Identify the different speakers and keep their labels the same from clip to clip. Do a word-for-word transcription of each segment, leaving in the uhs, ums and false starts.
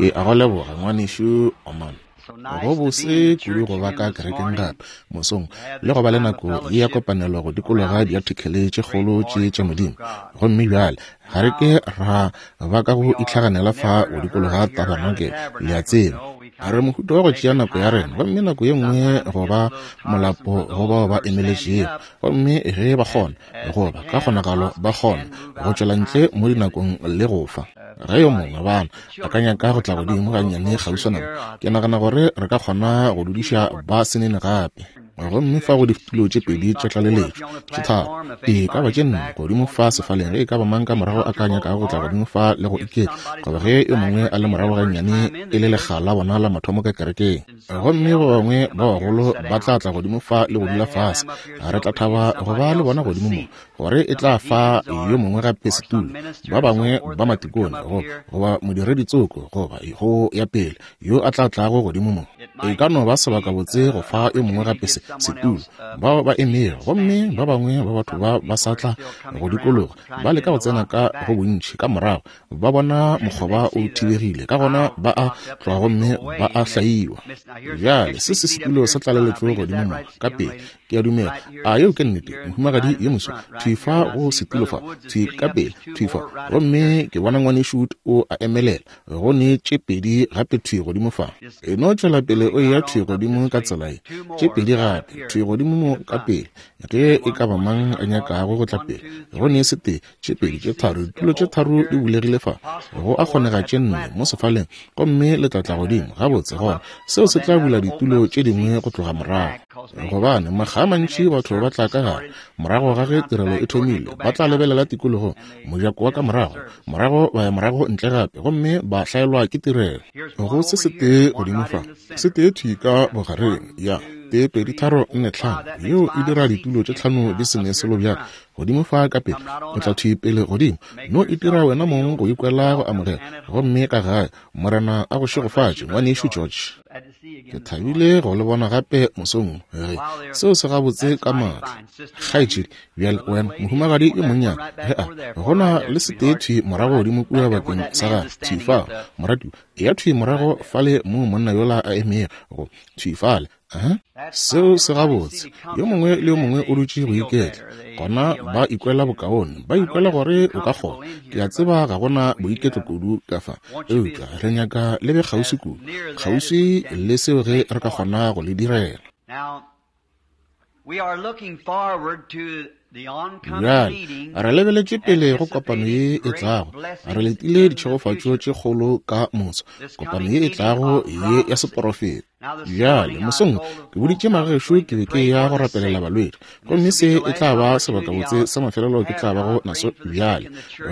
Speaker 1: Ke a go leboga ngwanešu Oman. Go bose kudu go ba ka kerekeng gape mosong le go ba le nako ye ya kopanelo go dikologa diartikele tše kgolo tše tša Modimo. Gomme bjale ga re ke ra ba ka go itlhaganela fa go dikologa tabernakel, le a tseba. Re mohuta wa go tšea nako ya rena, gomme nako ye nngwe go ba molapo go bao ba emeletšego, gomme ge ba kgona, goba ka kgonagalo ba kgona go tšwela ntle mo dinakong le go fa. Ge yo mongwe bana a ka nyaka go tla godimo gannyane kgauswana mo, ke nagana gore re ka kgona go dudiša ba senene gape. Gomme fa go ditulo tše pedi tša tlaleletšo, tše tharo, e ka ba tše nne godimo fa sefaleng, ge e ka ba mang ka morago a ka nyakago go tla godimo fa le go iketla, goba ge yo mongwe a le morago gannyane e le lekga la bona la mathomo ka kerekeng. Gomme ba bangwe ba bagolo ba tla tla godimo fa le go dula fase. Re tla thaba go ba le bona godimo mo, gore e tla fa yo mongwe gape setulo, ba bangwe ba matikone, goba modiredi tsoko, goba go ya pele yo a tla tlago godimo mo. E ka no ba sebakabotse go fa yo mongwe gape se setulo, bao ba emego, gomme ba bangwe ba batho ba ba sa tla go dikologa ba leka go tsena ka go bontši ka morago, ba bona mokgoba o thibegile, ka gona ba a tloga gomme ba a hlaiwa. Bjale se se setulo sa tlaleletšo godimo mo ka pele, ke a dumela. A yeo ke nnete, mohumagadi yo moso, thwi fa go setulo fa, thwi ka pele, thwi fa. Gomme ke bona ngwanešu o a emelela, go ne tše pedi gape thwi godimo fa. E no tšwela pele o eya thwi godimo ka tsela ye, tše pedi gape thwi godimo mo ka pele, ge e ka ba mang a nyakago go tla pele. Go ne setee, tše pedi, tše tharo, ditulo tše tharo di bulegile fa, go a kgonega tše nne mo sefaleng, gomme le tla tla godimo gabotse. Gona seo se tla bula ditulo tše dingwe go tloga morago, gobane makga a mantši batho ba tla ka gare morago ga ge tirelo e thomile, ba tla lebelela tikologong, mojako wa ka morago, morago ba ya morago ntle gape, gomme ba hlaelwa ke tirelo. Go se setee godimo fa, setee thwi ka bogareng, ya tee pedi tharo nne tlhano, yeo e dira ditulo tše tlhano di se ne selo bjalo godimo fa ka pele. O tla thwi pele godimo, no itira wena mong go ikwela go amogela. Gomme ka gae, Morena a go šegofatše, ngwanešu George. Ke thabile go le bona gape mosong ge seo se gabotse ka maatla. Kgaetšedi, bjale wena mohumagadi yo monnyane, ge a gona le setee thwi morago godimo kua bakeng sa gagwe, thwi fao, moratiwa, eya thwi morago fale moo monna yola a emego, go thwi fale. Aha, seo se gabotse. Yo mongwe le yo mongwe o dutše go iketla, gona ba ikwela bokaone, ba ikwela gore o ka kgona. Ke a tseba ga gona boiketlo kudu ka fa, eupša re nyaka le be kgauswi kudu, kgauswi le seo ge re ka kgona go le direla. Bjale re lebeletše pele go kopano ye e tlago, re letile ditšhegofatšo tše kgolo ka moso, kopano ye e tlago ye ya seporofeta. Bjale mosong ke boditše magešo ke be ke ya go rapelela balwetši, gomme se e tla ba sebakabotse sa mafelelo ke tla bago naso bjale,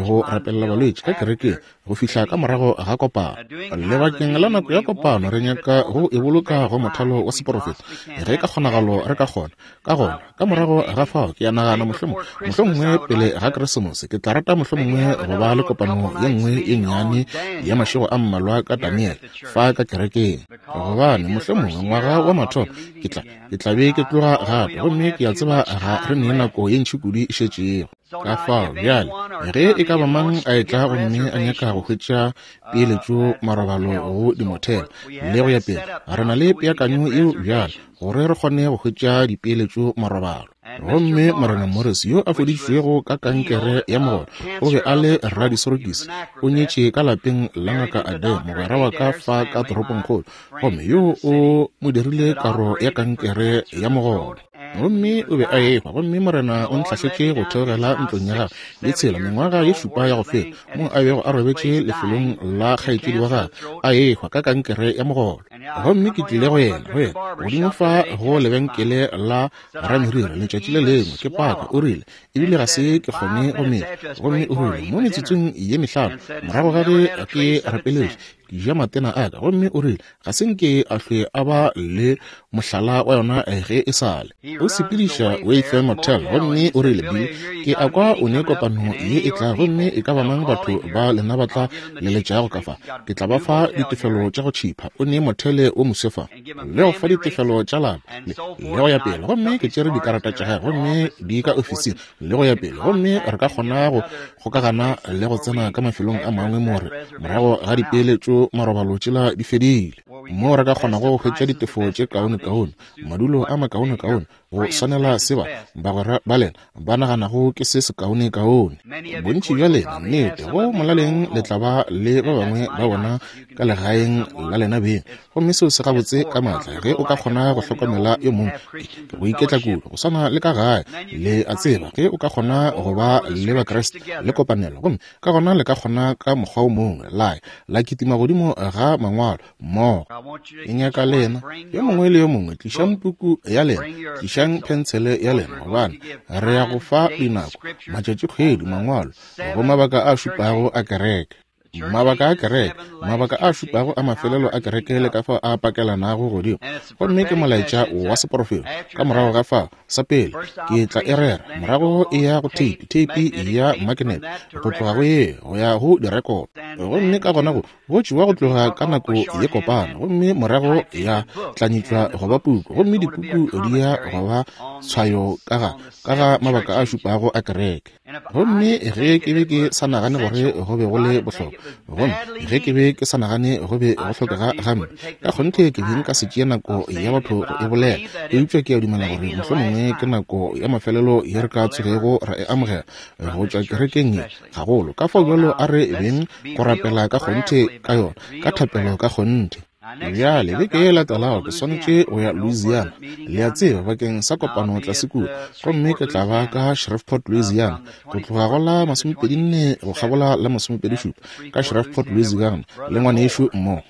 Speaker 1: go rapelela balwetši ka kerekeng go fihla ka morago ga kopano. Lebakeng la nako ya kopano re nyaka go e boloka go mothalo wa seporofeta ge ka kgonagalo re ka kgona. Ka gona ka morago ga fao ke a nagana mohlomongwe mohlomongwe pele ga Keresemose ke tla rata mohlomongwe go ba le kopano ye nngwe ye nnyane ya mašego a mmalwa ka Daniel fa ka kerekeng, gobane mohlomongwe ngwaga wa mathomo ke tla ke tla be ke tloga gape, gomme ke a tseba ga re ne nako ye ntši kudu e šetšego. Ka fao bjale ge e ka ba mang a etla gomme a nyaka go hwetša peeletšo marobalo go dimothele le go ya pele, re na le peakanyo yeo bjale gore re kgone go hwetša dipeeletšo marobalo. Gomme Morena Morris yo a fodišitšwego ka kankere ya mogolo, o be a le radisorokisi, o nyetše ka lapeng la ngaka Ade, mogwera wa ka fa ka toropongkgolo, gomme yo o mo dirile karo ya kankere ya mogolo. Gomme o be a ehwa, gomme Morena o ntlhahletše go theogela ntlong ya gagwe ye tshela mengwaga ye šupa ya go feta, mo a bego a robetše lefelong la kgaetšedi wa gagwe a ehwa ka kankere ya mogolo. Gomme ke tlile go yena go yena godimo fa go lebenkele la rameriri letšatši le lengwe, ke paka, o rile, ebile ga se ke kgone go metša. Gomme o rile, mo metsotsong ye mehlano morago ga ge ke rapeletše, ke ja matena a ka, gomme o rile ga se nke a hlwe a ba le mohlala wa yona ge e sale. O sepediša Wayfair Motel, gomme o rile, Bill, ke a kwa o ne kopano ye e tla, gomme e ka ba mang batho ba lena ba tla leletšago ka fa, ke tla ba fa ditefelo tša go tšhipha. O ne mothele o moswe fa, le go fa ditefelo tša lapa le go ya pele. Gomme ke tšere dikarata tša gagwe, gomme di ka ofising le go ya pele, gomme re ka kgona go kgokagana le go tsena ka mafelong a mangwe more morago ga dipeeletšo madulo marobalo tšela di fedile, moo re ka kgonago go hwetša ditefo tše kaonekaone, madulo a makaonekaone, go swanela se ba bagwera ba lena ba naganago ke se sekaonekaone. Bontši bja lena, nnete, go molaleng le tla ba le ba bangwe ba bona ka legaeng la lena beng, gomme seo se gabotse ka maatla ge o ka kgona go hlokomela yo mongwe. Ke go iketla kudu, go swana le ka gae, le a tseba, ge o ka kgona go ba le Bakriste le kopanelo, gomme ka gona le ka kgona ka mokgwa o mongwe la la kitima godimo ga mangwalo mmogo. Ke nyaka lena, yo mongwe le yo mongwe, tlišang puku ya lena, tlišang phensele ya lena, gobane re ya go fa dinako, matšatšikgwedi, mangwalo go mabaka a šupago a kereke. Mabaka a kereke, mabaka a šupago a mafelelo a kereke le ka fao a pakelanago godimo. Gomme ke molaetša wa seporofeto. Ka morago ga fao, sa pele ke tla e rera, morago e ya go theipi, theipi ya magnet, go tloga go ye go ya go direkoto, gomme ka gona go go tšewa go tloga ka nako ye kopana, gomme morago ya tlanyetšwa go ba puku, gomme dipuku di ya go ba tshwayo ka ga ka ga mabaka a šupago a kereke. Gomme ge ke be ke sa nagane gore go be go le bohlokwa, gomme ge ke be ke sa nagane go be go hlokega gampe, ka kgonthe ke be nka se tšee nako ya batho go e bolela, eupša ke a dumela gore mohlomongwe ke nako ya mafelelo ye re ka tsogego ra e amogela go tšwa kerekeng ye gagolo. Ka fao bjalo a re beng go rapela ka kgonthe ka yona, ka thapelo ka kgonthe. Bjale beke ye latelago ke swanetše go ya Louisiana, le a tseba, bakeng sa kopano tlase kua, gomme ke tla ba ka Shreveport, Louisiana, go tloga go la masomepedi nne go kgabola la masomepedi šupa ka Shreveport, Louisiana, le ngwanešu mmogo.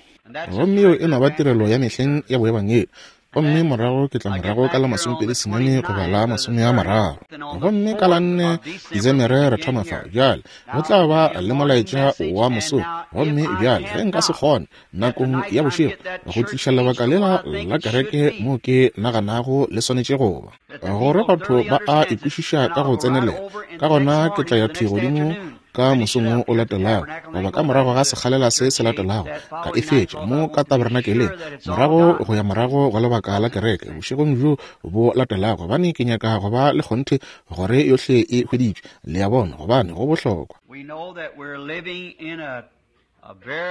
Speaker 1: Gomme yeo e no ba tirelo ya mehleng ya boebangedi. Gomme morago ke tla morago ka la masomepedi senyane goba la masome a mararo, gomme ka la nne Desemere re thoma fa. Bjale go tla ba le molaetša wa mosong, gomme bjale ge nka se kgone nakong ya bošego go tliša lebaka lela la kereke moo ke naganago le swanetše go ba, gore batho ba a ikwešiša ka go tsenelela, ka gona ke tla ya thwi godimo ka mosong o latelago, goba ka morago ga sekgalela se se latelago, ka e fetša mo ka tabernakeleng, morago go ya morago go lebaka la kereke bošegong bjo bo latelago, gobane ke nyaka go ba le kgonthe gore yohle e hweditšwe, le a bona, gobane go bohlokwa.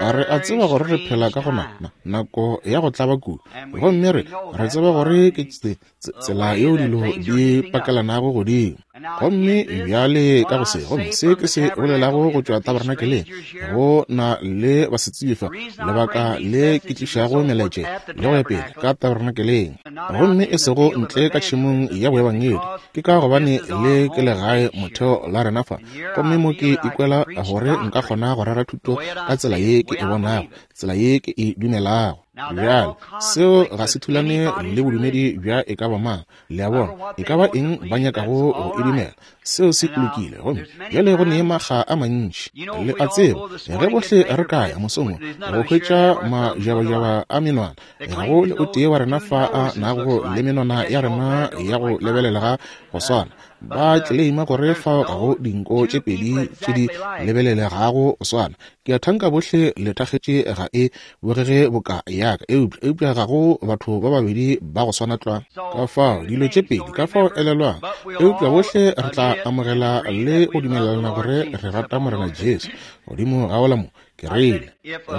Speaker 1: A re a tseba gore re phela ka go na nako ya go tlaba kudu, gomme re re tseba gore ke tsela yeo dilo di pakelanago godimo. Gomme bjale ka go se, gomme se ke se bolelago go tšwa tabernakeleng, go na le basetsebje fa, lebaka le ke tlišago melaetša le go ya pele ka tabernakeleng, gomme e sego ntle ka tšhemong ya boebangedi, ke ka gobane le ke legae motheo la rena fa, gomme mo ke ikwela gore nka kgona go rera thuto ka tsela ye ke e bonago, tsela ye ke e dumelago. Bjale seo ga se thulane le bodumedi bja e ka ba mang, le a bona, e ka ba eng ba nyakago go e dumela, seo se lokile. Gomme bjale go ne makga a mantši, le a tseba, ge bohle re ka ya mosong go hwetša majabajaba a menwana, ga go le o tee wa rena fa a nago le menwana ya rena ya go lebelelega go swana. Ba tleleima gore fao ga go dinko tše pedi tše di lebelelegago go swana. Ke a thanka bohle le thakgetše ga e bogege boka yaka, eupša eupša ga go batho ba babedi ba go swana tlwa. Ka fao dilo tše pedi, ka fao elelwang, eupša bohle re tla amogela le go dumelelana gore re rata Morena Jesu. Godimo ga ola mo ke rile,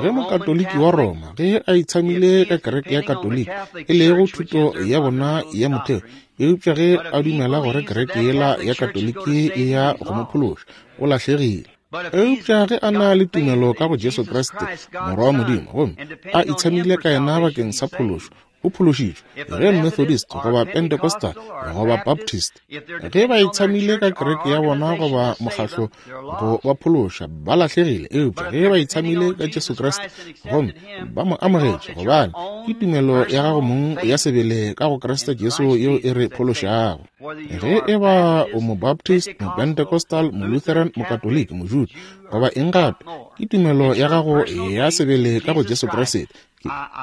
Speaker 1: ge mokatoliki wa Roma ge a itshamile ka kereke ya Katoliki, e lego thuto ya bona ya motheo, eupša ge a dumela gore kereke yela ya Katoliki e ya go mo phološa, o lahlegile. Eupša ge a na le tumelo ka go Jesu Kriste, Morwa wa Modimo, gomme a itshamile ka yena bakeng sa phološo, o phološitšwe. Ge Methodist goba Pentecostal goba Baptist ge ba itshamile ka kereke ya bona goba mokgahlo go ba phološa, ba lahlegile. Eupša ge ba itshamile ka Jesu Kriste gomme ba mo amogetše, gobane ke tumelo ya gago mong ya sebele ka go Kriste Jesu yeo e re phološago. Ge e ba o mo-Baptist, mo-Pentecostal, mo-Lutheran, mo-Katoliki, mo-Jude goba eng gape, ke tumelo ya gago ya sebele ka go Jesu Kriste.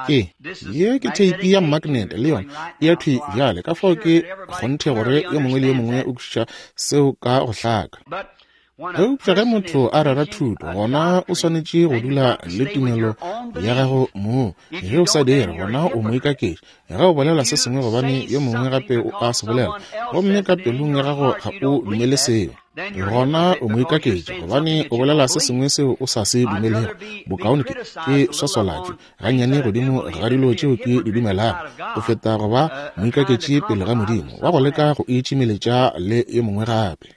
Speaker 1: Ke ye ke theipi ya magnet le yona e ya thwi bjale, ka fao ke kgonthe gore yo mongwe le yo mongwe o kwešiša seo ka go hlaka. Eupša ge motho a rera thuto, gona o swanetše go dula le tumelo ya gago mong. Ge o sa dire, gona o moikaketši. Ge o bolela se sengwe gobane yo mongwe gape o a se bolela, gomme ka pelong ya gago ga o dumele seo. Gona o moikaketši, gobane o bolela se sengwe seo o sa se dumelego. Bokaone ke ke swaswalatšwe gannyane godimo ga dilo tšeo ke di dumelago, go feta go ba moikaketši pele ga Modimo wa go leka go itšimeletša le yo mongwe gape.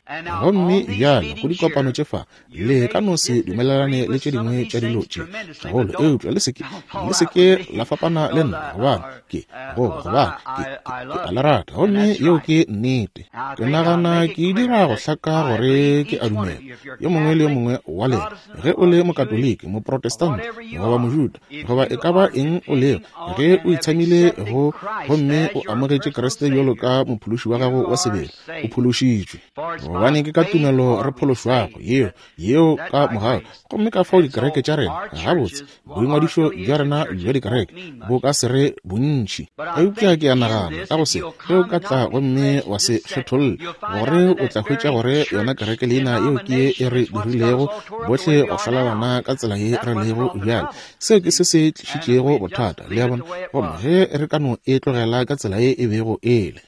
Speaker 1: Gomme bjale go dikopano tše fa, le ka no se dumelelane le tše dingwe tša dilo tše gagolo, eupša le se ke le se ke la fapana le nna, gobane ke goba gobane ke ke a le rata, gomme yeo ke nnete. Ke nagana ke dira go hlaka gore ke a dumela yo mongwe le yo mongwe wa lena, ge o le mokatoliki, moprotestante, goba mojuda, goba e ka ba eng o lego, ge o itshamile go gomme o amogetše Kriste bjalo ka mophološi wa gago wa sebele, o phološitšwe. Gobane ke ka tumelo re phološwago, yeo yeo ka mogau. Gomme ka fao dikereke tša rena, gabotse boingwadišo bja rena bja dikereke bo ka se re bontši, eupša ke a nagana ka go se, ge o ka tla gomme wa se kgetholle, gore o tla hwetša gore yona kereke leina yeo ke e re dirilego bohle go hlalana ka tsela ye re lego bjale. Seo ke se se tlišitšego bothata, le a bona. Gomme ge re ka no e tlogela ka tsela ye e bego e le.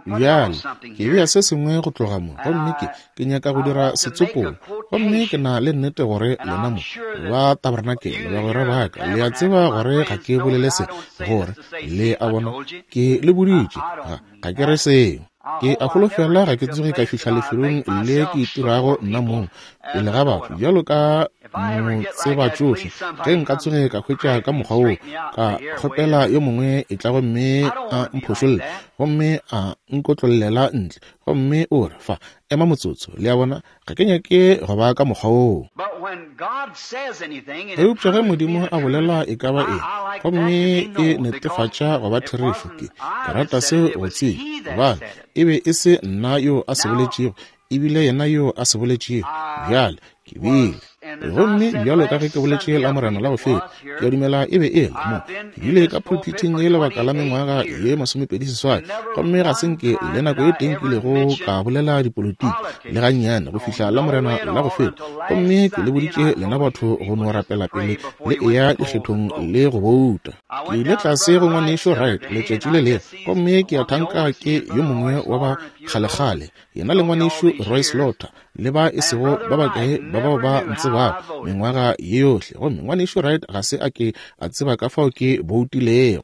Speaker 1: Bjale ke bea se sengwe go tloga mo, gomme ke ke nyaka go dira setsopolo, gomme ke na le nnete gore lena mo ba tabernakele, bagwera ba ka, le a tseba gore ga ke bolele se, gore le a bona ke le boditše, ga ga ke re seo. Ke a holofela ga ke tsoge ka fihla lefelong le ke itirago nna mong pele ga batho bjalo ka motsebatšohle. Ge nka tsoge ka hwetša ka mokgwa woo, ka kgopela yo mongwe e tla gomme a mphošolle, gomme a nkotlollela ntle, gomme o re, fa, ema motsotso, le a bona, ga ke nyake go ba ka mokgwa woo. Eupša ge Modimo a bolela e ka ba eng, gomme e netefatša go ba therešo, ke ke rata seo go tseba, gobane e be e se nna yo a se boletšego, ebile yena yo a se boletšego. Bjale ke bile, gomme bjalo ka ge ke boletše la Morena la go feta, ke a dumela e be e le mo, ke bile ka pulpithing ye lebaka la mengwaga ye masomepedi seswai, gomme ga se nke le nako e teng kilego ka bolela dipolotiki le gannyane go fihla la Morena la go feta. Gomme ke le boditše lena batho go no rapela pele le eya dikgethong le go bouta. Ke ile tlase go ngwanešo Wright letšatši le lengwe, gomme ke a thanka ke yo mongwe wa ba kgalekgale, yena le ngwanešo Roy Slaughter, le ba e sego ba bakae ba bao ba ntsebago mengwaga ye yohle. Gomme ngwanešo Wright ga se a ke a tseba ka fao ke boutilego.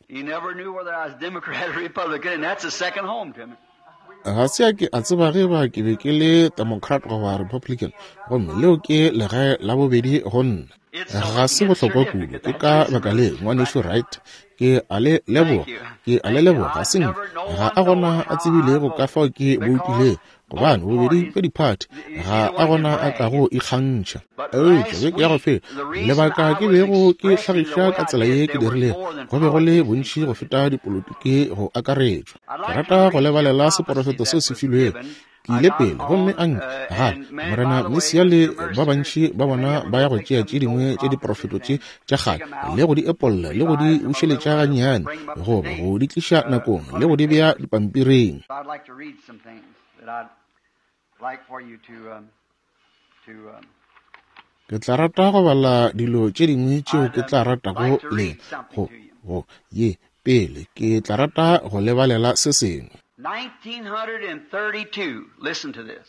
Speaker 1: Ga se a ke a tseba ge ba ke be ke le Democrat goba Republican, gomme leo ke legae la bobedi go nna. Ga se bohlokwa kudu, ke ka baka le ngwanešo Wright ke a le leboga, ke a le leboga. Ga se nka, ga a gona a tsebilego ka fao ke boutilego, gobane bobedi bja diphathi ga a gona a kago ikgantšha. Eupša beke ya go feta, lebaka ke bego ke hlagiša ka tsela ye ke dirilego, go be go le bontši go feta dipolotiki go akaretšwa. Ke rata go lebalela seporofeto seo se filwego. Ke ile pele, gomme a nka gape Morena Mesia le ba bantši ba bona ba ya go tšea tše dingwe tša diprofeto tše tša kgale le go di epolla le go di bušeletša gannyane, goba go di tliša nakong le go di bea dipampiring. Ke tla rata go bala dilo tše dingwe tšeo ke tla ratago le go go ye pele ke tla rata go lebalela se sengwe.
Speaker 2: nineteen thirty-two, listen to this.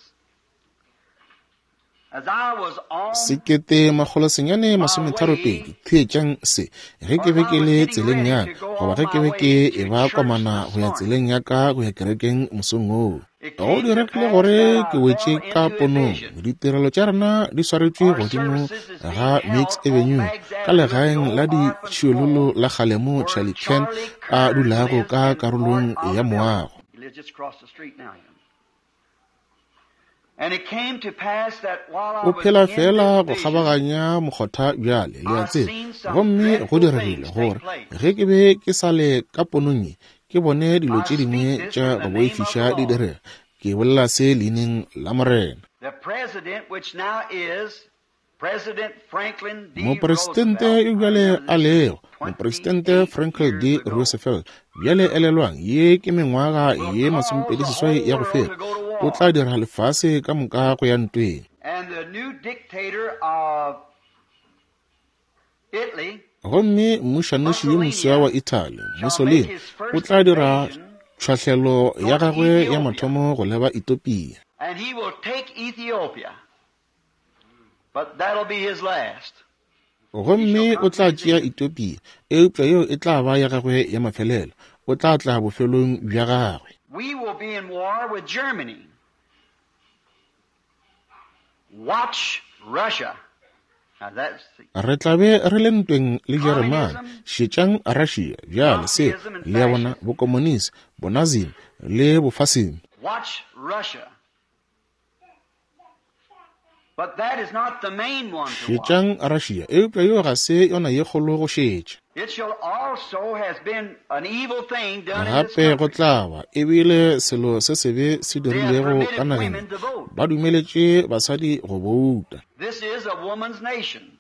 Speaker 2: As I was on
Speaker 1: Sekete makgolo senyane masometharo pedi, theetšang se, ge ke be ke le tseleng ya ka, goba ge ke be ke e ba komana go ya tseleng ya ka go ya kerekeng mosong woo, go diregile gore ke wetše ka ponong. Ditirelo tša rena di swaretšwe godimo ga Mix Avenue ka legaeng la ditšhiololo la kgale mo Charlie Ken a dulago ka karolong ya moago.
Speaker 2: He lives just across the street now. And it came to pass that while I
Speaker 1: O
Speaker 2: was
Speaker 1: phela
Speaker 2: in
Speaker 1: fela
Speaker 2: this
Speaker 1: go
Speaker 2: vision,
Speaker 1: kgabaganya mokgotha bjale, le a
Speaker 2: I
Speaker 1: tseba.
Speaker 2: seen some
Speaker 1: Gomme go
Speaker 2: dreadful
Speaker 1: diregile
Speaker 2: things take
Speaker 1: gore
Speaker 2: place.
Speaker 1: ge ke be ke sa le ka ponong ye, ke bone dilo
Speaker 2: I
Speaker 1: tše
Speaker 2: speak
Speaker 1: dingwe
Speaker 2: this
Speaker 1: tša
Speaker 2: in
Speaker 1: go
Speaker 2: the name of the
Speaker 1: boifiša di
Speaker 2: Lord.
Speaker 1: direga. Ke bolela se leineng la Morena.
Speaker 2: The president, which now is President Franklin D.
Speaker 1: Mopresidente
Speaker 2: Roosevelt,
Speaker 1: yo
Speaker 2: I
Speaker 1: bjale
Speaker 2: remember
Speaker 1: a
Speaker 2: this is
Speaker 1: lego, Mopresidente
Speaker 2: twenty-eight
Speaker 1: Franklin D.
Speaker 2: years ago,
Speaker 1: Roosevelt, bjale elelwang, ye ke mengwaga
Speaker 2: will
Speaker 1: ye
Speaker 2: cause the
Speaker 1: masomepedi seswai
Speaker 2: whole
Speaker 1: ya go
Speaker 2: world
Speaker 1: feta,
Speaker 2: to go to
Speaker 1: o
Speaker 2: war.
Speaker 1: tla dira lefase ka moka go ya ntweng.
Speaker 2: And the new dictator of Italy,
Speaker 1: Gomme mmušanoši yo moswa wa
Speaker 2: Mussolini,
Speaker 1: Italy,
Speaker 2: shall make
Speaker 1: Mussolini,
Speaker 2: his
Speaker 1: o
Speaker 2: first
Speaker 1: tla dira
Speaker 2: invasion
Speaker 1: Tšhwahlelo ya gagwe ya mathomo go leba Ethiopia.
Speaker 2: And he will take Ethiopia. But that'll be his last.
Speaker 1: Gomme o tla tšea Ethiopia, eupša yeo e tla ba ya gagwe ya mafelelo. O tla tla bofelong bja gagwe.
Speaker 2: We will be in war with Germany. Watch Russia. Now that's the
Speaker 1: Re tla be re le ntweng le Jeremane. Šetšang Russia bjale, se le ya bona bokomonisi, bonazim le bofasimi.
Speaker 2: Watch Russia. But that is not the main one to watch.
Speaker 1: Šetšang Russia, eupša yo ga se yona ye kgolo go šetša.
Speaker 2: It shall also has been an evil thing done in this
Speaker 1: Gape go
Speaker 2: country.
Speaker 1: tla ba ebile selo se sebe se
Speaker 2: They have
Speaker 1: dirilego ka
Speaker 2: permitted
Speaker 1: nageng.
Speaker 2: women to vote.
Speaker 1: Ba dumeletše basadi go bouta.
Speaker 2: This is a woman's nation.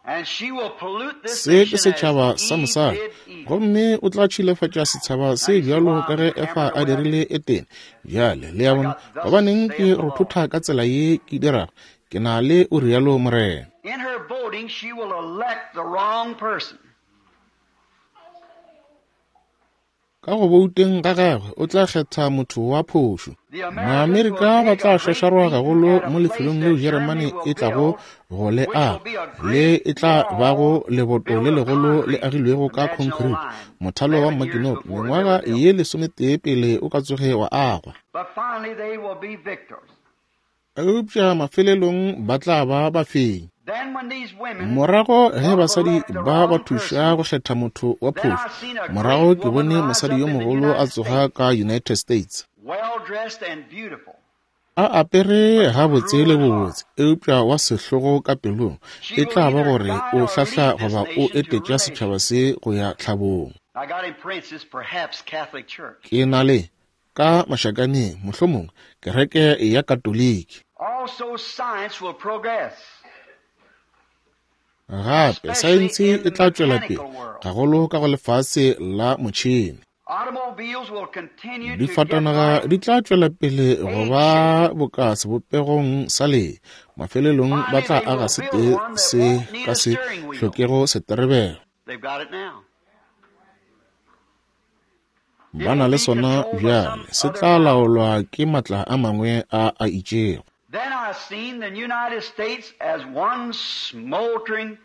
Speaker 2: And she will pollute this
Speaker 1: Se ke
Speaker 2: nation as
Speaker 1: setšhaba sa
Speaker 2: Eve
Speaker 1: mosadi,
Speaker 2: did Eden.
Speaker 1: gomme o tla tšhilafatša setšhaba se bjalo ka ge Efa a dirile Etene. Bjale le ya bona, gobaneng ke rothotha ka tsela ye ke dirago? Ke na le o rialo Morena.
Speaker 2: In her voting, she will elect the wrong person.
Speaker 1: Ka go bouteng ga gagwe o tla kgetha motho wa phošo.
Speaker 2: The Americans will
Speaker 1: Maamerika ba
Speaker 2: take
Speaker 1: tla
Speaker 2: a great
Speaker 1: šašarwa
Speaker 2: beating
Speaker 1: gagolo
Speaker 2: at a
Speaker 1: mo
Speaker 2: place
Speaker 1: lefelong leo
Speaker 2: that
Speaker 1: Jeremane
Speaker 2: Germany will
Speaker 1: e tlago
Speaker 2: build,
Speaker 1: go le
Speaker 2: which will
Speaker 1: aga,
Speaker 2: be a
Speaker 1: le
Speaker 2: great
Speaker 1: e tla bago
Speaker 2: wall
Speaker 1: leboto
Speaker 2: built
Speaker 1: le
Speaker 2: of
Speaker 1: legolo le
Speaker 2: concrete,
Speaker 1: agilwego
Speaker 2: the
Speaker 1: ka
Speaker 2: Maginot
Speaker 1: concrete,
Speaker 2: Line,
Speaker 1: mothalo wa
Speaker 2: eleven years
Speaker 1: Maginot,
Speaker 2: before it was
Speaker 1: mengwaga
Speaker 2: ever built.
Speaker 1: ye lesometee pele o ka tsoge wa agwa.
Speaker 2: But finally they will be victors.
Speaker 1: Eupša mafelelong ba tla ba bafenyi.
Speaker 2: Then when these women
Speaker 1: Morago ge
Speaker 2: will
Speaker 1: basadi
Speaker 2: elect the
Speaker 1: ba ba
Speaker 2: wrong
Speaker 1: thuša
Speaker 2: person,
Speaker 1: go kgetha motho wa
Speaker 2: then I
Speaker 1: phošo,
Speaker 2: seen a
Speaker 1: morago
Speaker 2: great
Speaker 1: ke
Speaker 2: woman
Speaker 1: bone
Speaker 2: rise
Speaker 1: mosadi
Speaker 2: up
Speaker 1: yo
Speaker 2: in the
Speaker 1: mogolo a
Speaker 2: United
Speaker 1: tsoga
Speaker 2: States,
Speaker 1: ka United States.
Speaker 2: well dressed and beautiful,
Speaker 1: A apere
Speaker 2: but
Speaker 1: gabotse
Speaker 2: cruel
Speaker 1: le
Speaker 2: at heart.
Speaker 1: bobotse, eupša wa sehlogo ka pelong.
Speaker 2: She
Speaker 1: E
Speaker 2: will
Speaker 1: tla ba
Speaker 2: either
Speaker 1: gore
Speaker 2: guide
Speaker 1: o
Speaker 2: or
Speaker 1: hlahla
Speaker 2: lead this
Speaker 1: goba o
Speaker 2: nation to
Speaker 1: etetša
Speaker 2: ruination.
Speaker 1: setšhaba se go ya tlhabong.
Speaker 2: I got in parentheses, perhaps Catholic Church.
Speaker 1: Ke na le ka mašakaneng, mohlomongwe kereke ya Katoliki.
Speaker 2: Also, science will progress,
Speaker 1: Gape
Speaker 2: especially
Speaker 1: saense
Speaker 2: in
Speaker 1: e
Speaker 2: the
Speaker 1: tla tšwela pele
Speaker 2: mechanical world.
Speaker 1: gagolo ka go lefase la motšhene.
Speaker 2: Automobiles will continue to get
Speaker 1: Difatanaga
Speaker 2: like
Speaker 1: di tla tšwela pele go
Speaker 2: egg
Speaker 1: ba
Speaker 2: shape.
Speaker 1: boka sebopegong sa lee. Mafelelong ba
Speaker 2: Finally,
Speaker 1: tla
Speaker 2: they
Speaker 1: aga
Speaker 2: will
Speaker 1: se
Speaker 2: build
Speaker 1: tee
Speaker 2: one that
Speaker 1: se
Speaker 2: won't need
Speaker 1: ka
Speaker 2: a
Speaker 1: se
Speaker 2: steering wheel.
Speaker 1: hlokego seterebelo.
Speaker 2: They've got it now. It
Speaker 1: Ba na
Speaker 2: will
Speaker 1: le
Speaker 2: be
Speaker 1: sona
Speaker 2: controlled by some
Speaker 1: bjale, se
Speaker 2: other
Speaker 1: tla
Speaker 2: power.
Speaker 1: laolwa ke matla a mangwe a a itšego.
Speaker 2: Then I seen the United States as one smoldering,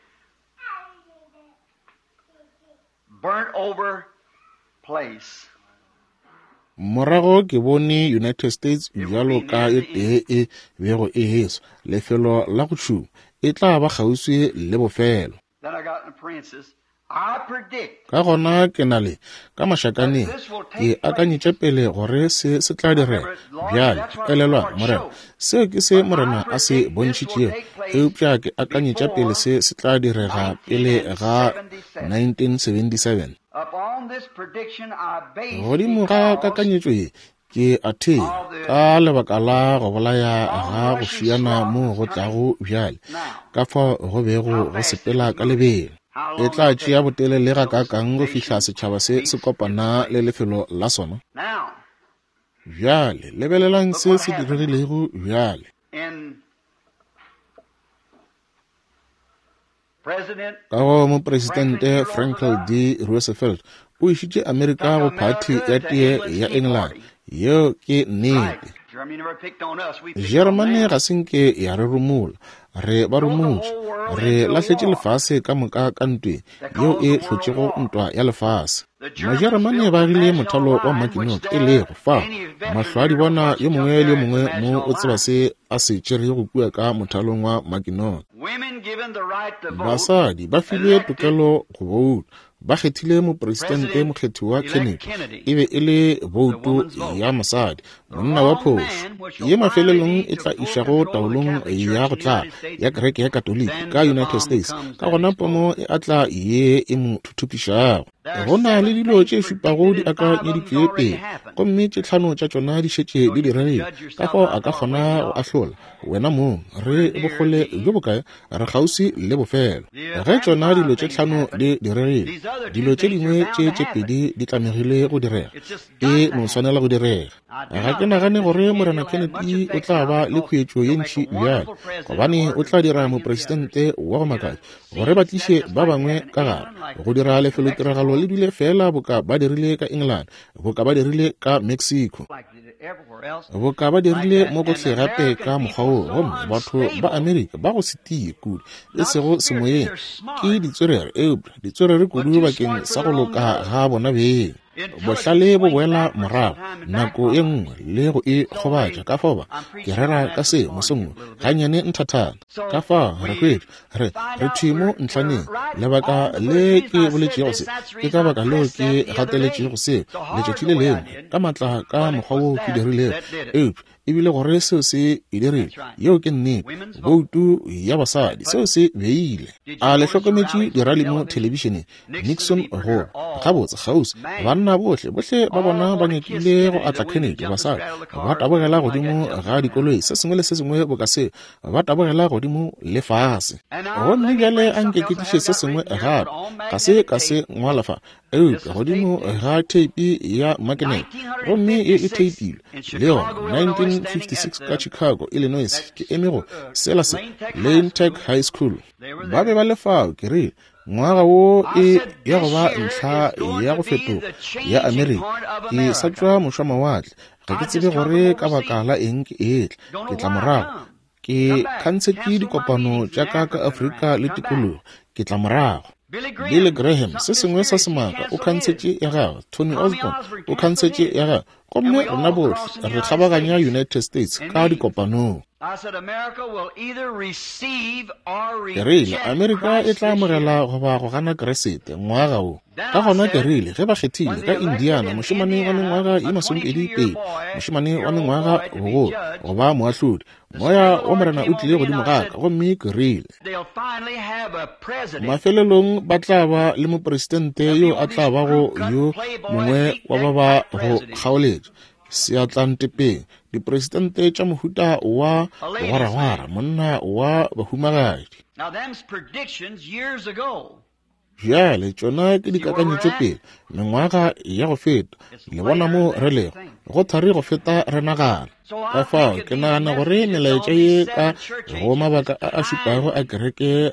Speaker 2: burnt over place.
Speaker 1: Morago ke bone United States
Speaker 2: It will
Speaker 1: bjalo
Speaker 2: be
Speaker 1: ka
Speaker 2: near
Speaker 1: e
Speaker 2: the
Speaker 1: tee
Speaker 2: end.
Speaker 1: e bego e heswa, lefelo la go tšhuma, e tla ba kgauswi le bofelo.
Speaker 2: Then I got in parentheses. I predict
Speaker 1: Ka gona ke na le ka
Speaker 2: that
Speaker 1: mašakaneng,
Speaker 2: this will
Speaker 1: ke
Speaker 2: take place.
Speaker 1: akanyetše pele gore se se tla direga.
Speaker 2: Remember, Lord,
Speaker 1: Bjale
Speaker 2: that's what the
Speaker 1: elelwa
Speaker 2: Lord
Speaker 1: Morena,
Speaker 2: showed.
Speaker 1: seo ke se
Speaker 2: But I
Speaker 1: Morena a se
Speaker 2: predict this will
Speaker 1: bontšhitšego,
Speaker 2: take place
Speaker 1: eupša ke akanyetša pele
Speaker 2: before
Speaker 1: se se tla direga pele ga
Speaker 2: nineteen seventy-seven.
Speaker 1: nineteen seventy-seven.
Speaker 2: Upon this prediction I base
Speaker 1: Godimo ga
Speaker 2: because
Speaker 1: kakanyetšo ye ke a thea
Speaker 2: of the
Speaker 1: ka lebaka la go bolaya ga go
Speaker 2: on-rushing
Speaker 1: šiana mo
Speaker 2: swaths
Speaker 1: go
Speaker 2: coming
Speaker 1: tlago bjale,
Speaker 2: now.
Speaker 1: ka fao go
Speaker 2: How
Speaker 1: bego go
Speaker 2: fast it
Speaker 1: sepela
Speaker 2: is
Speaker 1: ka
Speaker 2: moving.
Speaker 1: lebelo.
Speaker 2: How
Speaker 1: E
Speaker 2: long
Speaker 1: tla
Speaker 2: it'll
Speaker 1: tšea
Speaker 2: take
Speaker 1: botelele
Speaker 2: till this
Speaker 1: gakaakang go fihla
Speaker 2: nation
Speaker 1: setšhaba se se
Speaker 2: meets its
Speaker 1: kopana le
Speaker 2: fate.
Speaker 1: lefelo la sona?
Speaker 2: Now,
Speaker 1: Bjale lebelelang
Speaker 2: look
Speaker 1: se
Speaker 2: what
Speaker 1: se
Speaker 2: happened
Speaker 1: diregilego bjale.
Speaker 2: in President
Speaker 1: Ka go mopresidente
Speaker 2: Franklin D.
Speaker 1: Franklin
Speaker 2: Roosevelt
Speaker 1: D. Roosevelt o išitše Amerika
Speaker 2: took
Speaker 1: go phathi
Speaker 2: America
Speaker 1: ya
Speaker 2: to
Speaker 1: tee
Speaker 2: England's
Speaker 1: ya
Speaker 2: Tea
Speaker 1: England.
Speaker 2: Party.
Speaker 1: Yeo ke
Speaker 2: Right.
Speaker 1: nnete.
Speaker 2: Germany never picked on us. We picked on
Speaker 1: Jeremane
Speaker 2: them.
Speaker 1: ga se nke ya re rumola, re ba
Speaker 2: Throw the
Speaker 1: rumotše,
Speaker 2: whole world
Speaker 1: re
Speaker 2: into a
Speaker 1: lahletše
Speaker 2: war
Speaker 1: lefase ka moka ka ntweng
Speaker 2: that
Speaker 1: yeo
Speaker 2: caused
Speaker 1: e
Speaker 2: the world
Speaker 1: hlotšego
Speaker 2: war.
Speaker 1: ntwa ya lefase.
Speaker 2: The Germans
Speaker 1: Majeremane
Speaker 2: built
Speaker 1: ba
Speaker 2: the
Speaker 1: agile
Speaker 2: Maginot
Speaker 1: mothalo wa
Speaker 2: Line, which
Speaker 1: Maginot, e
Speaker 2: there
Speaker 1: lego fao
Speaker 2: any veteran
Speaker 1: mahlo a di
Speaker 2: here knows
Speaker 1: bona
Speaker 2: what
Speaker 1: yo
Speaker 2: you took
Speaker 1: mongwe le yo
Speaker 2: there at the
Speaker 1: mongwe mo
Speaker 2: Maginot
Speaker 1: o tseba
Speaker 2: Line.
Speaker 1: se a se tšerego kua ka mothalong wa Maginot.
Speaker 2: Women given the right to vote
Speaker 1: Basadi ba filwe
Speaker 2: elected
Speaker 1: tokelo go bouta, ba kgethile mopresidente
Speaker 2: President
Speaker 1: mokgethiwa
Speaker 2: elect
Speaker 1: Kennedy,
Speaker 2: Kennedy,
Speaker 1: e be e le
Speaker 2: the
Speaker 1: bouto
Speaker 2: woman's vote.
Speaker 1: ya mosadi,
Speaker 2: The
Speaker 1: monna wa
Speaker 2: wrong
Speaker 1: phošo,
Speaker 2: man, which
Speaker 1: ye
Speaker 2: will finally
Speaker 1: mafelelong
Speaker 2: lead
Speaker 1: e
Speaker 2: to
Speaker 1: tla
Speaker 2: full
Speaker 1: išago
Speaker 2: control of the
Speaker 1: taolong
Speaker 2: Catholic
Speaker 1: ya
Speaker 2: Church
Speaker 1: go
Speaker 2: in the
Speaker 1: tla
Speaker 2: United States,
Speaker 1: ya kereke ya Katoliki
Speaker 2: then
Speaker 1: ka
Speaker 2: the
Speaker 1: United
Speaker 2: bomb
Speaker 1: States.
Speaker 2: comes
Speaker 1: Ka
Speaker 2: that
Speaker 1: gona
Speaker 2: explodes.
Speaker 1: pomo e atla ye e mo thuthupišago.
Speaker 2: There are
Speaker 1: Go na le
Speaker 2: seven
Speaker 1: dilo
Speaker 2: things
Speaker 1: tše šupago di
Speaker 2: predicted and five of them's
Speaker 1: akanyeditšwe
Speaker 2: already
Speaker 1: pele,
Speaker 2: happened.
Speaker 1: gomme tše tlhano tša tšona di šetše
Speaker 2: So
Speaker 1: di
Speaker 2: you can
Speaker 1: diregile.
Speaker 2: judge
Speaker 1: Ka
Speaker 2: yourself
Speaker 1: fao
Speaker 2: how
Speaker 1: a ka
Speaker 2: far away
Speaker 1: kgona
Speaker 2: we
Speaker 1: go
Speaker 2: are.
Speaker 1: ahlola wena mong
Speaker 2: We're
Speaker 1: re
Speaker 2: near
Speaker 1: bokgole
Speaker 2: the
Speaker 1: bjo
Speaker 2: end.
Speaker 1: bokae, re kgauswi le bofelo.
Speaker 2: The
Speaker 1: Ge
Speaker 2: and
Speaker 1: tšona
Speaker 2: five
Speaker 1: dilo tše
Speaker 2: things
Speaker 1: tlhano
Speaker 2: happened.
Speaker 1: di diregile,
Speaker 2: These
Speaker 1: Dilo tše dingwe tše tše pedi di tlamegile go direga, e no swanela go direga. Ga ke nagane gore Morena Kennedy o tla ba le khuetšo ye ntši bjale, gobane o tla dira mopresidente wa go makatša gore ba tliše ba bangwe ka gare go dira lefelotiragalo le dule fela boka ba dirile ka England, boka ba dirile ka Mexico, boka ba dirile mo gohle gape ka mokgwa woo. Gomme batho ba Amerika ba go se tie kudu, e sego semoyeng, ke ditswerere, eupša ditswerere kudu bakeng sa go loka ga bona beng. Bohlale bo boela morago nako ye nngwe le go e kgobatša. Ka fao ba ke rera ka se mosong wo gannyane nthathana. Ka fao re hwetša re re thwi mo ntlhaneng. Lebaka le ke boletšego se, ke ka baka leo ke gateletšego seo letšatši le lengwe ka matla ka mokgwa wo ke dirilego, eupša ebile gore seo se e dirile. Yeo ke nnete. Boutu ya basadi, seo se beile. A le hlokometše dirali mo thelebišeneng? Nixon go gabotse kgauswi, banna bohle bohle ba bona ba nyakile go atla Kennedy. Basadi ba tabogela godimo ga dikoloi, se sengwe le se sengwe boka seo, ba tabogela godimo le fase. Gomme bjale a nke ke tliše se sengwe gape, ga se ka se ngwala fa, eupša godimo ga theipi ya makenete, gomme ye e theipilwe le yona nineteen fifty-six ka Chicago, Illinois. Ke eme go sela se Lane Tech High School. Ba be ba le fao. Ke rile, ngwaga wo e ya go ba ntlha ya go fetoga ya Amerika. Ke sa tšwa mošwamawatle, ga ke tsebe gore ka baka la eng ke etla. Ke tla morago, ke khantshetše dikopano tša ka ka Afrika le tikologo. Ke tla morago. Billy Graham, se sengwe sa semaka, o khantshetše ya gagwe. Tony Osborne o khantshetše ya gagwe. Gomme rena bohle re kgabaganya United States ka dikopanong. Ke rile, Amerika e tla amogela goba go gana Kriste ngwaga wo. Ka gona ke rile, ge ba kgethile ka Indiana mošemane wa mengwaga ye masomepedi pedi, mošemane wa mengwaga bogolo go ba moahlodi, moya wa Morena o tlile godimo ga ka, gomme ke rile, mafelelong ba tla ba le mopresidente yo a tla bago yo mongwe wa ba ba go kgaoletša seatlantepeng, dipresidente tša mohuta wa gwaragwara, monna wa bahumagadi. Bjale tšona ke dikakanyetšo pele mengwaga ya go feta. Le bona mo re lego, go thari go feta re nagana. Ka fao ke nagana gore melaetša ye ka go mabaka a a šupago a kereke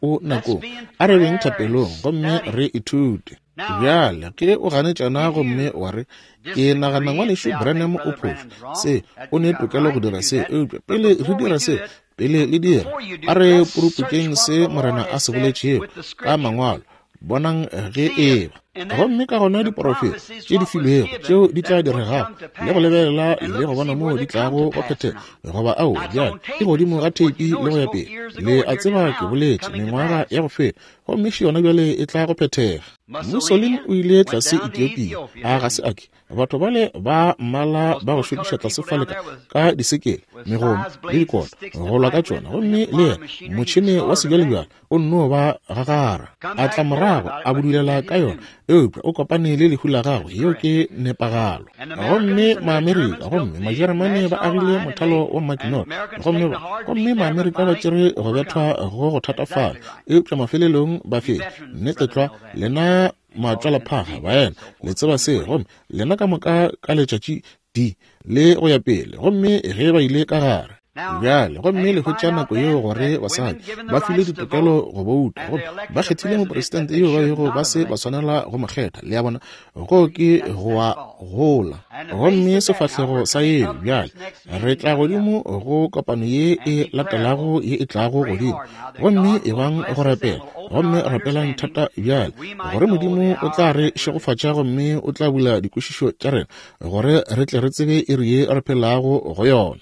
Speaker 1: o nakong, a re beng thapelong gomme re ithute. Bjale ke o ganetšana gomme wa re, ke nagana ngwanešu Branham o phošo, se o ne tokelo go dira se, eupša pele re dira se, pele le dira, a re puruputšeng se Morena a se boletšego ka mangwalo, bonang ge eba. Gomme ka gona diporofeto tše di filwego tšeo di tla diregago, le go lebelela le go bona moo di tlago go phethega, goba ao bjale ke godimo ga theipi le go ya pele. Le a tseba ke boletše mengwaga ya go feta, gomme še yona bjale e tla go phethega. Mussolini o ile tlase Ethiopia, a ga se ake. Batho bale ba mmala ba go šokiša tlase fale ka disekele, megomo le dikota go lwa ka tšona, gomme le yena motšhene wa sebjalebjale o nno ba gagara. A tla morago a budulela ka yona, eupša o kopane le lehu la gagwe. Yeo ke nepagalo. Gomme Maamerika gomme Majeremane ba agile mothalo wa Maginot, gomme gomme Maamerika ba tšere go bethwa go go thatafala, eupša mafelelong ba fetša. Nnete tlwa, lena matšwalaphaga baena le tseba se, gomme lena ka moka ka letšatši di le go ya pele. Gomme ge ba ile ka gare bjale, gomme le hwetša nako yeo gore basadi ba filwe ditokelo go bouta, gomme ba kgethile mopresidente yo ba bego ba se ba swanela go mo kgetha. Le a bona, go ke go a gola. Gomme sefahlego sa yeo bjale re tla godimo go kopano ye e latelago ye e tlago godimo, gomme e bang go rapela, gomme rapelang thata bjale gore Modimo o tla re šegofatša gomme o tla bula dikwešišo tša rena gore re tle re tsebe iri ye re phelago go yona.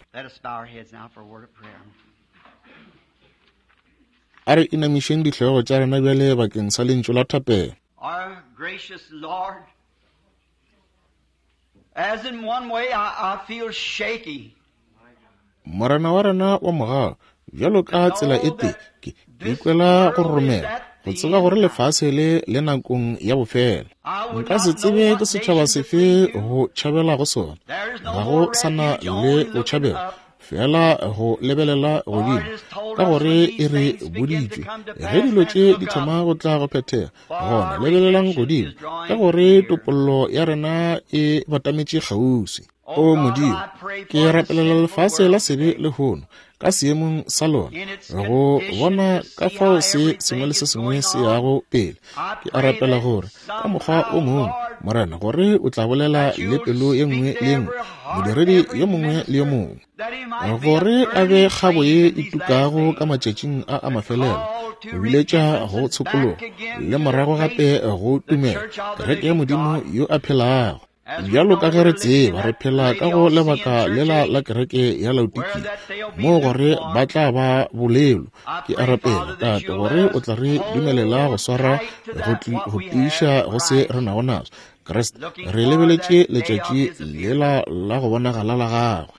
Speaker 1: A re inamišeng dihlogo tša rena bjale bakeng sa lentšu la thapelo.
Speaker 2: Our gracious Lord, as in one way I, I feel shaky.
Speaker 1: Morena wa rena wa mogau, bjalo ka tsela e tee ke ikwela go roromela, go tseba gore lefase le le nakong ya bofelo. Nka se tsebe ke setšhaba sefe go tšhabela go sona, ga go sana le botšhabelo, Fela go lebelela godimo, ka gore e re boditšwe, ge dilo tše di thoma go tla go phethega, gona lebelelang godimo, ka gore topollo ya rena e batametše kgauswi. O Modimo, ke rapelela lefase la sebe lehono ka seemong sa lona, go bona ka fao se sengwe le se sengwe se yago pele. Ke a rapela gore ka mokgwa o mongwe, Morena, gore o tla bolela le pelo ye nngwe le ye nngwe, modiredi yo mongwe le yo mongwe, gore a be kgabo ye e tukago ka matšatšing a a mafelelo, go biletša go tshokologo le morago gape go tumelo, kereke ya Modimo yo a phelago. Bjalo ka ge re tseba, re phela ka go lebaka lela la kereke ya Laodikia, moo gore ba tla ba bolelo. Ke a rapela, Tate, gore o tla re dumelela go swara go tiiša go se re nago naso. Kriste, re lebeletše letšatši lela la go bonagala la gagwe.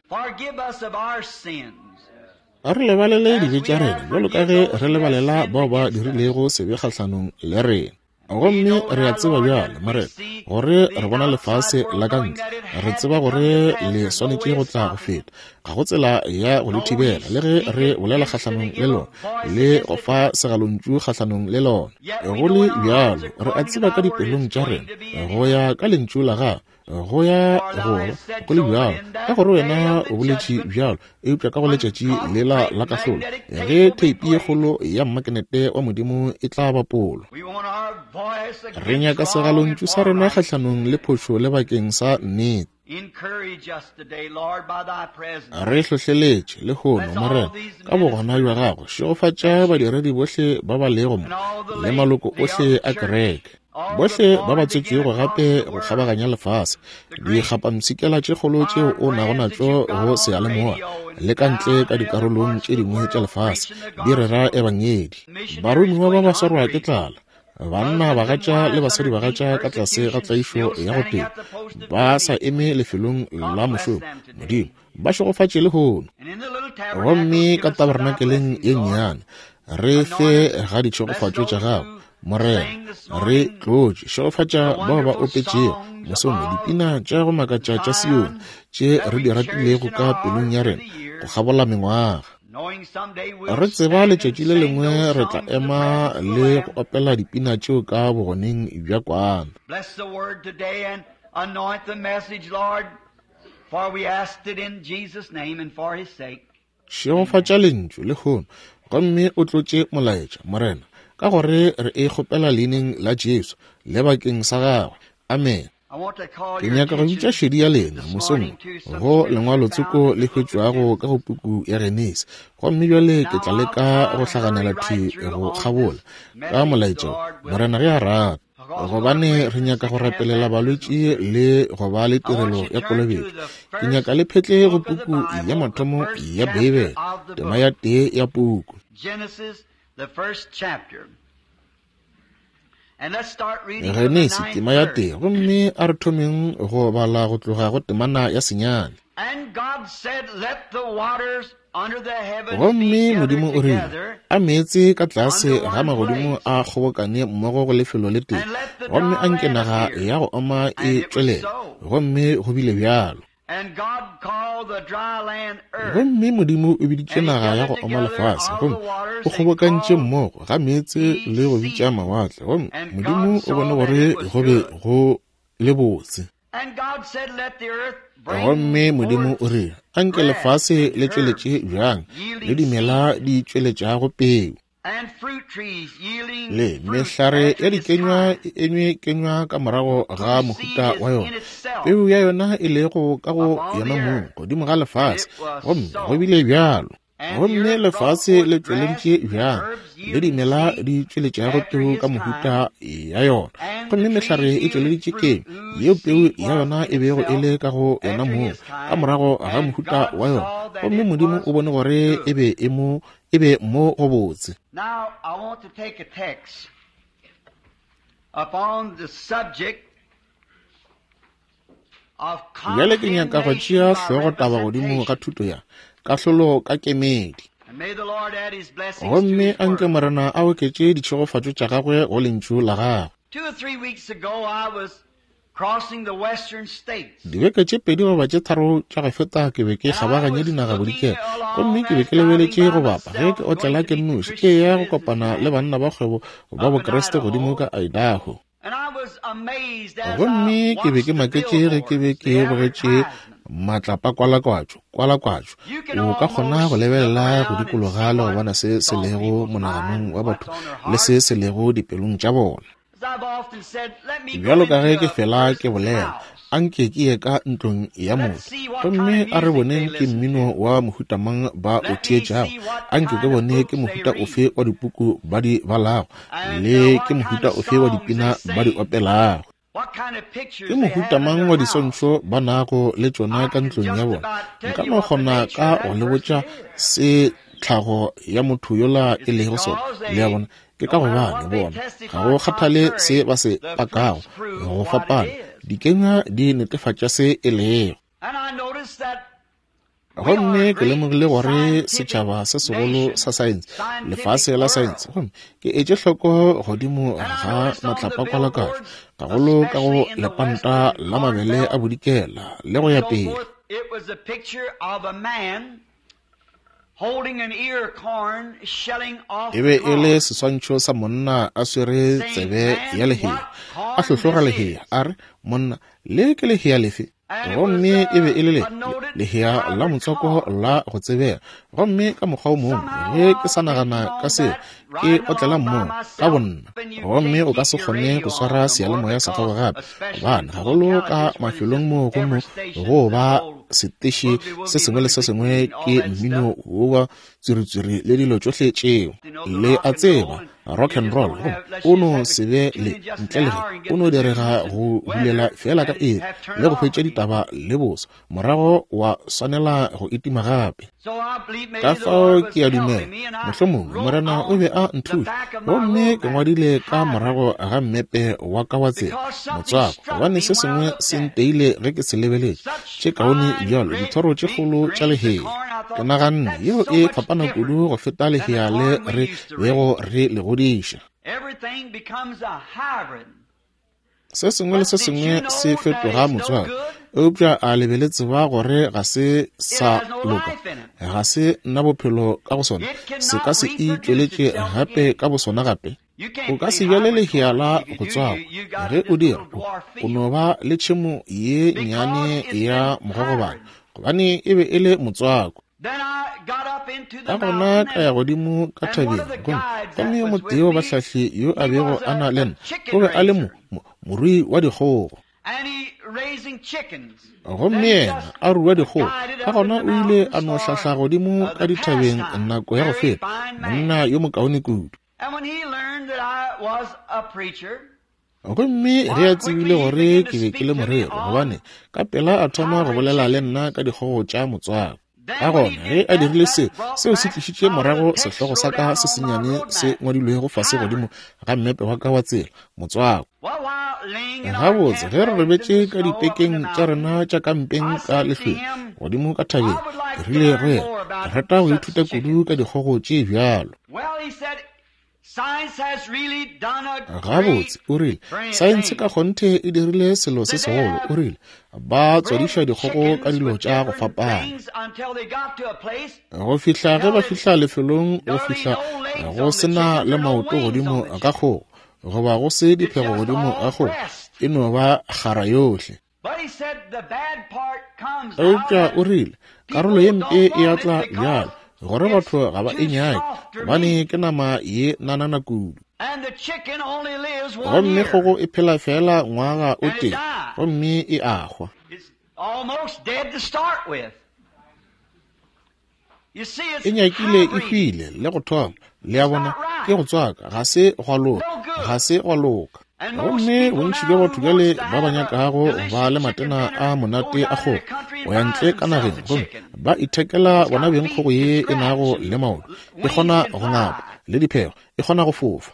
Speaker 1: A re lebalele dibe tša rena, bjalo ka ge re lebalela bao ba dirilego sebe kgahlanong le rena. Gomme re a tseba bjale, Morena, gore re bona lefase la ka ntle. Re tseba gore le swanetše go tla go feta. Ga go tsela ya go le thibela, le ge re bolela kgahlanong le lona, le go fa segalontšu kgahlanong le lona. Go le bjalo, re a tseba ka dipelong tša rena, go ya ka lentšu la gago, go ya go go le bjalo, ka gore wena o boletše bjalo, eupša ka go letšatši lela la kahlolo, ge theipi ye kgolo ya mmakenete wa Modimo e tla bapolwa, re nyaka segalontšu sa rena kgahlanong le phošo le bakeng sa nnete. Re hlohleletše lehono, Morena, ka bogona bja gago. Šegofatša badiredi bohle ba ba lego mo le maloko ohle a kereke, bohle ba ba tswetšego gape go kgabaganya lefase, dikgapampshikela tše kgolo tšeo o nago natšo go seyalemoya le ka ntle ka dikarolong tše dingwe tša lefase, di rera ebangedi. Baromiwa ba ba swarwa ke tlala, banna bagatša le basadi bagatša ka tlase ga tlaišo ya go tee, ba sa eme lefelong la mošomo. Modimo, ba šegofatše lehono. Gomme ka tabernakeleng ye nnyane, re fe ga ditšhegofatšo tša gago, Morena. Re tlotše, šegofatša bao ba opetšego mosong dipina tša go makatša tša Sione, tše re di ratilego ka pelong ya rena go kgabola mengwaga. Re tseba letšatši le lengwe re tla ema le go opela dipina tšeo ka bogoneng bja kwana. Šegofatša lentšu lehono, gomme o tlotše molaetša, Morena, ka gore re e kgopela leineng la Jesu le bakeng sa gagwe. Amen. Ke nyaka go bitša šedi ya lena mosong go lengwalotsoko le hwetšwago ka go puku ya Genesi. Gomme bjale ke tla leka go hlaganela thwi go kgabola ka molaetša, Morena ge a rata, gobane re nyaka go rapelela balwetši le go ba le tirelo ya kolobetšo. Ke nyaka le phetle go puku ya mathomo ya Beibele, tema ya tee ya puku. Genesi tema ya tee, gomme a re thomeng go bala go tloga go temana ya senyane. Gomme Modimo o rile, a meetse ka tlase ga magodimo a kgobokane mmogo go lefelo le tee, gomme a nke naga ya go oma e tšwelele. Gomme go bile bjalo. Gomme Modimo o biditše naga ya go oma lefase, gomme o kgobokantše mmogo ga meetse le go bitša mawatle. Gomme Modimo o bone gore go be go le botse. Gomme Modimo o rile, a nke lefase le tšweletše bjang le dimela di tšweletšago peu, le mehlare ya dikenywa e enywe kenywa ka morago ga mohuta wa yona, peu ya yona e lego ka go yona mong godimo ga lefase. Gomme go bile bjalo. Gomme lefase le tšweleditše bjang le dimela di tšweletšago peu ka mohuta ya yona, gomme mehlare e tšweleditše kenywa yeo peu ya yona e bego e le ka go yona mong ka morago ga mohuta wa yona. Gomme Modimo o bone gore e be e mo e be mo go botse.
Speaker 2: Now I want to take a text upon the subject of
Speaker 1: Bjale ke nyaka go tšea hlogo taba godimo ga thuto ya kahlolo ka kemedi. Gomme a nke Morena a oketše ditšhegofatšo tša gagwe go lentšu la gagwe.
Speaker 2: Two or three weeks ago I was
Speaker 1: Dibeke tše pedi goba tše tharo tša go feta ke be ke kgabaganya dinaga bodikela, gomme ke be ke lebeletše go bapa ge ke otlela ke nnoši ke ya go kopana le banna ba kgwebo ba Bokriste godimo ka Idaho. Gomme ke be ke maketše ge ke be ke bogetše matlapakwalakwatšo kwalakwatšo. O ka kgona go lebelela go dikologa le go bona se se lego monaganong wa batho le se se lego dipelong tša bona. Bjalo ka ge ke fela ke bolela, anke ke ye ka ntlong ya motho, gomme a re boneng ke mmino wa mohuta mang ba o theetšago, anke ke bone ke mohuta ofe wa dipuku ba di balago, le ke mohuta ofe wa dipina ba di opelago, ke mohuta mang wa diswantšho ba nago le tšona ka ntlong ya bona. Nka no kgona ka go le botša se tlhago ya motho yola e lego sona, le a bona. Ke ka gobane bona ga go kgathale se ba se pakago go fapana, dikenywa di netefatša se e lego. Gomme ke lemogile gore setšhaba se segolo sa saense, lefase la saense, gomme ke etše hloko godimo ga matlapakwalakwatšo, gagolo ka go lepanta la mabele a bodikela le go ya pele. E be e le seswantšho sa monna a swere tsebe ya lehea, a hlohloga lehea, a re, monna, le ke lehea lefe? Gomme e be e le le lehea la motswako la go tsebega. Gomme ka mokgwa o mongwe ge ke sa nagana ka seo, ke otlela mong ka bonna. Gomme o ka se kgone go swara seyalemoya sa gago gape, gobane gagolo ka mafelong moo go no go ba seteše se sengwe le se sengwe ke mmino wa tswiritswiri le dilo tšohle tšeo. Le a tseba, rock and roll, gomme o no se be le ntle le ge o no direga go bulela fela ka iri le go hwetša ditaba le boso, morago wa swanela go itima gape. Ka fao ke a dumela mohlomongwe Morena o be a nthuša, gomme ke ngwadile ka morago ga mmepe wa ka wa tsela motswako, gobane se sengwe se nteile ge ke se lebeletše. Tše kaone bjalo dithoro tše kgolo tša lehea, ke naganne yeo e fapana kudu go feta lehea le re bego re le godiša. Se sengwe le se sengwe se fetoga motswako, eupša a le be le tseba gore ga se sa loka, ga se na bophelo ka go sona, se ka se itšweletše gape ka bosona gape. O ka se bjale lehea la go tswakwa, ge o dira o no ba le tšhemo ye nnyane ya mogogobane, gobane e be e le motswako. Ka gona ka ya godimo ka thabeng, gomme gomme yo motee wa bahlahli yo a bego a na le nna o be a le mo morui wa dikgogo, gomme yena a rua dikgogo. Ka gona o ile a no hlahla godimo ka dithabeng nako ya go feta, monna yo mokaone kudu. Gomme ge a tsebile gore ke be ke le morero, gobane ka pela a thoma go bolela le nna ka dikgogo tša motswako. Ka gona ge a dirile seo, seo se tlišitše morago sehlogo sa ka se sennyane se ngwadilwego fase godimo ga mmepe wa ka wa tsela, motswako. Gabotse, ge re robetše ka dipekeng tša rena tša kampeng ka lehlweng godimo ka thabeng, ke rile go yena, ke rata go ithuta kudu ka dikgogo tše bjalo. Gabotse, o rile, saense ka kgonthe e dirile selo se segolo. O rile, ba tswadiša dikgogo ka dilo tša go fapana, go fihla ge ba fihla lefelong go fihla go sena le maoto godimo ga kgogo, goba go se diphego godimo ga kgogo, e no ba kgara yohle. Eupša o rile, karolo ye mpe e a tla bjalo, gore batho ga ba e nyake, gobane ke nama ye nanana kudu. Gomme kgogo e phela fela ngwaga o tee, gomme e a hwa. E nyakile e hwile le go thoma, le a bona, ke go tswaka, ga se gwa loka, ga se gwa loka. Gomme bontši bja batho bjale ba ba nyakago ba le matena a monate a kgogo go ya ntle ka nageng, gomme ba ithekela bona beng kgogo ye e nago le maoto, e kgona go ngapa le diphego, e kgona go fofa.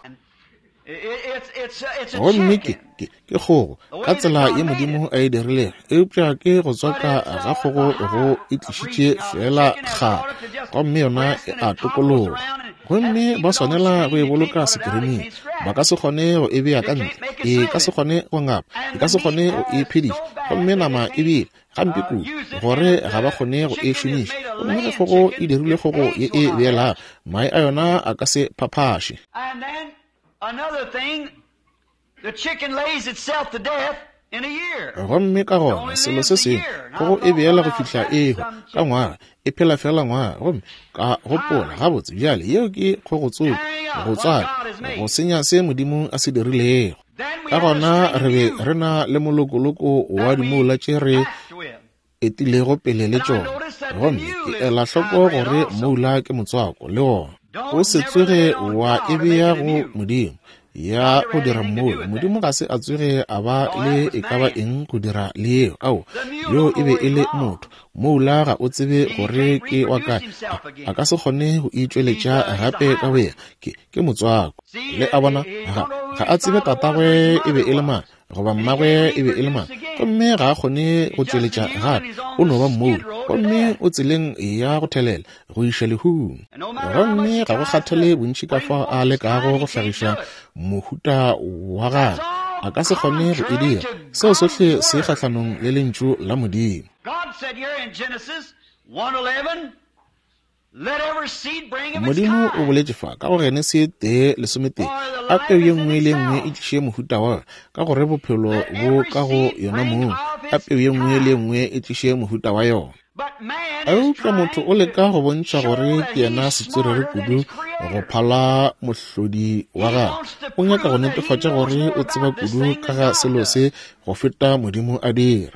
Speaker 1: Gomme ke ke ke kgogo ka tsela ye Modimo a e dirilego, eupša ke go tswaka ga kgogo go e tlišitše fela kgara, gomme yona e a tokologa. Gomme ba swanela go e boloka sekirining, ba ka se kgone go e bea ka ntle, E ka se kgone go ngapa, e ka se kgone go e phediša. Gomme nama e bile gampe kudu gore ga ba kgone go e šomiša. Gomme ge kgogo e dirile kgogo ye e beelago, mae a yona a ka se phaphaše. Gomme ka gona selo se sengwe, kgogo e beela go fihla e hwa ka ngwaga, e phela fela ngwaga. Gomme ka gopola, gabotse bjale yeo ke kgogo tsoko, go tswaka, go senya se Modimo a se dirilego. Ka gona re be re na le molokoloko wa dimola tše re etilego pele le tšona. Gomme ke ela hloko gore moula ke motswako le wona. O se tsoge wa e bea go Modimo ya go dira mmoula. Modimo ga se a tsoge a ba le e ka ba eng go dira le yeo. Ao, yo e be e le motho. Moula ga o tsebe gore ke wa kae, a ka se kgone go itšweletša gape ka boyena. Ke, ke motswako. Le a bona, ga, ga a tsebe tatagwe e be e le mang, goba mmagwe e be e le mang, gomme ga a kgone go tšweletša gape. O no ba mmoula, gomme o tseleng ya go thelela go iša lehung. Gomme ga go kgathale bontši ka fao a lekago go hlagiša mohuta wa gagwe, a ka se kgone go e dira. Seo sohle se kgahlanong le lentšu la Modimo. Modimo o boletše fa ka go Genesi tee lesometee, a peu ye nngwe le nngwe e tliše mohuta wa yona, ka gore bophelo bo ka go yona mong. A peu ye nngwe le nngwe e tliše mohuta wa yona. Eupša motho o leka go bontšha gore ke yena setswerere kudu go phala mohlodi wa gagwe. O nyaka go netefatša gore o tseba kudu ka ga selo se go feta Modimo a dira.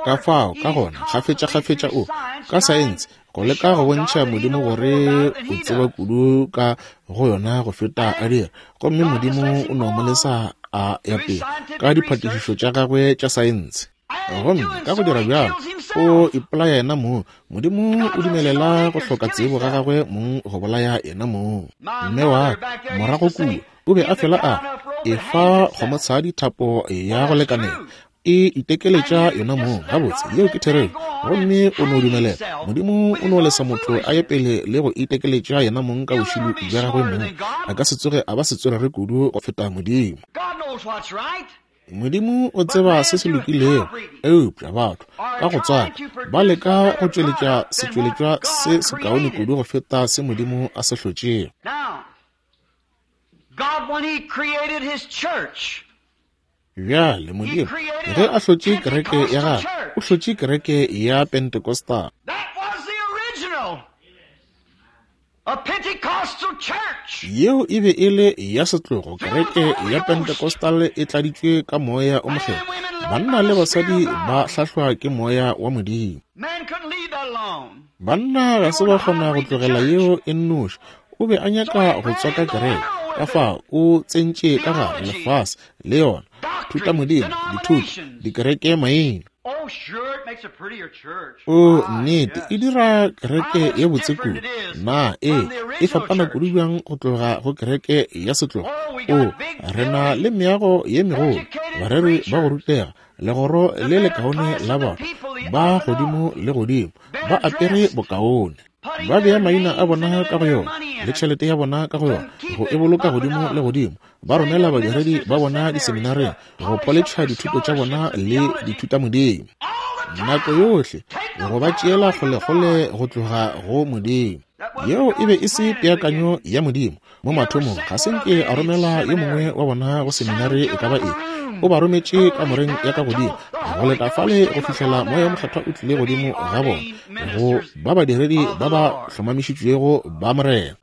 Speaker 1: Ka fao, ka gona, kgafetša-kgafetša o, ka saense, go leka go bontšha Modimo gore o tseba kudu ka go yona go feta a dira. Gomme Modimo o no mo lesa a ya pele ka diphatišišo tša gagwe tša saense. Gomme ka go dira bjalo, o ipolaya yena mong. Modimo o dumelela go hloka tsebo ga gagwe mong go bolaya yena mong. Mme wa ka morago kua o be a fela a efa kgomotshadi thapo ya go lekanela, e itekeletša yona mong. Gabotse, yeo ke therešo. Gomme o no dumelela Modimo o no lesa motho a ye pele le go itekeletša yena mong ka bošilo bja gagwe mong. A ka se tsoge a ba setswerere kudu go feta Modimo. Modimo o tseba se se lokilego, eupša batho ka go tswaka ba leka go tšweletša setšweletšwa se sekaone kudu go feta se Modimo a se hlotšego. Bjale Modimo ge a hlotše kereke ya gagwe, o hlotše kereke ya Pentecostal. Yeo e be e le ya setlogo. Kereke ya Pentecostal e tladitšwe ka moya o mokgethwa. Banna le basadi ba hlahlwa ke moya wa Modimo. Banna ga se ba kgona go tlogela yeo e nnoši. O be a nyaka go tswaka kereke, ka fao o tsentše ka gare lefase le yona thutamodimo, dithuto, dikereke maina. O nnete, e dira kereke ye botse kudu. Na e e fapana kudu bjang go tloga go kereke ya setlogo? O re na le meago ye megolo, bareri ba go rutega, legoro le lekaone la batho ba godimo le godimo, ba apere bokaone, ba bea maina a bona ka go yona le tšhelete ya bona ka go yona, go e boloka godimo le godimo. Ba romela badiredi ba bona diseminareng go poletšha dithuto tša bona le dithutamodimo nako yohle, go ba tšeela kgolekgole go tloga go Modimo. Yeo e be e se peakanyo ya Modimo mo mathomong. Ga se nke a romela yo mongwe wa bona go seminare e ka ba efe. O ba rometše kamoreng ya ka godimo go leta fale go fihlela moya o mokgethwa o tlile godimo ga bona, go ba badiredi ba ba hlomamišitšwego ba Morena.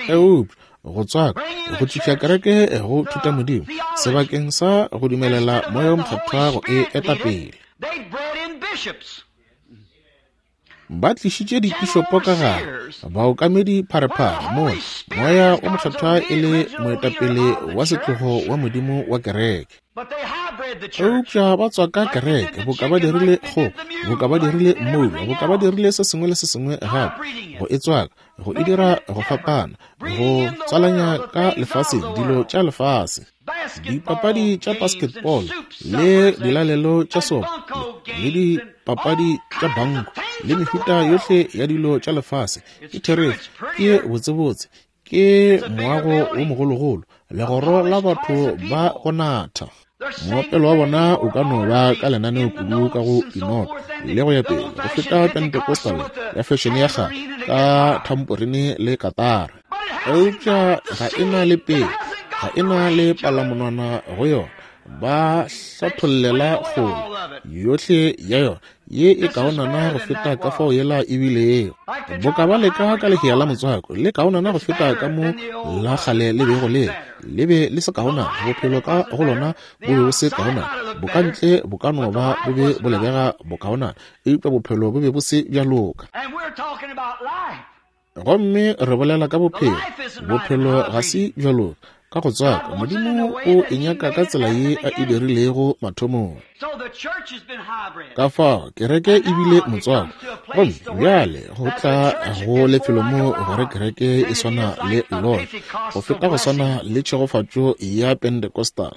Speaker 1: Eupša go tswaka go tliša kereke go thutamodimo sebakeng sa go dumelela moya o mokgethwa go e eta pele. Ba tlišitše dipišopo ka gare, baokamedi pharephare, mola moya o mokgethwa e le moetapele wa setlogo wa Modimo wa kereke. Eupša ba tswaka kereke boka ba dirile kgogo, boka ba dirile mmoula, boka ba dirile se sengwe le se sengwe gape, go e tswaka, go e dira go fapana, go tswalanya ka lefaseng dilo tša lefase, dipapadi tša basketball le dilalelo tša sopo le dipapadi tša banko le mehuta yohle ya dilo tša lefase. Ke therešo, ke botsebotse, ke Ke moago wo mogologolo, legoro la batho ba go natha. Moopelo wa bona o ka no ba ka lenaneo kudu ka go dinoto le go ya pele go feta Pentecostal ya fešene ya kgale ka thamporine le katara. Eupša ga e na le pele, ga e na le palamonwana go yona. Ba hlathollela kgole yohle ya yona ye e kaonana go feta ka fao yela e bilego. Boka ba leka ka lehea la motswako, le kaonana go feta ka mo la kgale le bego le le be le se kaonana. Bophelo ka go lona bo be bo se kaonana, bokantle bo ka no ba bo be bo lebega bokaonana, eupša bophelo bo be bo se bja loka. Gomme re bolela ka bophelo. Bophelo ga se bja loka ka go tswaka. Modimo o e nyaka ka tsela ye a e dirilego mathomong. Ka fao kereke e bile motswako, gomme bjale go tla go lefelo mo gore kereke e swana le lona go feta go swana le tšhegofatšo ya Pentecostal.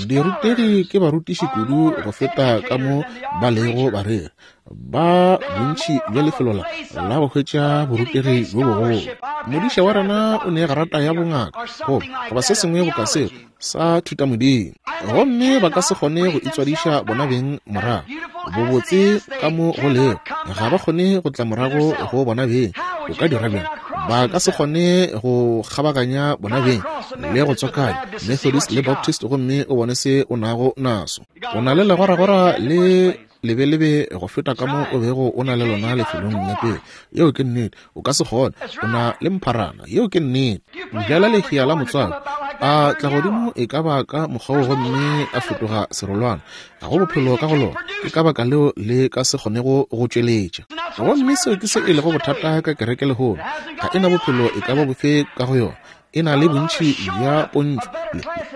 Speaker 1: Dirutegi ke barutiši kudu go feta ka mo ba lego bareri. Ba bontši bja lefelo la la go hwetša borutegi bjo bogolo. Modiša wa rena o ne grata ya bongaka goba goba se sengwe boka seo sa thutamodimo, gomme ba ka se kgone go itswadiša bona beng morago. Bobotse ka mo go lego, ga ba kgone go tla morago go bona beng. O ka dira bjang? Ba ka se kgone go kgabaganya bona beng le go tswakanya Methodist le Baptist, gomme o bone se o nago naso. O na le legoragora le lebelebe go feta ka mo o bego o na le lona lefelong la pele. Yeo ke nnete. O ka se kgone. O na le mpharana. Yeo ke nnete. Bjala lehea la motswako, a tla godimo e ka ba ka mokgwa gomme a fetoga serolwana. Ga go bophelo ka go lona. Ke ka baka leo le ka se kgonego go tšweletša. Gomme seo ke se e lego bothata ka kereke lehono. Ga e na bophelo e ka ba bofe ka go yona. E na le bontši bja pontšo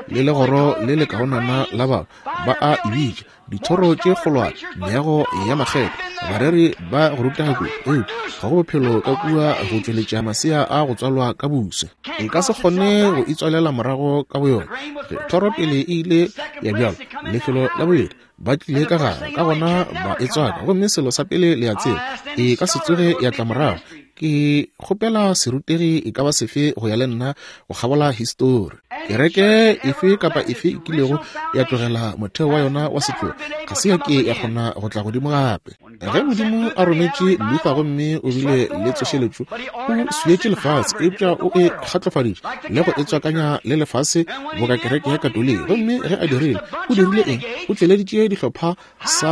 Speaker 1: le legoro le le kaonana la batho ba a e bitša dithoro tše kgolwane, meago ya makgetho, bareri ba go rutega kudu, eupša ga go bophelo ka kua go tšweletša masea a go tswalwa ka buse. E ka se kgone go itswalela morago ka boyona. Ge thoro pele e ile ya bjalwa, lefelo la bobedi ba tlile ka gare, ka gona ba e tswaka, gomme selo sa pele le a tseba, e ka se tsoge ya tla morago. Ke kgopela serutegi e ka ba sefe go ya le nna go kgabola histori. Kereke efe kapa efe e kilego ya tlogela motheo wa yona wa setlogo ga se ya ke ya kgona go tla godimo gape. Ge Modimo a rometše Luther gomme o bile le tsošeletšo, o swietše lefase, eupša o e kgatlofaditše le go e tswakanya le lefase boka kereke ya Katoliki. Gomme ge a dirile, o dirile eng? O tšweleditše dihlopha sa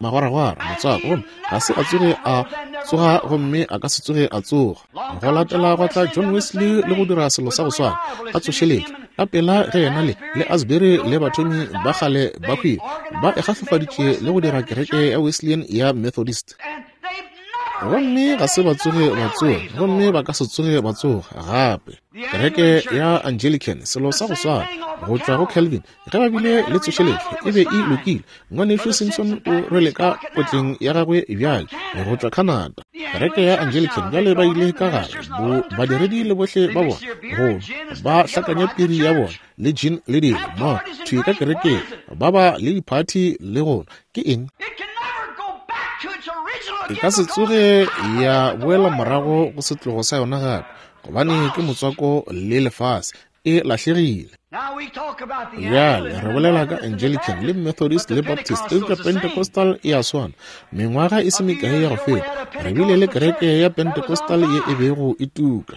Speaker 1: magwaragwara motswako, gomme ga se a tsoge a tsoga, gomme a ka se tsoge a tsoga. Go latela gwa tla John Wesley le go dira selo sa go swana, a tsošeletšo ka pela ge yena le le Asbury le bathomi ba kgale ba hwile, ba e kgahlofaditše le go dira kereke ya Wesleyan ya Methodist. Gomme ga se ba tsoge ba tsoga, gomme ba ka se tsoge ba tsoga gape. Kereke ya Anglican, selo sa go swana, go tšwa go Calvin, ge ba bile le tsošeletšo e be e lokile. Ngwanešu Simpson o rwele ka potleng ya gagwe bjale go tšwa Canada. Kereke ya Anglican bjale ba ile ka gare, bo badiredi le bohle ba bona, go ba hlakanya piri ya bona le gin le dilo mo thwi ka kerekeng, ba ba le diphathi le go ke eng? E ka se tsoge ya boela morago go setlogo sa yona gape, gobane ke motswako le lefase, e lahlegile. Bjale re bolela ka Anglican le Methodist le Baptist, eupša Pentecostal e a swana. Mengwaga e se mekae ya go feta, re bile le kereke ya Pentecostal ye e bego e tuka.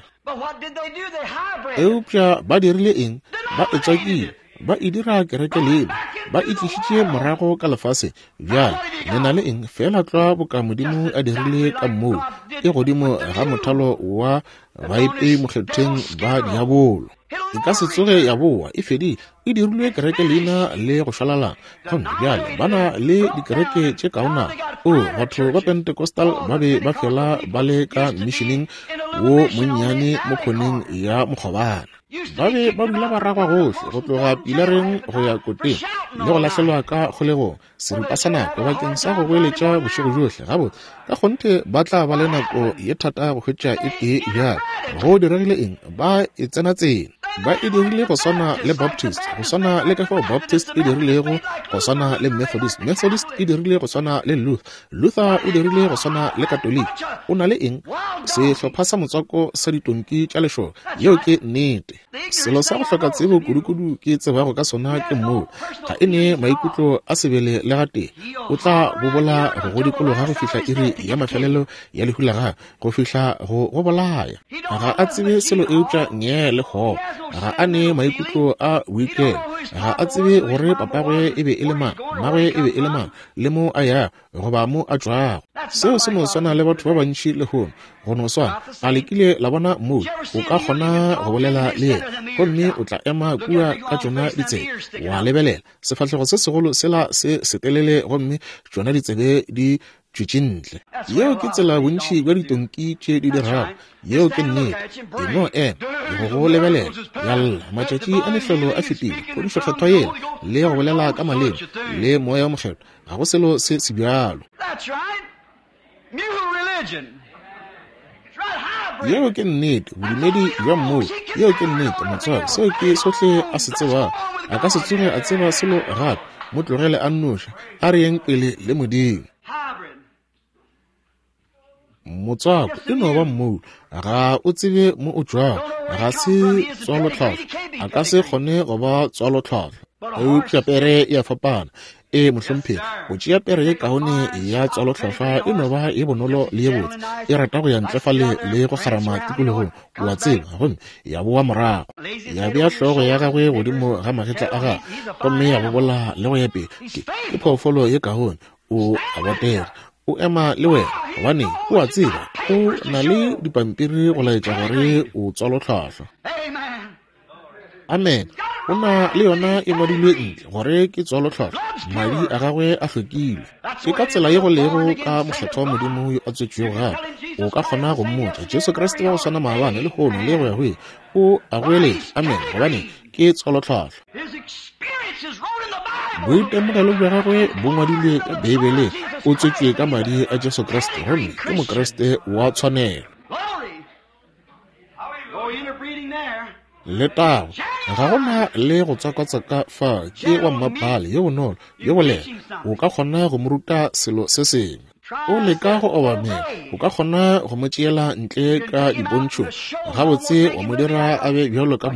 Speaker 1: Eupša ba dirile eng? Ba e tswakile, ba e dira kereke lena, ba e tlišitše morago ka lefase. Bjale le na le eng? Fela tlwa boka Modimo a dirile ka moo, e godimo ga mothalo wa baipei mokgetheng ba diabolo. E ka se tsoge ya boa, e fedile, e dirilwe kereke leina le go šwalalana. Gomme bjale ba na le dikereke tše kaonana. O, batho ba Pentecostal ba be ba fela ba le ka missioneng wo monnyane mo khoneng ya mokgobana. Ba be ba dula ba ragwa gohle go tloga pilareng go ya koteng le go lahlelwa ka kgolegong seripa sa nako bakeng sa go goeletša bošego bjohle. Gabotse, ka kgonthe ba tla ba le nako ye thata go hwetša e tee bjale. Go diregile eng? Ba e tsena tsena. Ba e dirile go swana le Baptist, go swana le ka fao Baptist e dirilego go swana le Methodist, Methodist e dirile go swana le Luther, Luther o dirile go swana le Katoliki. O na le eng? Sehlopha sa motswako sa ditonki tša lešoka. Yeo ke nnete. Selo sa go hloka tsebo kudukudu ke tsebago ka sona ke mmoula. Ga e ne maikutlo a sebele le gatee. O tla bobola go go dikologa go fihla iri ya mafelelo ya lehu la gagwe, go fihla go go bolaya. Ga a tsebe selo eupša ngee le kgopo. Ga a ne maikutlo a boikelo. Ga a tsebe gore papagwe e be e le mang, mmagwe e be e le mang, le mo a yago goba mo a tšwago. Seo se no swana le batho ba bantši lehono. Go no swana, a le kile la bona mmoula? O ka kgona go bolela le yena, gomme o tla ema kua ka tšona ditsebe, wa lebelela sefahlego se segolo sela se setelele, gomme tšona ditsebe di tšwetše ntle. Yeo ke tsela bontši bja ditonki tše di dirago. Yeo ke nnete. E no ema go go lebelela, ya lla, matšatši a mehlolo a fetile, phodišo kgethwa yela, le go bolela ka maleme, le moya o mokgethwa. Ga go selo se se bjalo. Yeo ke nnete, bodumedi bja mmoula. Yeo ke nnete, motswako. Seo ke sohle a se tsebago. A ka se tsoge a tseba selo gape. Mo tlogele a nnoši. A re yeng pele le Modimo. Motswako e no ba mmoula. Ga o tsebe mo o tšwago. Ga se tswalotlhwahlwa. A ka se kgone go ba tswalotlhwahlwa. Eupša pere e a fapana. E mohlomphegi, go tšea pere ye kaone ya tswalotlhwahlwa e no ba ye bonolo le ye botse. E rata go ya ntle fale le go kgarama tikologong, o a tseba, gomme ya boa morago, ya bea hlogo ya gagwe godimo ga magetla a gagwe, gomme ya bobola le go ya pele. Ke, ke phoofolo ye kaone, o a botega, o ema le wena, gobane o a tseba o na le dipampiri go laetša gore o tswalotlhwahlwa. Amen. O na le yona e ngwadilwe ntle gore ke tswalotlhwahlwa, madi a gagwe a hlwekilwe. Ke ka tsela ye go lego ka mokgethwa wa Modimo yo a tswetšwego gape. O ka kgona go mmotša Jesu Kriste wa go swana maabane, lehono le go ya go ile. O a goeletša, amen, gobane ke tswalotlhwahlwa. Boitemogelo bja gagwe bo ngwadilwe ka Beibeleng. O tswetšwe ka madi a Jesu Kriste, gomme ke Mokriste wa tshwanelo. Letago. Ga gona le go tswakatswaka fa. Ke wa mmapaale, yo bonolo, yo bolela. O ka kgona go mo ruta selo se sengwe. O leka go obamela. O ka kgona go mo tšeela ntle ka dipontšhong. Gabotse wa mo dira a be bjalo ka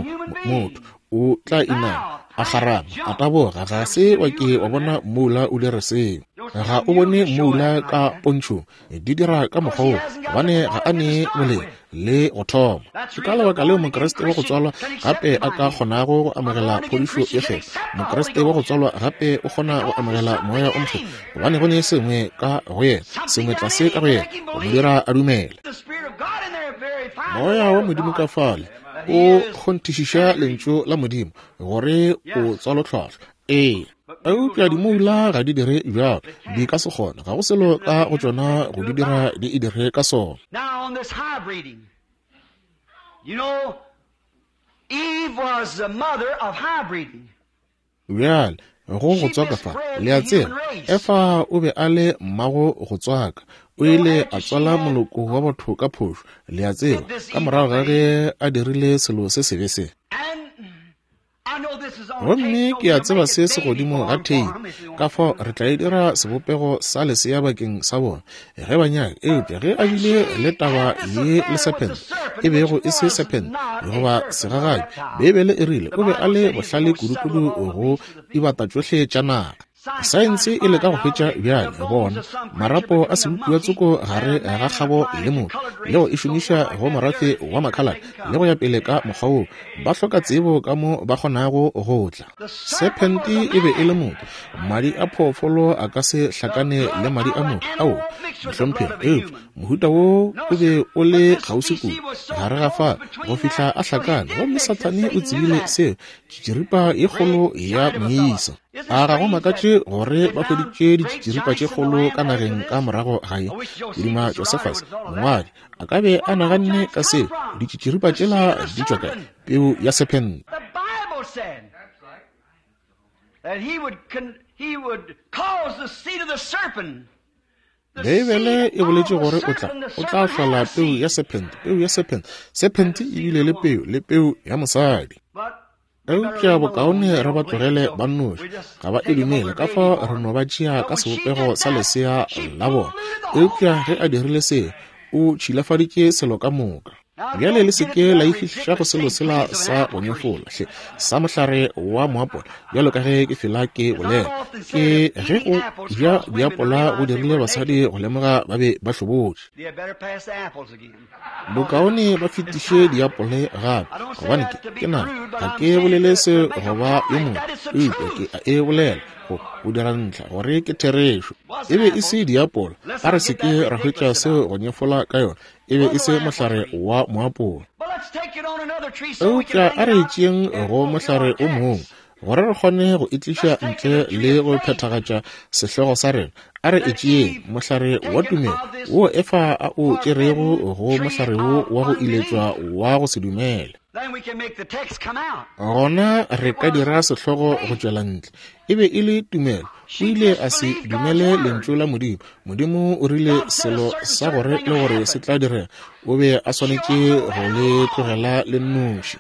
Speaker 1: motho. O tla inama, a kgarama, a taboga. Ga se wa ke wa bona mmoula o dira seo. Ga o bone mmoula ka pontšhong. Di dira ka mokgwa wo, gobane ga a ne boleng le go thoma. Ke ka lebaka leo Mokriste wa go tswalwa gape a ka kgonago go amogela phodišo ye kgethwa. Mokriste wa go tswalwa gape o kgona go amogela moya o mokgethwa, gobane go ne sengwe ka go yena, sengwe tlase ka go yena, go mo dira a dumele. Moya wa Modimo ka fale o kgonthišiša lentšu la Modimo gore o tswalotlhwahlwa. Ee, eupša dimoula ga di dire bjalo. Di ka se kgone. Ga go selo ka go tšona go di dira di e dire ka sona.
Speaker 2: Now on this hybriding, you know, Eve was the mother of hybriding.
Speaker 1: Bjale go go tswaka fa, le a tseba, Efa o be a le mmago go tswaka. O ile a tswala moloko wa batho ka phošo, le a tseba, ka morago ga ge a dirile selo se sebe se. Gomme ke a tseba se se godimo ga theipi, ka fao re tla e dira sebopego sa lesea bakeng sa bona ge ba nyaka. Eupša ge a bile le taba ye le serpent, e bego e se serpent goba segagabi, Beibele e rile o be a le bohlale kudukudu go dibata tšohle tša naga. Saense e leka go hwetša bjale bona marapo a sebopiwa tsoko gare ga kgabo le motho, le go e šomiša go morafe wa makhalate le go ya pele ka mokgwa woo. Ba hloka tsebo ka mo ba kgonago go tla. Serpente e be e le motho. Madi a phoofolo a ka se hlakane le madi a motho. Ao, mohlomphegi, eupša mohuta wo o be o le kgauswi kudu gare ga fa go fihla a hlakane, gomme Sathane o tsebile seo. Tšitširipa ye kgolo ya moisa. A ga go makatše gore ba hweditše ditšitširipa tše kgolo ka nageng ka morago ga ye. Ke Josephus, mongwadi, a ka be a naganne ka seo. Ditšitširipa tšela di tšwa kae? Peu ya serpent. Beibele e boletše gore o tla o tla hlola peu ya serpent, peu ya serpent. Serpent e bile le peu, le peu ya mosadi. Eupša bokaone re ba tlogele ba nnoši, ga ba e dumele, ka fao re no ba tšea ka sebopego sa lesea la bona. Eupša ge a dirile se, o tšhilafaditše selo ka moka. Bjale le se ke la ifihliša go selo sela sa go nyefola hle sa mohlare wa moapola, bjalo ka ge ke fela ke bolela. Ke ge go ja diapola go dirile basadi go lemoga ba be ba hlobotše. Bokaone ba fetiše diapole gape, gobane ke ke nna ga ke bolele se go ba yo mongwe, eupša ke a e bolela go go dira ntlha gore ke therešo. E be e se diapola, a re se ke ra hwetša seo go nyefola ka yona, e be e se mohlare wa moapola. Eupša a re tšeeng go mohlare o mongwe gore re kgone go e tliša ntle le go phethagatša sehlogo sa rena. A re e tšeeng mohlare wa tumelo wo Efa a o tšerego go mohlare wo wa go iletšwa wa go se dumele. Gona re ka dira sehlogo go tšwela ntle. E be e le tumelo. O ile a se dumele lentšu la Modimo. Modimo o rile selo sa gore le gore se tla direga, o be a swanetše go le tlogela le nnoši.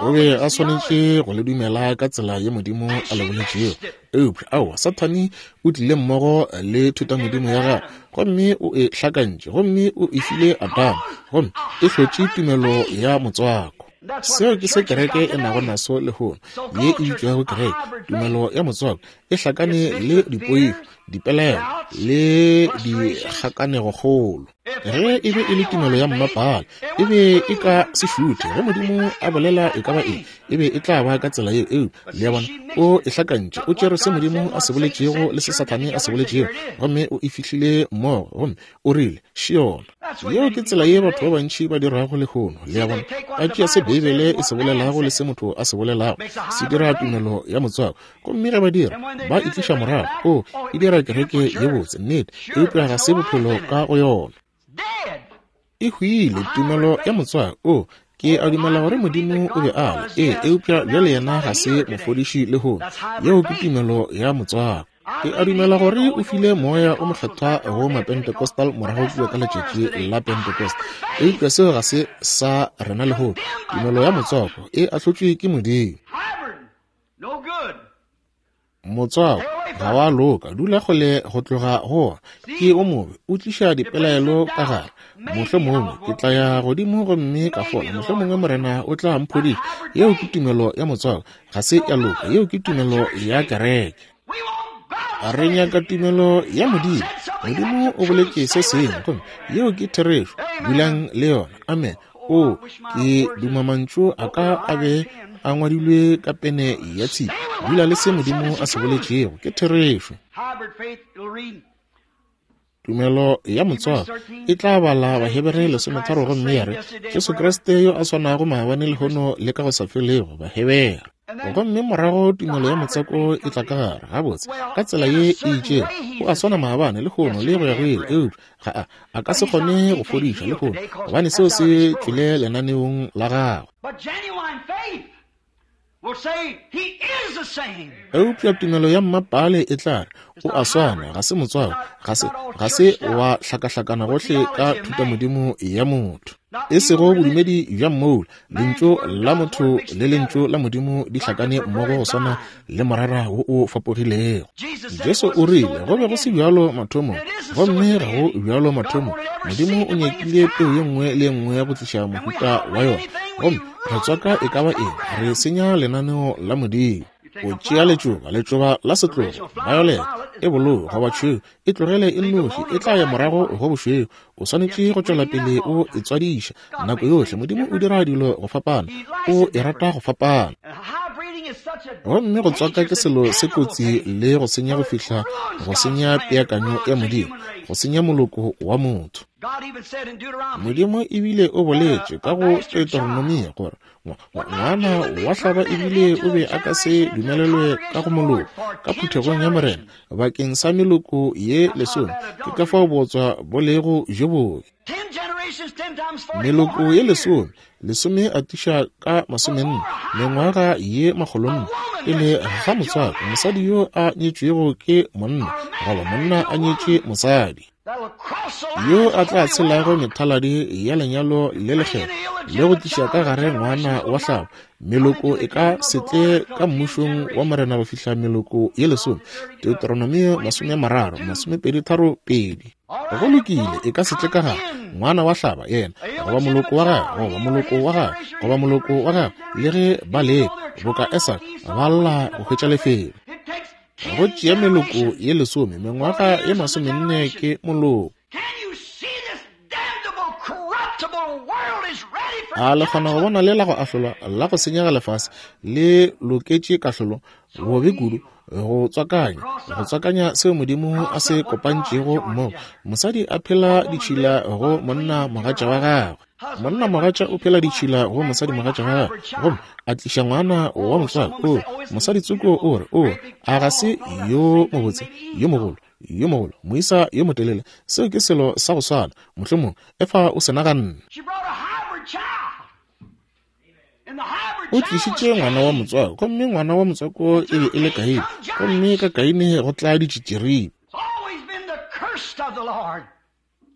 Speaker 1: O be a swanetše go le dumela ka tsela ye Modimo a le boletšego. Eupša aowa, Sathane o tlile mmogo le thutamodimo ya gagwe, gomme o e hlakantše, gomme o e file Adama, gomme e hlotše tumelo ya motswako. Seo ke se kereke e nago naso lehono, ye e bitšwago kereke, tumelo ya motswako, e hlakane le dipoifo, dipelaelo le dikgakanegokgolo. Ge e be e le tumelo ya mmapala, e be e ka se šuthe. Ge Modimo a bolela e ka ba eng, e be e tla ba ka tsela yeo. Eupša le a bona, o e hlakantše, o tšere se Modimo a se boletšego le se Sathane a se boletšego, gomme o e fihlile mmogo, gomme o rile še yona. Yeo ke tsela ye batho ba bantši ba dirago lehono. Le a bona, ba tšea se Beibele e se bolelago le se motho a se bolelago, se dira tumelo ya motswako, gomme ge ba dira, ba e tliša morago. O e dira kereke ye botse, nnete, eupša ga se bophelo ka go yona. E hwile, tumelo ya motswako. O ke a dumela gore Modimo o be a le, ee, eupša bjale yena ga se mofodiši lehono. Yeo ke tumelo ya motswako. Ke a dumela gore o file moya o mokgethwa go Mapentecostal morago kua ka letšatši la Pentecost, eupša seo ga se sa rena lehono. Tumelo ya motswako e ahlotšwe ke Modimo. Motswako ga wa loka, dula kgole go tloga go ona, ke o mobe, o tliša dipelaelo ka gare. Mohlomongwe ke tla ya godimo gomme ka fola, mohlomongwe Morena o tla mphodiša. Yeo ke tumelo ya motswako, ga se ya loka. Yeo ke tumelo ya kereke. Re nyaka tumelo ya Modimo. Modimo o boletše se sengwe, gomme yeo ke therešo. Dulang le yona. Amen. O ke duma mantšu a ka a be a ngwadilwe ka pene ya tshipi. Dula le se Modimo a se boletšego, ke therešo. Tumelo ya motswako e tla bala Bahebere lesometharo gomme ya re Jesu Kriste yo a swanago maabane lehono le ka go sa felego, Bahebere. Gomme morago tumelo ya motswako e tla ka gare gabotse ka tsela ye e itšego. O a swana maabane lehono le go ya go ile, eupša ga a a ka se kgone go fodiša lehono, gobane seo se tšwele lenaneong la gagwe. Eupša tumelo ya mmapale e tla re o a swana, ga se motswako, ga se ga se wa hlakahlakana gohle ka thutamodimo ya motho, e sego bodumedi bja mmoula. Lentšu la motho le lentšu la Modimo di hlakane mmogo go swana le morara wo o fapogilego. Jesu o rile go be go se bjalo mathomong, gomme ga go bjalo mathomong. Modimo o nyakile peu ye nngwe le ye nngwe go tliša mohuta wa yona, gomme re tswaka e ka ba eng, re senya lenaneo la Modimo. O tšea letšoba, letšoba la setlogo, violet, e bolou goba tšhweu, e tlogele e nnoši, e tla ya morago go bošweu. O swanetše go tšwela pele o e tswadiša nako yohle. Modimo o dira dilo go fapana, o e rata go fapana. Gomme go tswaka ke selo se kotsi le go senya go fihla go senya peakanyo ya Modimo, go senya moloko wa motho. Modimo ebile o boletše ka go Deuteronomia gore ngwana wa hlaba ebile o be a ka se dumelelwe ka go moloko ka phuthegong ya Morena bakeng sa meloko ye lesome. Ke ka fao botswa bo lego jo bobe. Meloko ye lesome, lesome atiša ka masomenne, mengwaga ye makgolonne, pele ga motswako, mosadi yo a nyetšwego ke monna goba monna a nyetše mosadi. Yo a tla tshelago methaladi ya lenyalo le lekgetho le go tliša ka gare ngwana wa hlabo, meloko e ka se tle ka mmušong wa Morena go fihla meloko ye lesome. Deuteronomio masome mararo masomepedi tharo pedi. Go lokile, e ka se tle ka gare ngwana wa hlaba yena goba moloko wa gagwe goba moloko wa gagwe goba moloko wa gagwe, le ge ba leka boka Esau ba lla go hwetša lefelo. Go tšea meloko ye lesome, mengwaga ye masomenne ke moloko. A le kgona go bona le la go ahlolwa la go senyega lefase le loketše kahlolo bobe kudu go tswakanya go tswakanya seo Modimo a se kopantšego mmogo. Mosadi a phela ditšhila go monna mogatša wa gagwe, monna mogatša o phela ditšhila go mosadi mogatša wa gagwe, gomme a tliša ngwana wa motswako. O mosadi tsoko o re, o a ga se yo mobotse, yo mogolo, yo mogolo, moisa yo motelele. Seo ke selo sa go swana, mohlomong Efa o se naganne. O tlišitše ngwana wa motswako, gomme ngwana wa motswako e be e le Kaine, gomme ka Kaine go tla ditšitširipe.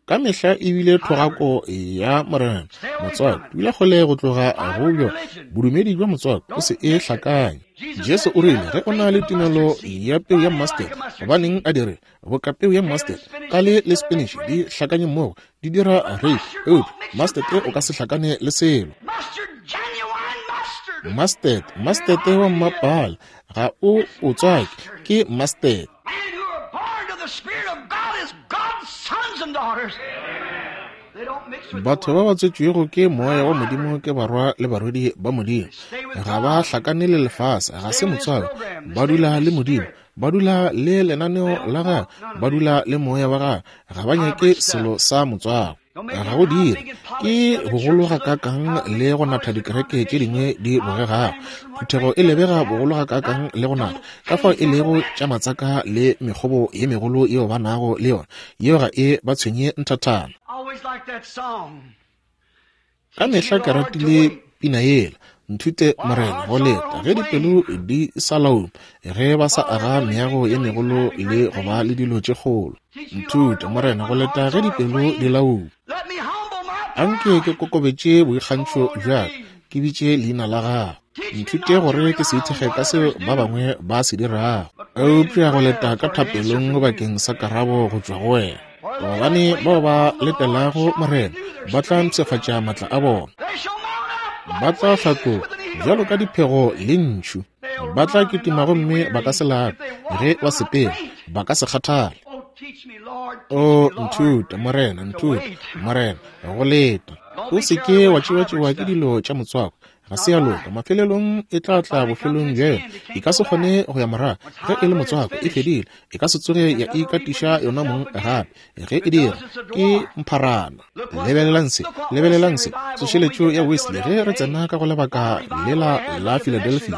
Speaker 1: Ka mehla e bile thogako ya Morena. Motswako dula kgole go tloga go bjo bodumedi bja motswako, o se e hlakanye. Jesu o rile ge o na le tumelo ya peu ya mustard, gobaneng a dire boka peu ya mustard ka le le spinach di hlakanye mmogo di dira rape, eupša mustard o ka se hlakane le selo. Mustard, mustard wa mmapala ga o o tswake, ke mustard. Batho ba ba tswetšwego ke moya wa Modimo ke barwa le barwedi ba Modimo. Ga ba hlakane le lefase, ga se motswako. Ba dula le Modimo, ba dula le lenaneo la gagwe, ba dula le moya wa gagwe. Ga ba nyake selo sa motswako. Ga go dire ke bogolo ga kakang le go natha dikereke tše dingwe di bogegago. Phuthego e lebega bogolo ga kakang le go natha ka fao e lego tša matsaka le mekgobo ye megolo yeo ba nago le yona, yeo ga e ba tshwenye nthathana. Ka mehla ke ratile pina yela, nthute Morena go leta ge dipelo di sa lauma, ge ba sa aga meago ye megolo le go ba le dilo tše kgolo. Nthute Morena go leta ge dipelo di lauma. Anke ke kokobetše boikgantšho bja ka, ke bitše leina la gago. Nthute gore ke se ithekge ka seo ba bangwe ba se dirago, eupša go leta ka thapelong bakeng sa karabo go tšwa go wena. Gobane bao ba letelago Morena ba tla mpshafatša matla a bona, ba tla hlatloga bjalo ka diphego le ntšhu, ba tla kitima gomme ba ka se lape, ge ba sepela ba ka se kgathale. O nthute Morena, nthute Morena go leta. O se ke wa tšewa-tšewa ke dilo tša motswako, ga se ya loka. Mafelelong e tla tla bofelong bja yona, e ka se kgone go ya morago. Ge e le motswako e fedile, e ka se tsoge ya ikatiša yona mong gape. Ge e dira ke mpharana. Lebelelang se, lebelelang se, tsošeletšo ya Wesley ge re tsena ka go lebaka lela la Philadelphia,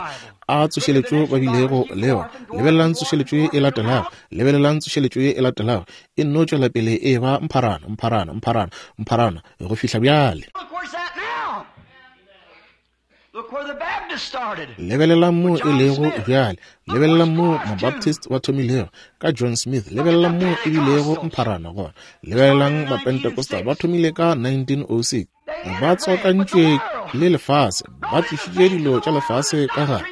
Speaker 1: a tsošeletšo ba bilego le yona. Lebelelang tsošeletšo e latelago, lebelelang tsošeletšo e latelago, e nno tšwela pele e ba mpharana, mpharana, mpharana, mpharana go fihla bjale. Lebelelang mo e lego bjale, lebelelang mo Mabaptist ba thomilego ka John Smith, lebelelang mo e bilego mpharana gona. Lebelelang Mapentecostal ba thomile ka nineteen oh six, ba tswakantšwe le lefase, ba tlišitše dilo tša lefase ka gare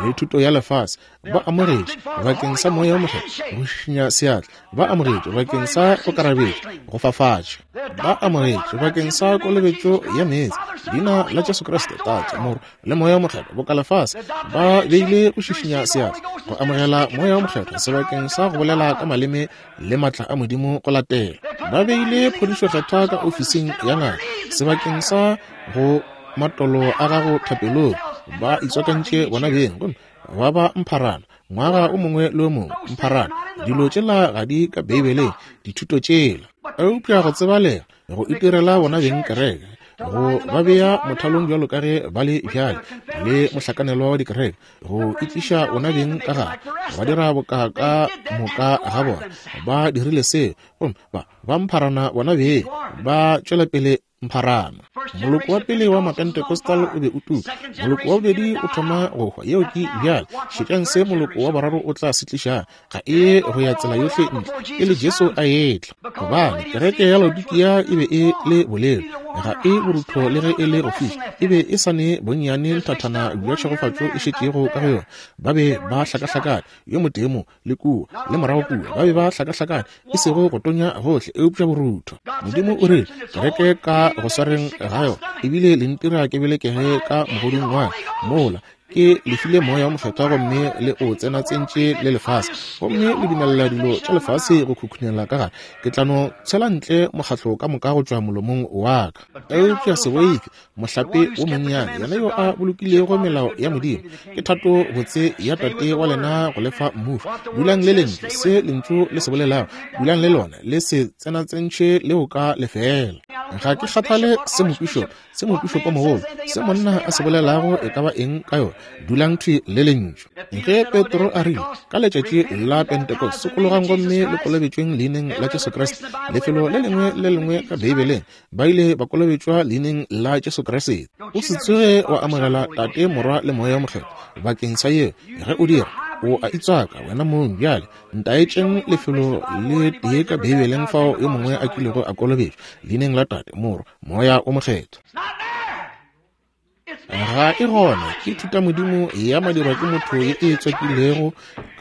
Speaker 1: le thuto ya lefase. Ba amogetše bakeng sa moya o mokgethwa go šišinya seatla, ba amogetše bakeng sa go karabetša go fafatša, ba amogetše bakeng sa kolobetšo ya meetse, leina la Jesu Kriste, Tate, Morwa le Moya o Mokgethwa, boka lefase. Ba beile go šišinya seatla go amogela Moya o Mokgethwa sebakeng sa go bolela ka maleme le matla a Modimo go latela. Ba beile phodišo kgethwa ka ofising ya ngaka sebakeng sa go matolo a gago thapelong. Ba itswakantše bona beng gomme ba ba mpharana ngwaga o mongwe le o mongwe, mpharana. Dilo tšela ga di ka Beibeleng, dithuto tšela, eupša go tsebalega go itirela bona beng kereke, go ba bea mothalong bjalo ka ge ba le bjale le mohlakanelwa wa dikereke, go itliša bona beng ka gare, ba dira boka ka moka ga bona. Ba dirile seo gomme ba ba mpharana bona beng, ba tšwela pele mpharama. Moloko wa pele wa Mapentecostal o be o tuka, moloko wa bobedi o thoma go hwa. Yeo ke bjale. Šetšang se moloko wa boraro o tla se tlišang. Ga e go ya tsela yohle ntle pele Jesu a etla, gobane kereke ya Laodikia e be e le bolelo, ga e borutho le ge e le go fiša, e be e sa ne bonnyane nthathana bja tšhegofatšo e šetšego ka go yona. Ba be ba hlakahlakane, yo motee mo le kua le morago kua, ba be ba hlakahlakane, e sego go tonya gohle eupša borutho. Modimo o rile kereke ka go swareng ga yona ebile le ntira ke belekege ka mogodung wa mola ke le file moya wa mokgethwa gomme le o tsena tsentše le lefase, gomme le dumelela dilo tša lefase go khukhunela ka gare. Ke tla no tshela ntle mokgatlo ka moka go tšwa molomong wa ka. Eupša se boife, mohlape wo monnyane, yena yo a bolokilego melao ya Modimo, ke thato botse ya Tate wa lena go lefa mmušo. Dulang le lentšu, se lentšu le se bolelago, dulang le lona, le se tsenatsentšhe leo ka lefela. Ga ke kgathale se mopišopo, se mopišopo mogolo, se monna a se bolelago e ka ba eng ka yona, dulang thwi le lentšu. Ge Petro a rile ka letšatši la Pentecost, sokologang gomme le kolobetšweng leineng la Jesu Kriste, lefelo le lengwe le lengwe ka Beibeleng ba ile ba kolobetšwa leineng la Jesu Kriste. O se tsoge wa amogela Tate, Morwa le Moya o Mokgethwa bakeng sa yeo. Ge o dira, o a itswaka wena mong. Bjale ntaetšeng lefelo le tee ka Beibeleng fao yo mongwe a kilego a kolobetšwa leineng la Tate, Morwa, Moya o Mokgethwa. Ga e gona. Ke thutamodimo ya madirwa ke motho ye e tswakilego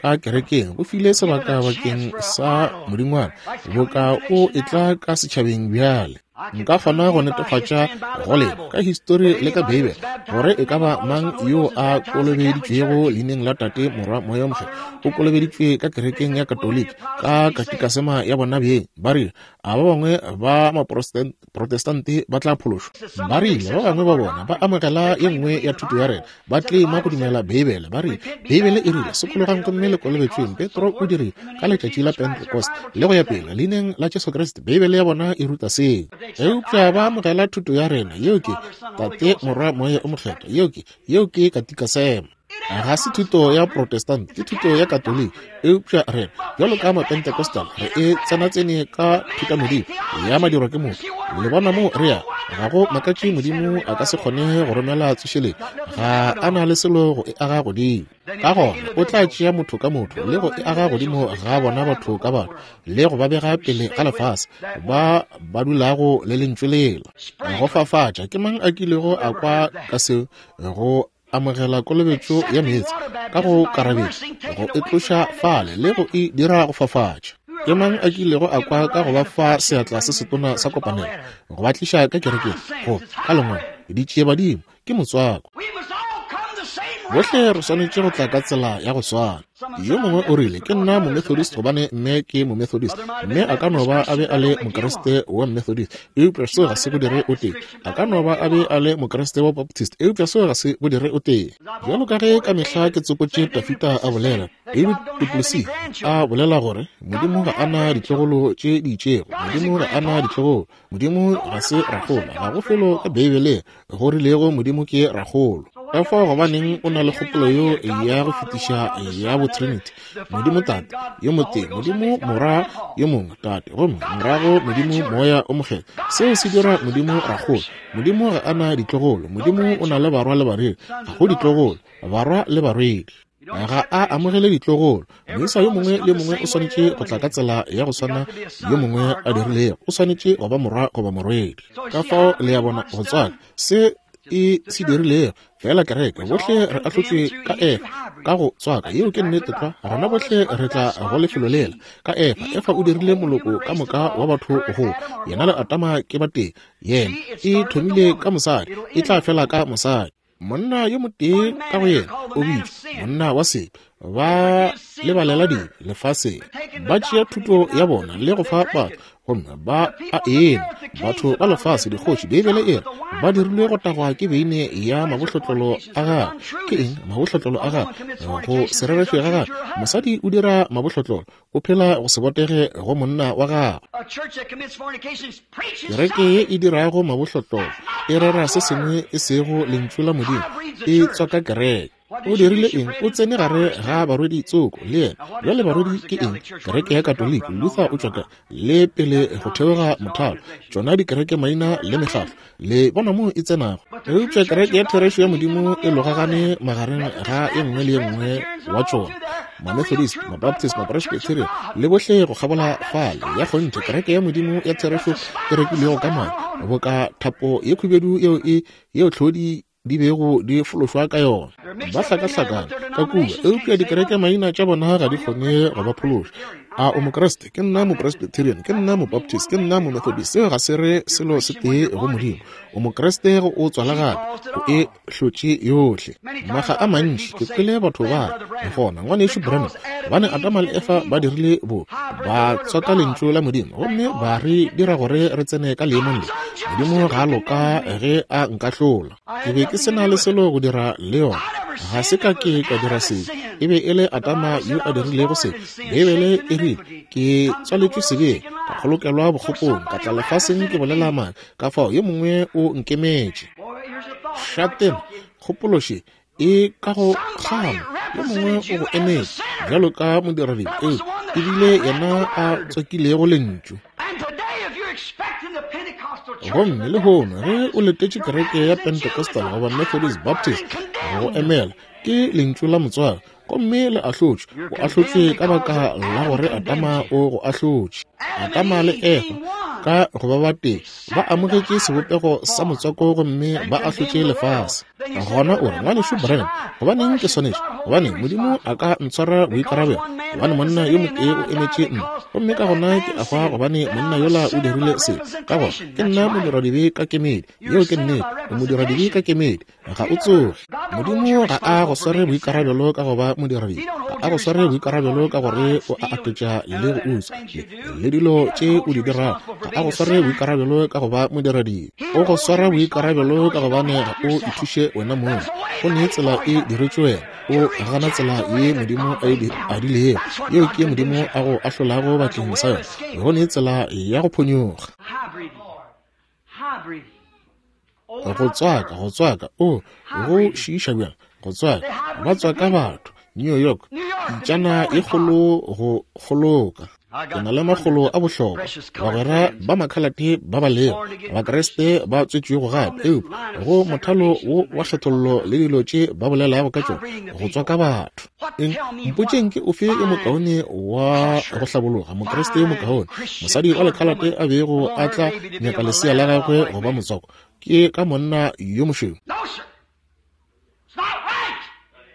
Speaker 1: ka kerekeng. Go file sebaka bakeng sa modingwana boka o etla ka setšhabeng bjale. Nka kgona go netefatša go lena ka histori le ka Beibele gore e ka ba mang yo a kolobeditšwego leineng la Tate, Morwa, Moya o Mokgethwa o kolobeditšwe ka kerekeng ya Katoliki ka katikasema ya bona beng. Ba rile a ba bangwe ba Maprotestante ba tla phološwa. Ba rile ba bangwe ba bona ba amogela ye nngwe ya thuto ya rena, ba tlema go dumela Beibele. Ba rile Beibele e rile sokologang gomme le kolobetšweng. Petro o dirile ka letšatši la Pentecost le go ya pele leineng la Jesu Kriste. Beibele ya bona e ruta seo. Eupša ba amogela thuto ya rena, yeo ke Tate, Morwa, Moya o Mokgethwa, yeo ke yeo ke katikasema. Ga se thuto ya Protestant, ke thuto ya Katoliki. Eupša rena bjalo ka Mapentecostal re e tsenatsene ka thutamodimo ya madirwa ke motho. Le bona mo re ya, ga go makatše Modimo a ka se kgone go romela tsošeletšo, ga a na le selo go e aga godimo. Ka gona o tla tšea motho ka motho le go e aga godimo ga bona batho ka batho le go ba bega pele ga lefase ba ba dulago le lentšu lela. Go fafatša, ke mang a kilego a kwa ka seo? Go amogela kolobetšo ya meetse ka go karabetša, go e tloša fale le go e dira go fafatša. Ke mang a kilego a kwa ka go ba fa seatla se setona sa kopanelo, go ba tliša ka kerekeng, go ka lengwalo ditšie badimo? Ke motswako. Bohle re swanetše go tla ka tsela ya go swana. Yo mongwe o rile ke nna Momethodist gobane mme ke Momethodist. Mme a ka no ba a be a le Mokriste wa Methodist, eupša seo ga se go dire o tee. A ka no ba a be a le Mokriste wa Baptist, eupša seo ga se go dire o tee. Bjalo ka ge ka mehla ke tsopotše Dafita a bolela, David Duplessis a bolela gore Modimo ga a na ditlogolo tše di itšego. Modimo ga a na ditlogolo. Modimo ga se rakgolo. Ga go felo ka Beibeleng go rilego Modimo ke rakgolo. Ka fao gobaneng o na le kgopolo yo ya go fetiša ya bo Trinity? Modimo Tate yo motee, Modimo Morwa yo mongwe Tate, gomme morago Modimo Moya o Mokgethwa. Seo se dira Modimo rakgolo. Modimo ga a na ditlogolo. Modimo o na le barwa le barwedi. Ga go ditlogolo, barwa le barwedi. Ga a amogele ditlogolo. Moisa yo mongwe le mongwe o swanetše go tla ka tsela ya go swana yo mongwe a dirilego. O swanetše go ba morwa goba morwedi. Ka fao le ya bona go tswaka se e se dirilego fela kereke. Bohle re ahlotšwe ka Efa ka go tswaka. Yeo ke nnete tlwa. Rena bohle re tla go lefelo lela ka Efa. Efa o dirile moloko ka moka wa batho go yena le Adama ke batee. Yena e thomile ka mosadi, e tla fela ka mosadi. Monna yo motee ka go yena o bitšwa monna wa sebe. Ba lebalela dibe lefaseng, ba tšea thuto ya bona le go fa batho, gomme ba a ena batho ba lefase dikgoši. Beibele e re ba dirilwe go tagwa ke beine ya mabohlotlolo a gagwe. Ke eng mabohlotlolo a gagwe? Go se rereše ga gagwe. Mosadi o dira mabohlotlolo, o phela go se botege go monna wa gagwe. Kereke ye e dirago mabohlotlolo e rera se sengwe e sego lentšu la Modimo, e tswaka kereke. O dirile eng? O tsene gare ga barwedi tsoko le yena. Bjale barwedi ke eng? Kereke ya Katoliki, Luther o tšwa ka le pele go theoga mothalo, tšona dikereke maina le mekgatlo, le bona moo e tsenago. Eupša kereke ya therešo ya Modimo e logagane magareng ga e nngwe le ye nngwe wa tšona, Mamethodist, Mabaptist, Mapresbyterian le bohle go kgabola fale. Ya kgonthe kereke ya Modimo ya therešo e rekilwego ka madi, boka thapo ye khubedu yeo e yeo tlhodi di bego di fološwa ka yona. Ba hlakahlakana ka kua, eupša dikereke maina tša bona ga di kgone go ba phološa. A o Mokriste? Ke nna Mopresbyterian, ke nna Mobaptist, ke nna Momethodist. Seo ga se re selo se tee go Modimo. O Mokriste go o tswala gape, o e hlotše yohle. Maga a mantši ke kwele batho ba gona, ngwanešu Branham, gobane Adama le Efa ba dirile bo ba tswaka lentšu la Modimo, gomme ba re dira gore re tsene ka leemong le. Modimo ga a loka ge a nkahlola. Ke be ke se na le selo go dira le yona. Ga se ka ke ka dira sebe. E be e le Adama yo a dirilego sebe. Beibele e rile, ke tswaletšwe sebeng, ka kgolokelwa bokgopong, ka tla lefaseng ke bolela maaka, ka fao yo mongwe o nkemetše. Šatena, kgopološe e ka go kgama, yo mongwe o go emetše bjalo ka modiradibe, eo ebile yena a tswakilego lentšu. Gomme lehono ge o letetše kereke ya Pentecostal goba Methodist Baptist go emela, ke lentšu la motswako, gomme le ahlotšwe. O ahlotšwe ka baka la gore Adama o go ahlotše. Adama le Efa ka go ba batee ba amogetše sebopego sa motswako gomme ba ahlotše lefase. Gona o re, ngwanešu Branham, gobaneng ke swanetše? Gobane Modimo a ka ntshwara boikarabelo, gobane monna yo motee o emetše nna, gomme ka gona ke a hwa gobane monna yola o dirile se. Ka gona ke nna modiradibe ka kemedi. Yeo ke nnete. O modiradibe ka kemedi, ga o tsoge. Modimo ga a go sware boikarabelo ka go ba modiradibe, ga a go sware boikarabelo ka gore o a aketša le go utswa le dilo tše o di dirago. Ga a go sware boikarabelo ka go ba modiradibe. O go swara boikarabelo ka gobane ga o ithuše wena mong. Go ne tsela e diretšwe wena, o gana tsela ye Modimo a e adilego, yeo ke Modimo a go ahlolago bakeng sa yona. Go ne tsela ya go phonyoga. Go tswaka, go tswaka, o go šiiša bjang, go tswaka, ba tswaka batho. New York, pitšana e kgolo go kgoloka. Ke na le makgolo a bohlokwa, bagwera ba makhalate ba ba lego, Bakriste ba tswetšwego gape, eupša go mothalo wo wa kgethollo le dilo tše ba bolelago ka tšona, go tswaka batho. Eng? Mpotšeng ke ofe yo mokaone wa go hlabologa, Mokriste yo mokaone, mosadi wa lekhalate a bego a tla nyaka lesea la gagwe go ba motswako, ke ka monna yo mošweu?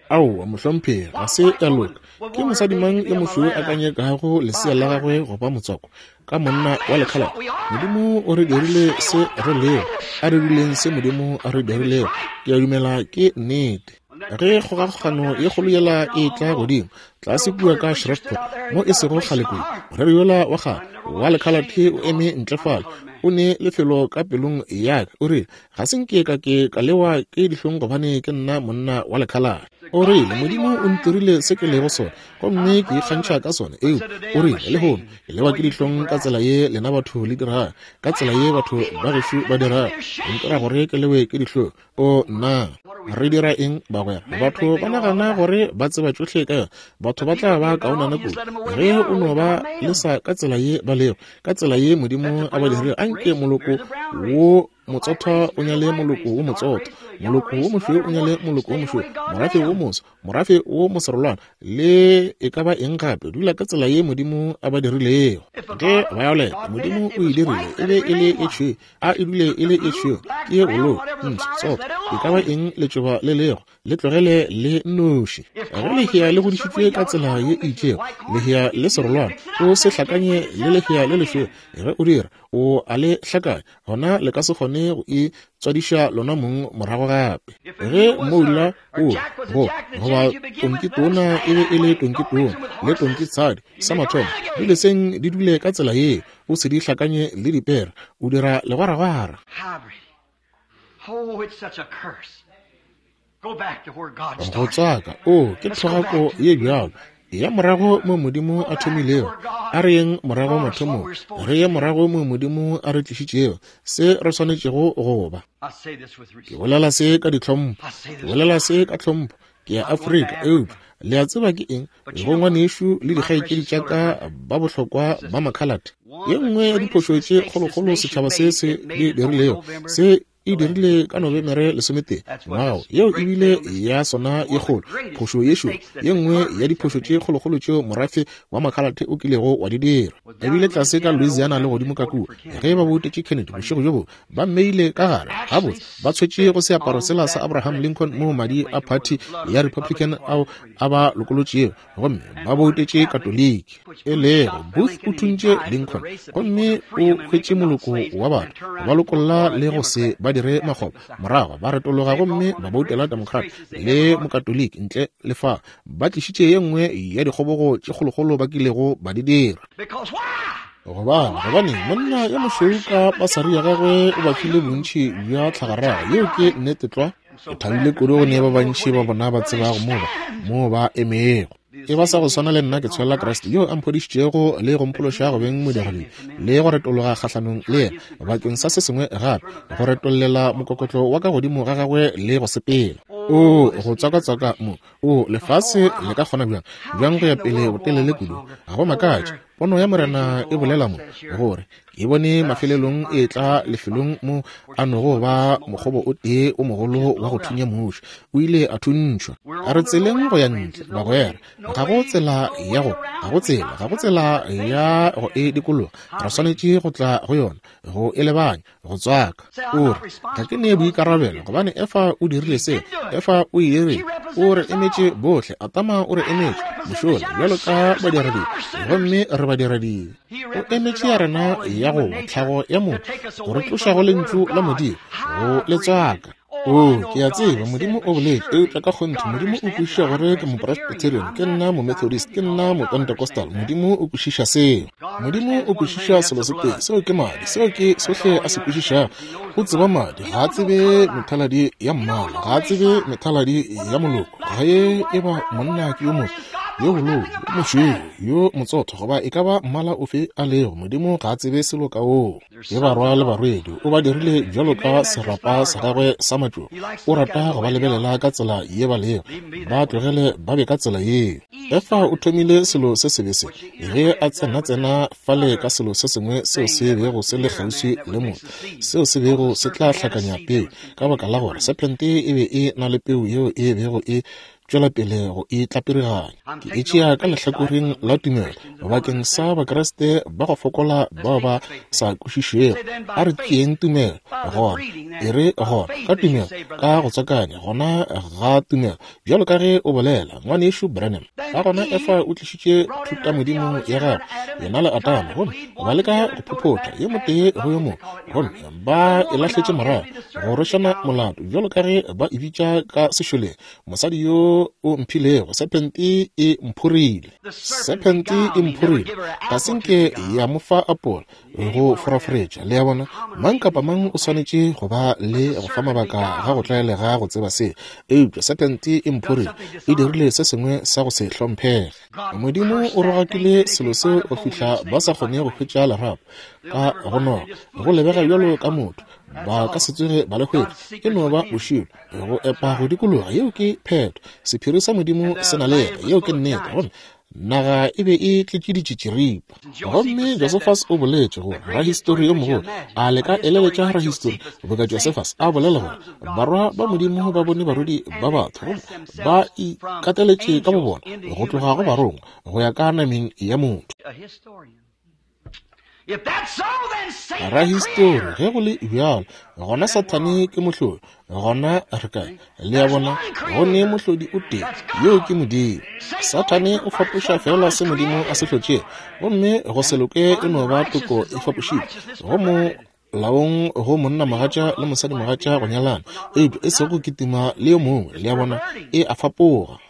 Speaker 1: Aowa, mohlomphegi, ga se ya loka. Ke mosadi mang yo mošweu a ka nyakago lesea la gagwe go ba motswako ka monna wa lekhalate? Modimo o re dirile se re lego, a re dirileng se Modimo a re dirilego. Ke a dumela ke nnete. Ge kgogakgogano ye kgolo yela e tla godimo tlase kua ka Shreveport mo e sego kgale kudu, moreri yola wa kgale wa lekhalate o eme ntle fale, o ne lefelo ka pelong ya ka. O rile, ga se nke ka ke ka lewa ke dihlong gobane ke nna monna wa lekhalate. O rile, Modimo o ntirile se ke lego sona, gomme ke ikgantšha ka sona. Eo, o rile, lehono ke lewa ke dihlong ka tsela ye lena batho le dirago, ka tsela ye batho ba gešo ba dirago, o ntira gore ke lewe ke dihlong. O nna, re dira eng bagwera? Batho ba nagana gore ba tseba tšohle ka yona. Batho ba tla ba kaonana kudu ge o no ba lesa ka tsela ye ba lego, ka tsela ye Modimo a ba dirile. Anke moloko wo motsotho o nyale moloko wo motsotho, moloko wo mošweu o nyale moloko wo mošweu, morafe wo moso, morafe wo moserolwana, le e ka ba eng gape. Dula ka tsela ye Modimo a ba dirilego. Ge violet Modimo o e dirile e be e le e tšhweu, a e dule e le e tšhweu, ke bolou, ntsho, tsotho, e ka ba eng letšoba le lego, le tlogele le nnoši. Ge lehea le godišitšwe ka tsela ye e itšego, lehea le serolwana, o se hlakanye le lehea le lešweu. Ge o dira, o a le hlakanya, gona le ka se kgone go e tswadiša lona mong morago gape. Ge moula o go goba tonkitona e be e le tonkitona le tonkitshadi sa mathomo, di leseng di dule ka tsela ye, o se di hlakanye le dipere, o dira legwaragwara. Go tswaka, o ke thogako ye bjalo. Ya morago mo Modimo a thomilego, a re yeng morago mathomong, re ye morago mo Modimo a re tlišitšego se re swanetšego go ba. Ke bolela se ka ditlhompho, ke bolela se ka tlhompho, Ke ya Afrika, eupša le a tseba ke eng, go ngwanešu le dikgaetšedi tša ka ba bohlokwa ba makhalate. Ye nngwe ya diphošo tše kgolokgolo setšhaba se se di dirilego, se e dirile ka Nobemere lesometee ngwago, yeo e bile ya sona ye kgolo phošo yešo, ye nngwe ya diphošo tše kgolokgolo tšeo morafe wa makhalate o kilego wa di dira. Ebile tlase ka Louisiana le godimo ka kua, ge ba boutetše Kennedy bošego bjo bo ba mmeile ka gare, gabotse ba tshwetše go seaparo sela sa Abraham Lincoln moo madi a party ya Republican ao a ba lokolotšego, gomme ba boutetše Katoliki. E lego Booth o thuntše Lincoln gomme o hwetše moloko wa batho ba lokolla le go se ba dire makgoba, morago ba retologa gomme ba boutela Democrat le Mokatoliki ntle le fa ba tlišitše ye nngwe ya dikgobogo tše kgolokgolo ba kilego ba di dira. Gobane gobane monna yo mošweu ka basari ya gagwe o ba file bontši bja tlhagarago, yeo ke nnete tlwa. Ke thabile kudu go ne ba bantši ba bona ba tsebago moo ba moo ba emego. E ba sa go swana le nna ke tshwela Kriste yo a mphodišitšego le go mphološa go beng modiredi le go retologa kgahlanong le yena bakeng sa se sengwe gape, go retollela mokokotlo wa ka godimo ga gagwe le go sepela. O go tswakatswaka mo, o lefase le ka kgona bjang bjang go ya pele botelele kudu. Ga go makatše pono ya Morena e bolela mo gore ke bone mafelelong e tla lefelong mo a nogo ba mokgobo o tee o mogolo wa go thunya mmušo, o ile a thuntšhwa. A re tseleng go ya ntle bagwera, ga go tsela ya go ga go tsela ga go tsela ya go e dikologa, re swanetše go tla go yona, go e lebanya, go tswaka. O re ga ke ne boikarabelo gobane Efa o dirile se, Efa o e dirile, o re emetše bohle, Atama o re emetše mošola bjalo ka badiradibe, gomme re badiradibe. O emetše ya rena ya go tlhago ya motho, go re tloša go lentšu la Modimo, go le tswaka. O, ke a tseba Modimo o boletše, eupša ka kgonthe Modimo o kwešiša gore ke Mopresbyterian, ke nna Momethodist, ke nna Mopentecostal. Modimo o kwešiša seo. Modimo o kwešiša selo se tee, seo ke madi, seo ke sohle a se kwešišago. O tseba madi, ga a tsebe methaladi ya mmala, ga a tsebe methaladi ya moloko, ga e e ba monna ke yo motho, yo bolou, yo mošweu, yo motsotho, goba e ka ba mmala ofe a lego. Modimo ga a tsebe selo ka oo. Ke barwa le barwedi, o ba dirile bjalo ka serapa sa gagwe sa matšoba. O rata go ba lebelela ka tsela ye ba lego, ba tlogele ba be ka tsela yeo. Efa o thomile selo se sebe se ge a tsena-tsena fale ka selo se sengwe seo se bego se le kgauswi le motho, seo se bego se tla hlakanya peu, ka baka la gore sephente e be e na le peu yeo e bego e tšwela pele go e tlapiriganya. Ke e tšea ka lehlakoreng la tumelo bakeng sa Bakriste ba go fokola bao ba sa kwešišego. A re tšeeng tumelo gona, e re gona ka tumelo, ka go tswakanya gona ga tumelo, bjalo ka ge o bolela ngwanešu Branham. Ka gona Efa o tlišitše thutamodimo ya gagwe, yena le Adama, gomme ba leka go phophotha yo motee go yo mongwe, gomme ba e lahletše morago go rwešana molato, bjalo ka ge ba e bitša ka sešoleng, mosadi yo o mphilego, sephente e mphorile, sephente e mphorile, ga se nke ya mo fa apola go foraforetša. Le a bona, mang kapa mang o swanetše go ba le go fa mabaka ga go tlwaelega go tseba se, eupša sephente e mphorile, e dirile se sengwe sa go se hlomphege. Modimo o rogakile selo seo go fihla ba sa kgone go hwetša lerapo ka go noga, go lebega bjalo ka motho, ba ka se tsoge ba le hwetša, e no ba bošilo go epa go dikologa. Yeo ke phetho, sephiri sa Modimo se na le yena, yeo ke nnete. Gomme naga e be e tletše ditšitširipa. Gomme Josephus o boletše gore rahistori yo mogolo, a le ka eleletša rahistori boka Josephus a bolela gore barwa ba Modimo ba bone barwedi ba batho, gomme ba ikateletše ka bobona go tloga go barongwa go ya ka nameng ya motho. Rahistori, ge go le bjalo, gona Sathane ke mohlodi, gona re kae? Le a bona, go ne mohlodi o tee, yeo ke Modimo. Sathane o fapoša fela se Modimo a se hlotšego, gomme go se loke e no ba toko e fapošitšwe go mo laong go monna mogatša le mosadi mogatša go nyalana, eupša e sego go kitima le yo mongwe. Le a bona, e a fapoga.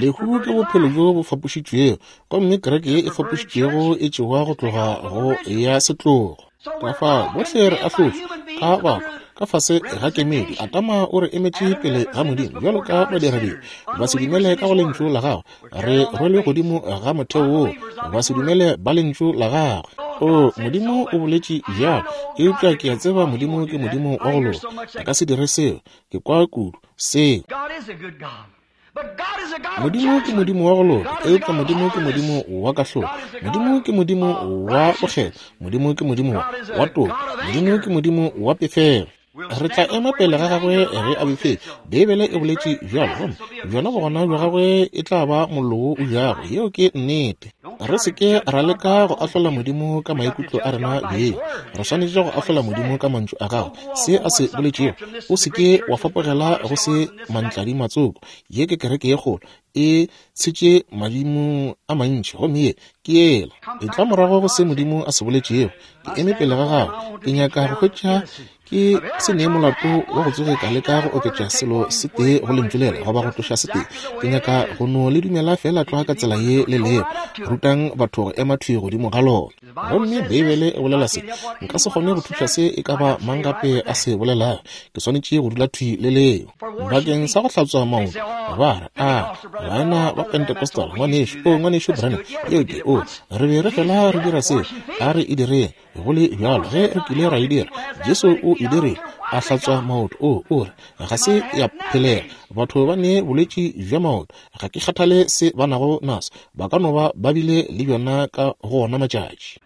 Speaker 1: Lehu ke bophelo bjo bo fapošitšwego, gomme kereke ye e fapošitšwego e tšewa go tloga go ya setlogo. Ka fao bohle re ahlotšwe ka batho ka fase ga kemedi. Adama o re emetše pele ga Modimo bjalo ka badiradibe, ba se dumele ka go lentšu la gagwe, re rwelwe godimo ga motheo woo, ba se dumele ba lentšu la gagwe. O, Modimo o boletše bjalo, eupša ke a tseba Modimo ke Modimo wa go loka, a ka se dire seo. Ke kwa kudu seo. Modimo ke Modimo wa go loka, eupša Modimo ke Modimo wa kahlolo. Modimo ke Modimo wa bokgethwa. Modimo ke Modimo wa toka. Modimo ke Modimo wa pefelo. Re tla ema pele ga gagwe ge a befetše. Beibele e boletše bjalo, gomme bjona bogona bja gagwe e tla ba mollo wo o jago. Yeo ke nnete. Re se ke ra leka go ahlola Modimo ka maikutlo a rena beng. Re swanetše go ahlola Modimo ka mantšu a gagwe, se a se boletšego. O se ke wa fapogela go se mantladi matsoko. Ye ke kereke ye kgolo, e tshetše madimo a mantši, gomme ye ke yela. E tla morago go se Modimo a se boletšego. Ke eme pele ga gagwe, ke nyaka go hwetša ke se nee molato wa go tsoge ka leka go oketša selo se tee go lentšu lela goba go tloša se tee. Ke nyaka go no le dumela fela tlwa ka tsela ye le lego. Rutang batho go ema thwi godimo ga lona. Gomme Beibele e bolela se. Nka se kgone go thuša se e ka ba mang gape a se bolelago. Ke swanetše go dula thwi le leo. Bakeng sa go hlatswa maoto, ba re, a baena ba Pentecostal, ngwanešu, o ngwanešu Branham, yeo ke, o re be re fela re dira seo, a re e direng. Go le bjalo, ge re kile ra e dira, Jesu o e dirile, a hlatswa maoto. O o re ga se ya phelela. Batho ba ne bolwetši bja maoto, ga ke kgathale se ba nago naso, ba ka no ba ba bile le bjona ka go ona matšatši.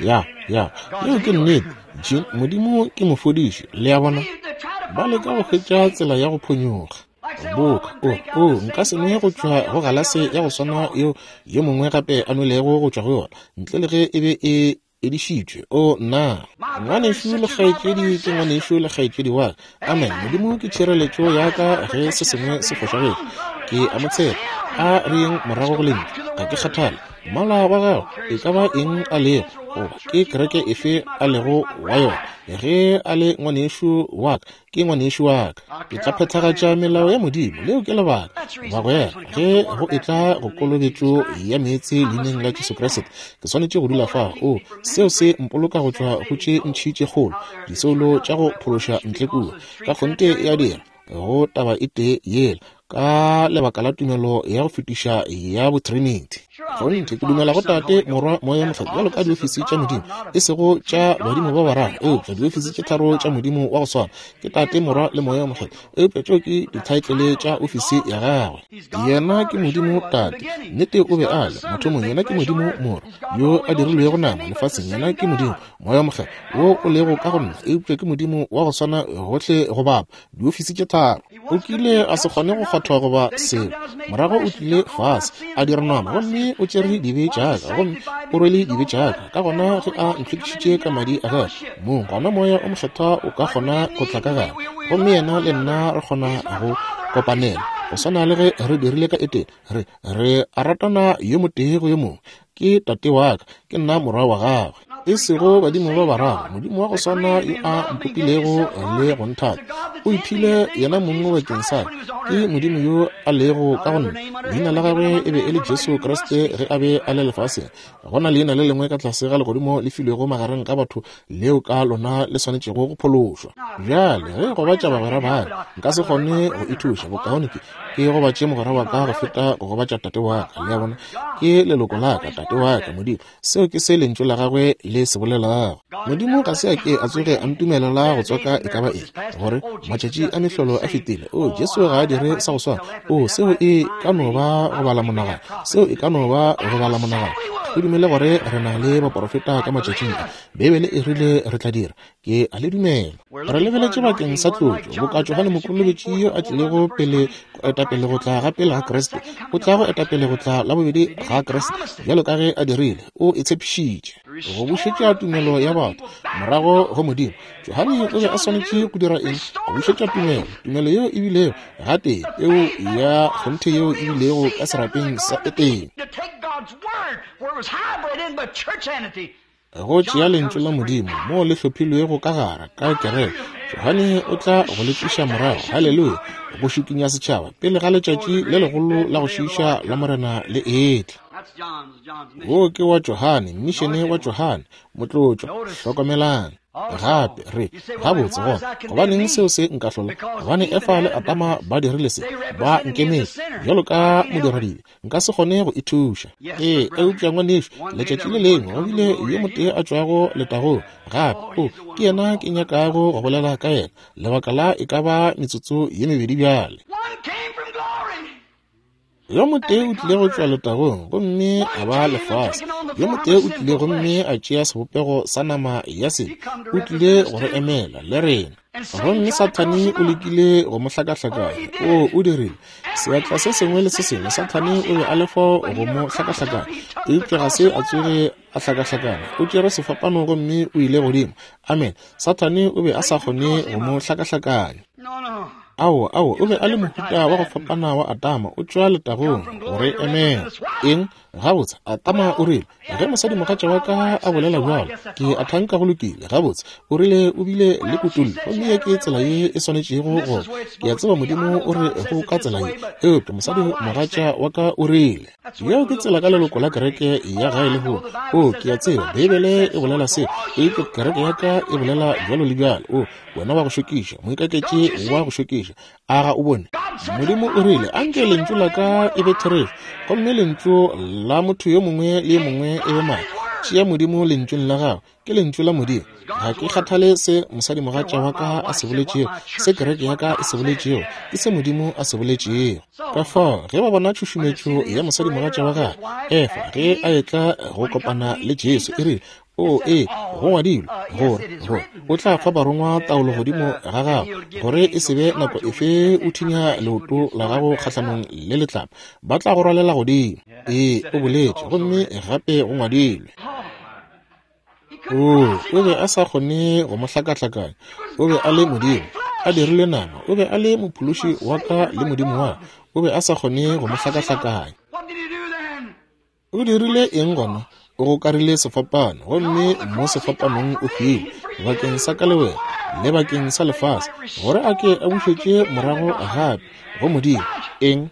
Speaker 1: Ya, ya, yeo ke nnete, Jean. Modimo ke mofodiši, le a bona. Ba leka go hwetša tsela ya go phonyokga. Boka, o, o, nka se nwe go tšwa go galase ya go swana yeo yo mongwe gape a nwelego go tšwa go yona, ntle le ge e be e edišitšwe. O nna, ngwanešu le kgaetšedi ke ngwanešu le kgaetšedi wa ka. Amen. Modimo ke tšhireletšo ya ka ge se sengwe se fošagetše. Ke a mo tshepa. A re yeng morago go lentšu. Ga ke kgathale mmala wa gago e ka ba eng a lego, goba ke kereke efe a lego wa yona. Ge a le ngwanešu wa ka, ke ngwanešu wa ka. Ke tla phethagatša melao ya Modimo. Leo ke lebaka, bagwera, ge go etla go kolobetšo ya meetse leineng la Jesu Kriste, ke swanetše go dula fao. O, seo se mpoloka go tšwa go tše ntši tše kgolo, disoulo tša go phološa ntle kua. Ka kgonthe ya dira go taba e tee yela, ka lebaka la tumelo ya go fetiša ya botrinity. Kgonthe ke dumela go Tate, Morwa, Moya Mokgethwa bjalo ka diofisi tša Modimo, e sego tša badimo ba bararo, eupša diofisi tše tharo tša Modimo wa go swana, ke Tate, Morwa le Moya Mokgethwa. Eupša tšeo ke dithaetlele tša ofisi ya gagwe. Yena ke Modimo Tate, nnete o be a le mathomong. Yena ke Modimo Morwa yo a dirilwego nama lefaseng. Yena ke Modimo Moya Mokgethwa wo o lego ka go nna, eupša ke Modimo wa go swana gohle go bapa, diofisi tše tharo. O kile a se kgone go kgwathwa goba selo. Morago o tlile fase a dira nama, gomme o tšere dibe tša ka, gomme o rwele dibe tša ka. Ka gona ge a ntlhwekišitše ka madi a gagwe mong, gona Moya o Mokgethwa o ka kgona go tla ka gare, gomme yena le nna re kgona go kopanela go swana le ge re dirile ka Etene. Re re a ratana yo motee go yo mongwe. Ke Tate wa ka, ke nna morwa wa gagwe. E sego badimo ba bararo, Modimo wa go swana yo a mpopilego le go nthata, o iphile yena mongwe bakeng sa ka. Ke Modimo yo a lego ka go nna. Leina la gagwe e be e le Jesu Kriste ge a be a le lefaseng. Go na leina le lengwe ka tlase ga legodimo le filwego magareng ga batho leo ka lona le swanetšego go phološwa. Bjale ge gobatša bagwera ba ka, nka se kgone go ithuša. Bokaone ke ke gobatše mogwera wa ka go feta go gobatša tate wa ka. Le a bona, ke leloko la ka, tate wa ka, Modimo. Seo ke se lentšu la gagwe le se bolelago. Modimo ga se a ke a tsoge a ntumelela go tswaka e ka ba eng, gore matšatši a mehlolo a fetile. O, Jesu ga a dire sa go swana. O, seo e ka no ba go bala monagano. Seo e ka no ba go bala monagano. Ke dumele gore re na le baporofeta ka matšatšing a. Beibele e rile re tla dira. Ke a le dumela. Re lebeletše bakeng sa tlotšo, boka Johane Mokolobetši yo a tlilego pele go etapele go tla ga pele ga Kriste, o tla go etapele go tla la bobedi ga Kriste, bjalo ka ge a dirile. O e tshepišitše go bušetša tumelo ya batho morago go Modimo. Johane o be a swanetše go dira eng? Go bušetša tumelo, tumelo yeo e bilego gatee, peo ya kgonthe yeo e bilego ka serapeng sa Etene. Go tšea lentšu la Modimo moo le hlophilwego ka gare ka kereke, Johane o tla go le tliša morago, haleluya, go šikinya setšhaba pele ga letšatši le legolo la go šiiša la Morena le etla. Wo ke wa Johane, mmišene wa Johane, motlotšwa. Hlokomelang. Gape re gabotse gona, gobaneng seo se nkahlola? Gobane Efa le Adama ba dirile se, ba nkemetše bjalo ka modiradibe, nka se kgone go ithuša. Ee, eupša ngwanešu, letšatši le lengwe go bile yo motee a tšwago letagong gape. O, ke yena ke nyakago go bolela ka yena lebaka la e ka ba metsotso ye mebedi bjale. Yo motee o tlile go tšwa letagong gomme a ba lefase. Yo motee o tlile gomme a tšea sebopego sa nama ya sebe. O tlile go re emela le rena. Gomme Sathane o lekile go mo hlakahlakanya. O, o dirile seatla se sengwe le se sengwe. Sathane o be a le fao go mo hlakahlakanya, eupša ga se a tsoge a hlakahlakana. O tšere sefapano gomme o ile godimo. Amen. Sathane o be a sa kgone go mo hlakahlakanya. Ao, ao, o be a le mohuta wa go fapana wa Adama, o tšwa letagong go re emela. Eng? Gabotse, Adama o rile, ge mosadimogatša wa ka a bolela bjalo, ke a thanka go lokile. Gabotse, o rile o bile le kutollo, gomme ye ke tsela ye e swanetšego go. Ke a tseba Modimo o re go ka tsela ye, eupša mosadimogatša wa ka o rile. Yeo ke tsela ka leloko la kereke ya gae lehono. O, ke a tseba Beibele e bolela se, eupša kereke ya ka e bolela bjalo le bjalo. O, wena wa go šokiša, moikaketši wa go šokiša, a ga o bone? Modimo o rile, anke lentšu la ka e be therešo, gomme lentšu la motho yo mongwe le yo mongwe e be maaka. Tšea Modimo lentšung la gago, ke lentšu la Modimo. Ga ke kgathale se mosadimogatša wa ka a se boletšego, se kereke ya ka e se boletšego, ke se Modimo a se boletšego. Ka fao ge ba bona tšhušumetšo ya mosadimogatša wa gagwe Efa ge a etla go kopana le Jesu, e rile, o, ee, go ngwadilwe gore gore o tla fa barongwa taolo godimo ga gago, gore e se be nako efe o thinya leoto la gago kgahlanong le letlapa, ba tla go rwalela godimo. Ee, o boletše, gomme gape go ngwadilwe. O, o be a sa kgone go mo hlakahlakanya. O be a le Modimo a dirile nama. O be a le mophološi wa ka le Modimo wa ka. O be a sa kgone go mo hlakahlakanya. O dirile eng gona? O gokarile sefapano, gomme mo sefapanong o hwile bakeng sa ka le wena le bakeng sa lefase, gore a ke a bušetše morago gape go Modimo. Eng?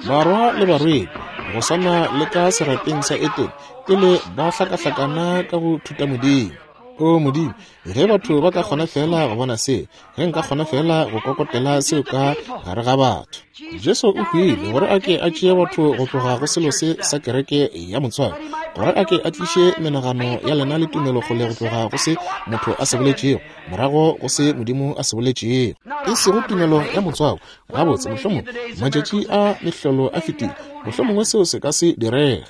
Speaker 1: Barwa le barwedi, go swana le ka serapeng sa Etene, pele ba hlakahlakana ka go thuta Modimo. O Modimo, ge batho ba ka kgona fela go bona se, ge nka kgona fela go kokotela seo ka gare ga batho. Jesu o hwile gore a ke a tšee batho go tloga go selo se sa kereke ya motswako, gore a ke a tliše menagano ya lena le tumelo kgole go tloga go se motho a se boletšego, morago go se Modimo a se boletšego. E sego tumelo ya motswako. Gabotse, mohlomongwe matšatši a mehlolo a fetile, mohlomongwe seo se ka se direge.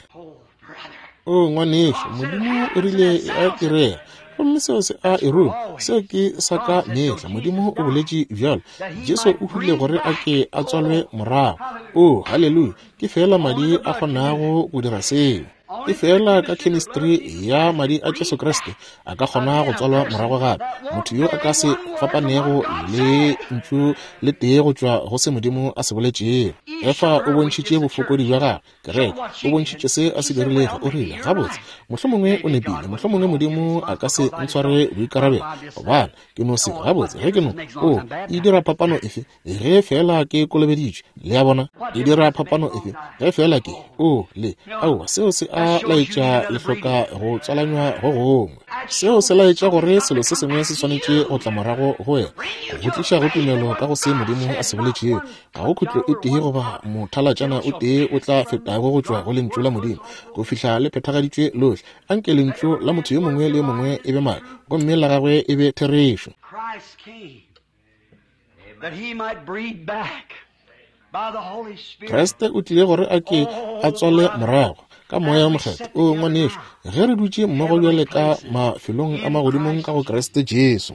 Speaker 1: O ngwanešu, Modimo o rile e a direga, gomme seo se a e ruma. Seo ke sa ka mehla. Modimo o boletše bjalo. Jesu o hwile gore a ke a tswalwe morago. O, haleluya, ke fela madi a kgonago go dira seo. Ke fela ka chemistry ya madi a Jesu Kriste a ka kgona go tswalwa morago gape. Motho yo a ka se fapanego le ntšu le tee go tšwa go se Modimo a se boletšego. Efa o bontšhitše bofokodi bja gagwe. Kereke o bontšhitše se a se dirilego. O rile, gabotse, mohlomongwe o nepile, mohlomongwe Modimo a ka se ntshware boikarabelo, gobane ke no se. Gabotse, ge ke no, o, e dira phapano efe ge fela ke kolobeditšwe? Le a bona, e dira phapano efe ge fela ke, o, le, aowa, seo se a laetša le hloka go tswalanywa go gongwe. Seo se laetša gore selo se sengwe se swanetše go tla morago go wena, go tliša go tumelo ka go se Modimo a se boletšego. Ga go khutlo e tee goba mothalatšana o tee o tla fetago go tšwa go lentšu la Modimo go fihla le phethagaditšwe lohle. Anke lentšu la motho yo mongwe le yo mongwe e be maaka, gomme la gagwe e be therešo. Kriste o tlile gore a ke a tswale morago ka moya wa mokgethwa. O ngwanešu, ge re dutše mmogo bjale ka mafelong a magodimong ka go Kriste Jesu,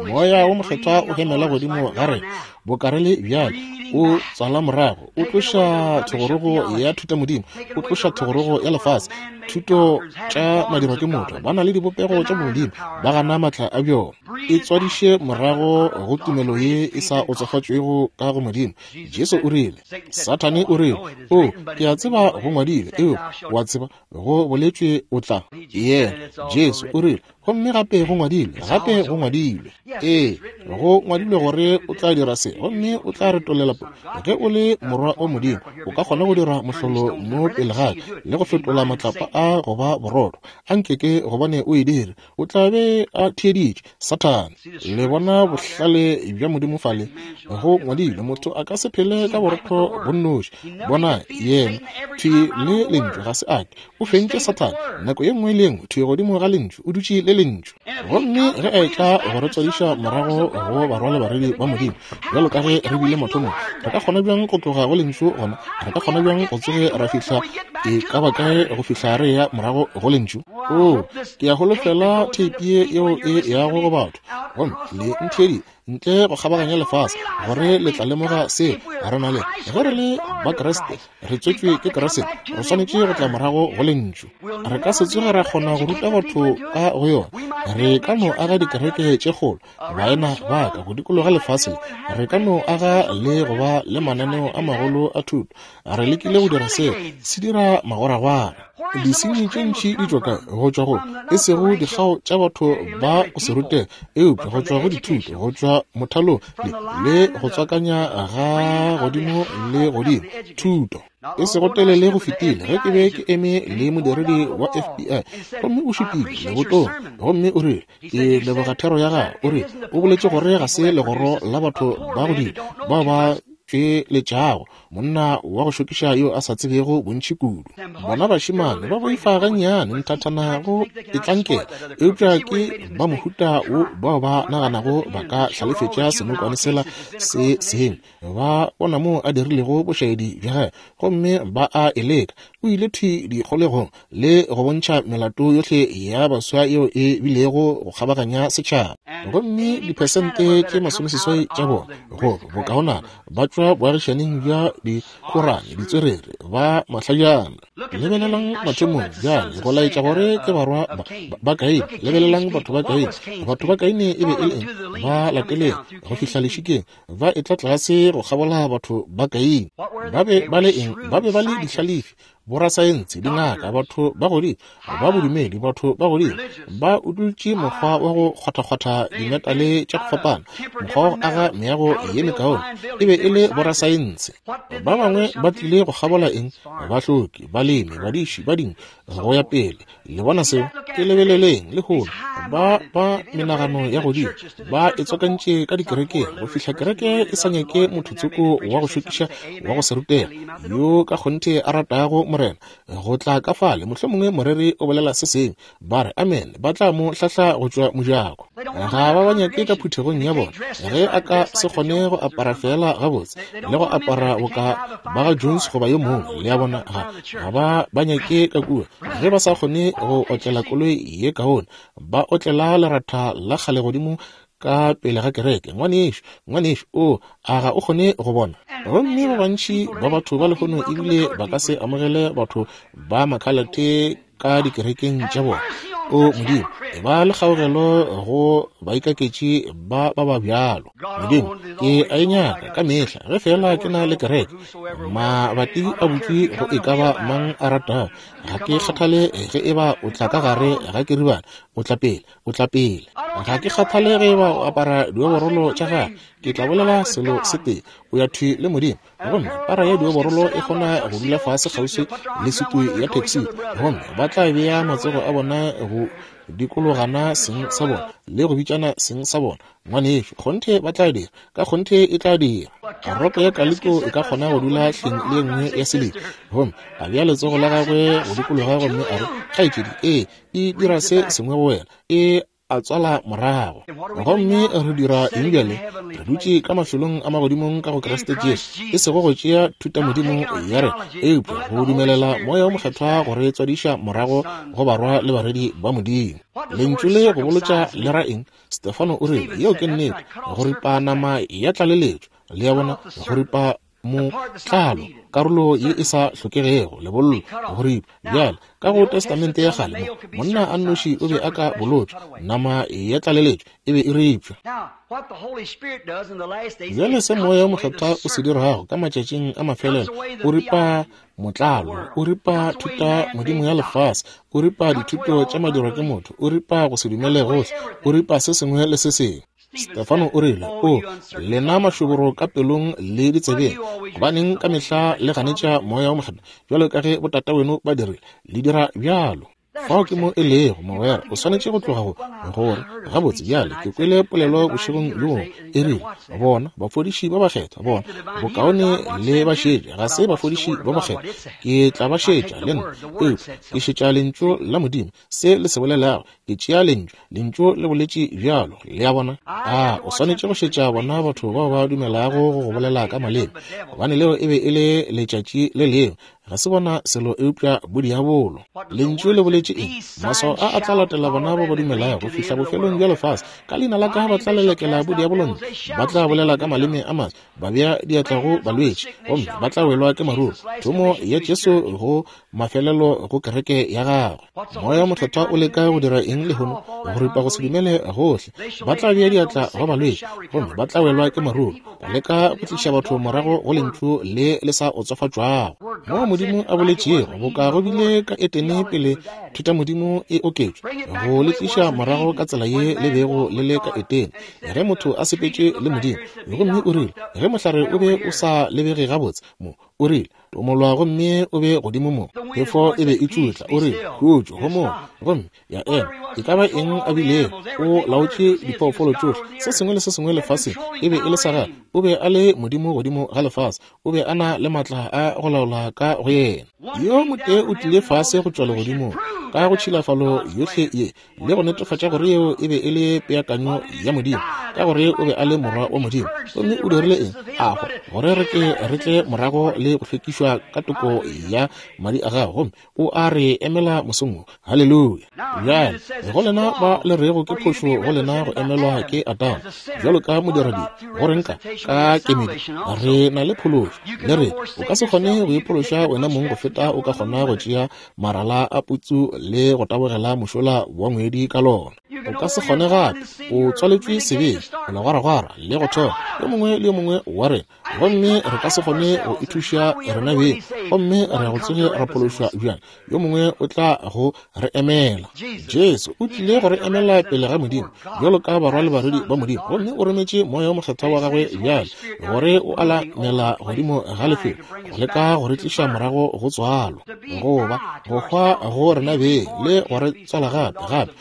Speaker 1: moya wa mokgethwa o hemela godimo ga rena bokare le bjale, o tswala morago, o tloša thogorogo ya thutamodimo, o tloša thogorogo ya lefase, thuto tša madirwa ke motho, ba na le dibopego tša bomodimo, ba gana maatla a bjona. E tswadiše morago go tumelo ye e sa otsofatšwego ka go Modimo. Jesu o rile, Sathane o rile, o, ke a tseba go ngwadilwe, eo wa tseba go boletšwe o tla. Yena Jesu o rile, Gomme gape go ngwadilwe, gape go ngwadilwe. Ee, go ngwadilwe gore o tla dira se, gomme o tla retolela po. Ge o le morwa wa Modimo, o ka kgona go dira mohlolo mo pele ga ka, le go fetola matlapa a go ba borotho. A nke ke gobane o e dire. O tla be a theeditše Sathane. Le bona bohlale bja Modimo fale. Go ngwadilwe, motho a ka se phele ka borotho bo nnoši. Bona yena thwi le lentšu ga se ake. O fentše Sathane nako ye nngwe le nngwe, thwi godimo ga lentšu, o dutše le lentšu. Gomme ge a etla go re tswadiša morago go barwa le barwedi ba Modimo, bjalo ka ge re bile mathomong, re ka kgona bjang go tloga go lentšu gona? Re ka kgona bjang go tsoge ra fihla e ka ba kae go fihla re ya morago go lentšu? O, ke a holofela theipi ye yeo e yago go batho, gomme le ntheedi ntle go kgabaganya lefase, gore le tla lemoga seo re na le. Ge re le ba Kriste, re tswetšwe ke Kriste, re swanetše go tla morago go lentšu. Re ka se tsoge ra kgona go ruta batho ka go yona. Re ka no aga dikereke tše kgolo, baena ba ka go dikologa lefase le. Re ka no aga le go ba le mananeo a magolo a thuto. Re lekile go dira seo, se dira magoragwara. Disenyi tše ntši di tšwa kae? Go tšwa go e sego dikgao tša batho ba go se rutega, eupša go tšwa go dithuto, go tšwa mothalong le, le go tswakanya ga godimo le godimo thuto. E sego telele go fetile ge ke be ke eme le modiredi wa F B I, gomme o šupile lebotong, gomme o rile, ke leboga thero ya gago. O rile, o boletše gore ga se legoro la batho ba godimo bao ba tšweletšago monna wa go šokiša yo a sa tsebego bontši kudu. Bona bašemane ba boifa gannyane nthathana go itlankela, eupša ke ba mohuta wo bao ba naganago ba ka hlalefetša senokwane sela se sengwe. Ba bona moo a dirilego bošaedi bja gagwe, gomme ba a e leka. O ile thwi dikgolegong le go bontšha melato yohle ya baswa yeo e bilego go kgabaganya setšhaba. Gomme diphesente tše masomeseswai tša bona go bokaonana ba tšwa boagišaneng bja dikhorane, ditswerere, ba mahlajana. Lebelelang mathomong bjale go laetša gore ke barwa ba, ba Kaine. Lebelelang batho ba Kaine. Batho ba Kaine e be e le eng? Ba lateleng go fihla lešikeng, ba etla tlase go kgabola batho ba Kaine. Ba be ba le eng? Ba be ba le dihlalefi, borasaense, dingaka, batho ba godimo, ba bodumedi, batho ba godimo. Ba utulotše mokgwa wa go kgwathakgwatha dimetale tša go fapana, mokgwa wa go aga meago ye mekaone. E be e le borasaense. Ba bangwe ba tlile go kgabola eng? Bahloki, balemi, badiši, ba dinku, go ya pele. Le bona seo? Ke lebeleleng lehono, ba ba menagano ya godimo ba e tswakantše ka dikerekeng go fihla kereke e sa nyake motho tsoko wa go šokiša wa go se rutega yo ka kgonthe a ratago Morena go tla ka fale. Mohlomongwe moreri o bolela se sengwe, ba re amen, ba tla mo hlahla go tšwa mojako. Ga ba ba nyake ka phuthegong ya bona. Ge a ka se kgone go apara fela gabotse le go apara boka ba ga Jones goba yo mongwe, le a bona, ga ga ba ba nyake ka kua. Ge ba sa kgone go otlela koloi ye kaone, ba otlela leratha la kgale godimo ka pele ga kereke. Ngwanešu, ngwanešu, o a ga o kgone go bona? Gomme ba bantši ba batho ba lehono ebile ba ka se amogele batho ba makhalate ka dikerekeng tša bona. O Modimo, e ba le kgaogelo go baikaketši ba ba ba bjalo. Modimo, ke a e nyaka ka mehla ge fela ke na le kereke. Mabati a butšwe go e ka ba mang a ratago. Ga ke kgathale ge e ba o tla ka gare ga keribana, o tla pele, o tla pele. Ga ke kgathale ge e ba o apara dioborolo tša gagwe. Ke tla bolela selo se tee, o ya thwi le Modimo. Gomme para ya dioborolo e kgona go dula fase kgauswi le sutu ya taxi, gomme ba tla bea matsogo a bona go dikologana seng sa bona le go bitšana seng sa bona. Ngwanešu, kgonthe ba tla dira, ka kgonthe e tla dira. Ropo ya kaliko e ka kgona go dula hleng le ye nngwe ya selebi, gomme a bea letsogo la gagwe go dikologa gomme a re, kgaetšedi, ee, e dira se sengwe go wena, e a tswala morago. Gomme re dira eng bjale? Re dutše ka mafelong a magodimong ka go Kriste Jesu, e sego go tšea thutamodimo ya rena, eupša go dumelela Moya o Mokgethwa go re tswadiša morago go barwa le barwedi ba Modimo. Lentšu le go bolotša le ra eng? Stefano o rile, yeo ke nnete, go ripa nama ya tlaleletšo. Le a bona, go ripa Motlalo, karolo ye e sa hlokegego, lebollo, go ripa. Bjale, ka go Testamente ya kgale mo, monna a nnoši o be a ka bolotšwa, nama ya tlaleletšo e be e ripša. Bjale se Moya o Mokgethwa o se dirago ka matšatšing a mafelelo, o ripa motlalo, o ripa thuta modimo ya lefase, o ripa dithuto tša madirwa ke motho, o ripa go se dumele gohle, o ripa se sengwe le se sengwe. Stefano o rile, o lena mašoboro ka pelong le ditsebeng, gobaneng ka mehla le ganetša Moya o Mokgethwa bjalo ka ge botata weno ba dirile, le dira bjalo. Fao ke mo e lego, mogwera, o swanetše go tloga go gore gabotse. Bjale ke kwele polelo bošegong bjo bongwe e rile, bona bafodiši ba bakgethwa, bona bokaone le ba šetše, ga se bafodiši ba bakgethwa, ke tla ba šetša le nna, eupša ke šetša lentšu la Modimo, se le se bolelago, ke tšea lentšu, lentšu le boletše bjalo, le a bona. A o swanetše go šetša bona batho bao ba dumelago go go bolela ka maleme, gobane leo e be e le letšatši le lengwe, ga se bona selo eupša bodiabolo. Lentšu le boletše eng? Maswao a a tla latela bona ba ba dumelago go fihla bofelong bja lefase. Ka leina la ka ba tla lelekela bodiabolong, ba tla bolela ka maleme a maswa, ba bea diatla go balwetši, gomme ba tla welwa ke maruru. Thomo ya Jesu go mafelelo go kereke ya gagwe. Moya o Mokgethwa o leka go dira eng lehono? Go ripa go se dumele gohle. Ba tla bea diatla go balwetši, gomme ba tla welwa ke maruru. Ba leka go tliša batho morago go lentšu le le sa otsofatšwago. Mo Modimo a boletšego, boka go bile ka Etene pele thutamodimo e oketšwa, go le tliša morago ka tsela ye le bego le le ka Etene, ge motho a sepetše le Modimo. Gomme o rile, ge mohlare o be o sa lebege gabotse mo, o rile, tomolwa gomme o be godimo mo. Phefo e be e tšutla, o rile, khutšo, homola, gomme ya ema. E ka ba eng a bilego, o laotše diphoofolo tšohle, se sengwe le se sengwe lefaseng e be e le sa gagwe. O be a le Modimo godimo ga lefase, o be a na le maatla a go laola ka go yena. Yo motee o tlile fase go tšwa legodimong ka go tšhilafalo yohle ye, le go netefatša gore yeo e be e le peakanyo ya Modimo, ka gore o be a le morwa wa Modimo. Gomme o dirile eng? A hwa, gore re ke re tle morago le go hlwekišwa ka toko ya madi a gagwe, gomme o a re emela mosong wo. Haleluya. Bjale go lena ba le rego ke phošo go lena go emelwa ke Adama bjalo ka modiradibe, go reng ka ka kemedi re na le phološo? Le re o ka se kgone go iphološa wena mong go feta o ka kgona go tšea marala a putsu le go tabogela mošola wa ngwedi ka lona. O ka se kgone gape, o tswaletšwe sebeng, o legwaragwara le go thoma yo mongwe le yo mongwe wa rena, gomme re ka se kgone go ithuša rena beng, gomme re go tsoge ra phološwa bjang? Yo mongwe o tla go re emela. Jesu o tlile go re emela pele ga Modimo bjalo ka barwa le barwedi ba Modimo, gomme o rometše Moya o Mokgethwa wa gagwe bjale gore o alamela godimo ga lefelo go leka go re tliša morago go tswalo, goba go hwa go rena beng le go re tswala gape gape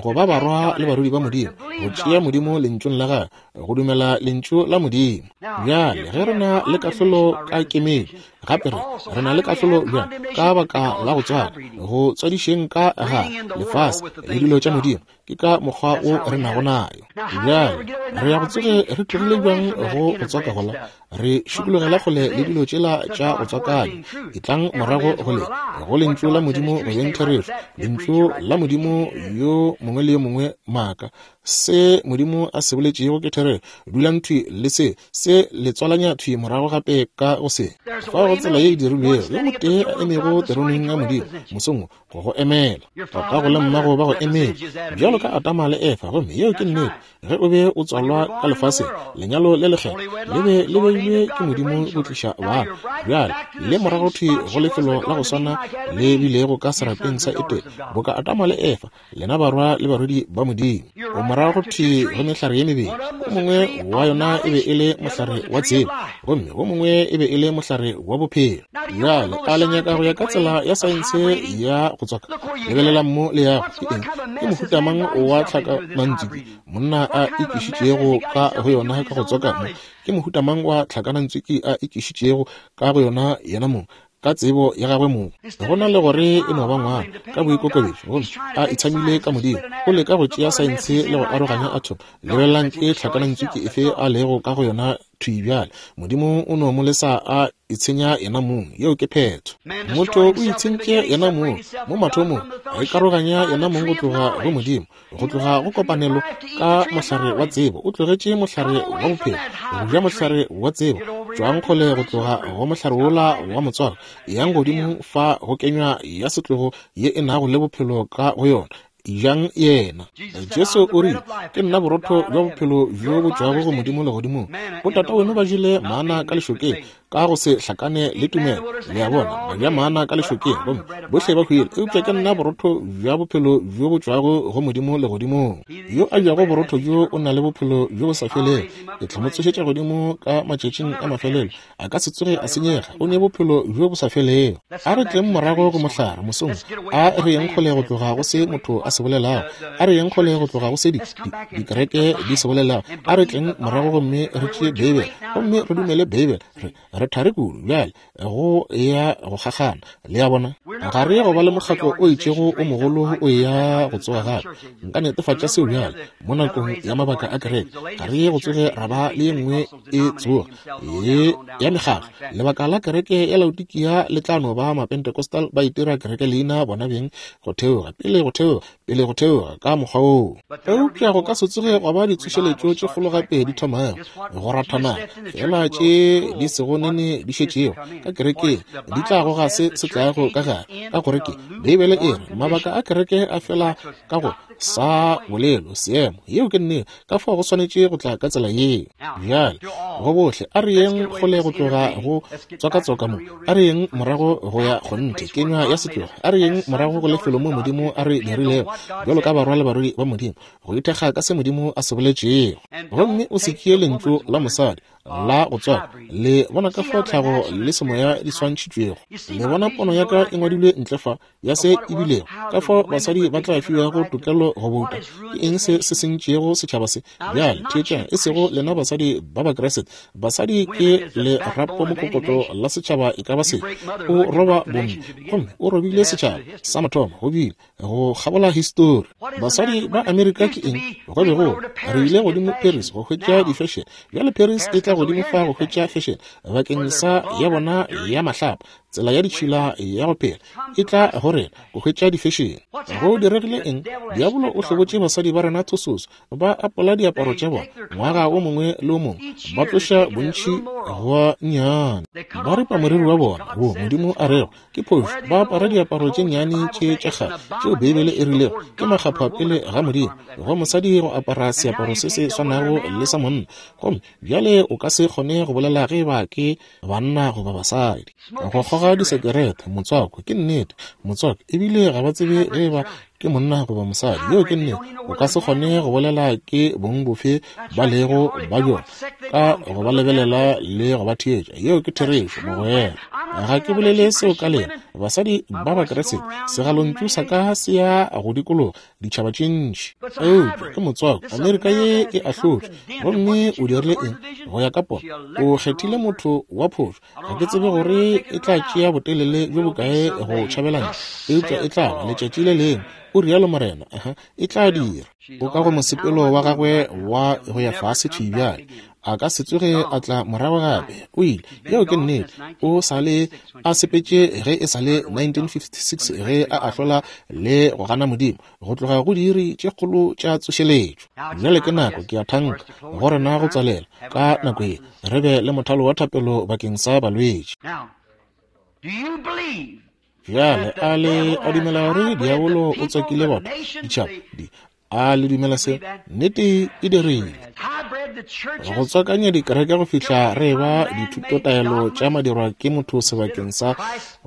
Speaker 1: go ba barwa le barwedi ba Modimo, go tšea Modimo lentšung la gagwe, go dumela lentšu la Modimo. Bjale ge re na le kahlolo ka kemedi, gape re re na le kahlolo bjang ka baka la go tswala, go tswadišeng ka ga lefase le dilo tša Modimo, ke ka mokgwa o re nago nayo. Bjale re ya go tsoge re tlogile bjang go go tswaka gola, re šikologela kgole le dilo tšela tša go tswakanya, e tlang morago go le go lentšu la Modimo go beng therešo, lentšu la Modimo yo mongwe le yo mongwe maaka. Se Modimo a se boletšego ke therešo, dulang thwi le se, se le tswalanya thwi morago gape ka go se. Fao go tsela ye e dirilwego, yo motee a emego teroneng ya Modimo mosong wo go go emela, tatago le mmago ba go emetše bjalo ka Adama le Efa, gomme yeo ke nnete. Ge o be o tswalwa ka lefaseng, lenyalo le lekgethwa le be le beilwe ke Modimo go tliša bana. Bjale le morago thwi go lefelo la go swana le bilego ka serapeng sa Etene, boka Adama le Efa, lena barwa le barwedi ba Modimo. O morago thwi go mehlare ye mebedi, o mongwe wa yona e be e le mohlare wa tsebo, gomme o mongwe e be e le mohlare wa bophelo. Bjale a le nyaka go ya ka tsela ya saense ya go tswaka? Lebelelang mo le yago ke eng? Ke mohuta mang wa tlhakanantswiki monna a ikišitšego ka go yona ka go tswaka mo? Ke mohuta mang wa tlhakanantswiki a ikišitšego ka go yona yena mong ka tsebo ya gagwe mong? Go na le gore e no ba ngwana ka boikokobetšo, gomme a itshamile ka Modimo, o leka go tšea saense le go aroganya atom. Lebelelang ke tlhakanantswiki efe a lego ka go yona thwi bjale. Modimo o no mo lesa a itshenya yena mong, yeo ke phetho. Motho o itshentše yena mong mo mathomong, a ikaroganya yena mong go tloga go Modimo, go tloga go kopanelo ka mohlare wa tsebo. O tlogetše mohlare wa bophelo, go ja mohlare wa tsebo, Tšwang kgole go tloga go mohlare wola wa motswako, yang godimo fa go kenywa ya setlogo ye e nago le bophelo ka go yona. Ejang yena. Jesu o rile, ke nna borotho bja bophelo bjo bo tšwago go Modimo legodimong. Botata weno ba jele mana ka lešokeng ka go se hlakane le tumelo. Le a bona, ba ja mana ka lešokeng gomme bohle ba hwile. Eupša ke nna borotho bja bophelo bjo bo tšwago go Modimo legodimong. Yo a jago borotho bjo o na le bophelo bjo bo sa felego. Ke tla mo tsošetša godimo ka matšatšing a mafelelo. A ka se tsoge a senyega. O ne bophelo bjo bo sa felego. A re tleng morago go mohlare mosong. A re yeng kgole go tloga go se motho a se bolelago. A re yeng kgole go tloga go se dikereke di se bolelago. A re tleng morago gomme re tšee Beibele, gomme re dumele Beibele. Re re thare kudu bjale go ya go kgakgana. Le a bona, ga re go ba le mokgatlo o itšego o mogolo o ya go tsoga gape. Nka netefatša seo bjale mo nakong ya mabaka a kereke. Ga re go tsoge ra ba le ye nngwe e tsoga ye ya mekgatlo. Lebaka la kereke ya Laodikia le tla no ba Mapentecostal ba itira kereke leina bona beng go theoga pele go theoga pele go theoga ka mokgwa woo. Eupša go ka se tsoge gwa ba ditsošeletšo tše kgolo gape di thomago go rathana, fela tše di sego nene di šetšego ka kerekeng di tla goga se se tlago ka gare. Ka gore ke Beibele e re mabaka a kereke a fela ka go sa bolelo seemo. Yeo ke nnete. Ka fao go swanetše go tla ka tsela yeo. Bjale go bohle a re yeng kgole go tloga go tswakatswaka mo. A re yeng morago go ya kgonthe kenywa ya setlogo. A re yeng morago go lefelo mo Modimo a re dirilego bjalo ka barwa le barwedi ba Modimo, go ithekga ka se Modimo a se boletšego. Gomme o se tšee lentšu la mosadi la go tswaka. Le bona ka fao tlhago le semoya di swantšhitšwego. Le bona pono ya ka e ngwadilwe ntle fa ya se e bilego, ka fao basadi ba tla fiwago tokelo go bouta. Ke eng se se sentšego setšhaba se? Bjale theetšang, e sego lena basadi ba Bakriste. Basadi ke lerapo mokokotlo la setšhaba e ka ba se. O roba bomme, gomme o robile setšhaba sa mathomo go bile go kgabola histori. Basadi ba Amerika ke eng? Go be go re ile godimo Paris go hwetša di-fashion. Bjale Paris e tla godimo fa go hwetša fashion bakeng sa ya bona ya mahlapa. Tsela ya ditšhila ya go phela e tla go rena go hwetša di-fashion. Go diregile eng? Diabolo o hlobotše basadi ba rena thososo. Ba apola diaparo tša bona ngwaga o mongwe le o mongwe, ba tloša bontši gwa nnyane, ba ripa moriri wa bona wo Modimo a rego ke phošo. Ba apara diaparo tše nnyane tše tša kgale tšeo Beibele e rilego ke makgapha pele ga Modimo go mosadi go apara seaparo se se swanago le sa monna. Gomme bjale o ka se kgone go bolela ge ba ke banna goba basadi. Go kgoga disekerete, motswako, ke nnete motswako, ebile ga ba tsebe ge ba ke monna goba mosadi. Yeo ke nnete. O ka se kgone go bolela ke bong bofe ba lego ba bjona ka go ba lebelela le go ba theetša. Yeo ke therešo, mogwera. Ga ke bolele seo ka lena basadi ba Bakriste. Segalontšu sa ka se ya go dikologa ditšhaba tše ntši. Eupša ke motswako. Amerika ye e ahlotšwe. Gomme o dirile eng? Go ya ka pono, o kgethile motho wa phošo. Ga ke tsebe gore e tla tšea botelele bjo bokae go tšhabelana, eupša e tla ba letšatši le lengwe, o rialo Morena. Aha, e tla dira. O ka go mosepelo wa gagwe wa go ya fase thwi bjale. A ka se tsoge a tla morago gape. O ile. Yeo ke nnete. O sa le a sepetše ge e sa le nineteen fifty-six ge a ahlola le go gana Modimo go tloga go diiri tše kgolo tša tsošeletšo. Bjale ke nako, ke a thanka, go rena go tswalela ka nako ye, re be le mothalo wa thapelo bakeng sa balwetši. Bjale a le a dumela gore diabolo o tswakile batho ditšhaba di? A le dumela se? Nnete e dirile. Go tswakanya dikereke go fihla re ba dithutotaelo tša madirwa ke motho sebakeng sa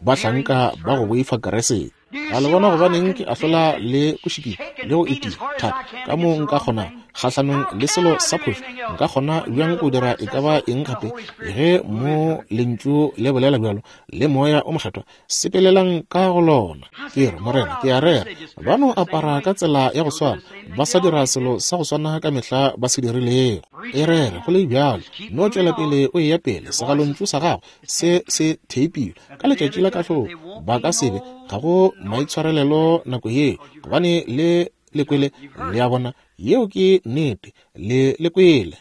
Speaker 1: bahlanka ba go boifa Keresete. A le bona gobaneng ke ahlola le go šikinya le go itia thata ka mo nka kgonang kgahlanong le selo sa phošo? Nka kgona bjang go dira e ka ba eng gape ge mo lentšu le bolela bjalo le Moya o Mokgethwa? Sepelelang ka go lona. Ke re, Morena, ke a rera. Ba no apara ka tsela ya go swana, ba sa dira selo sa go swana ka mehla ba se dirilego. E rere go le bjalo, no tšwela pele o eya pele. Segalontšu sa gago se se theipilwe ka letšatši la kahlolo. Ba ka sebe ga go maitshwarelelo nako yeo, gobane le le kwele. Le a bona? Yeo ke nnete. Le le kwele.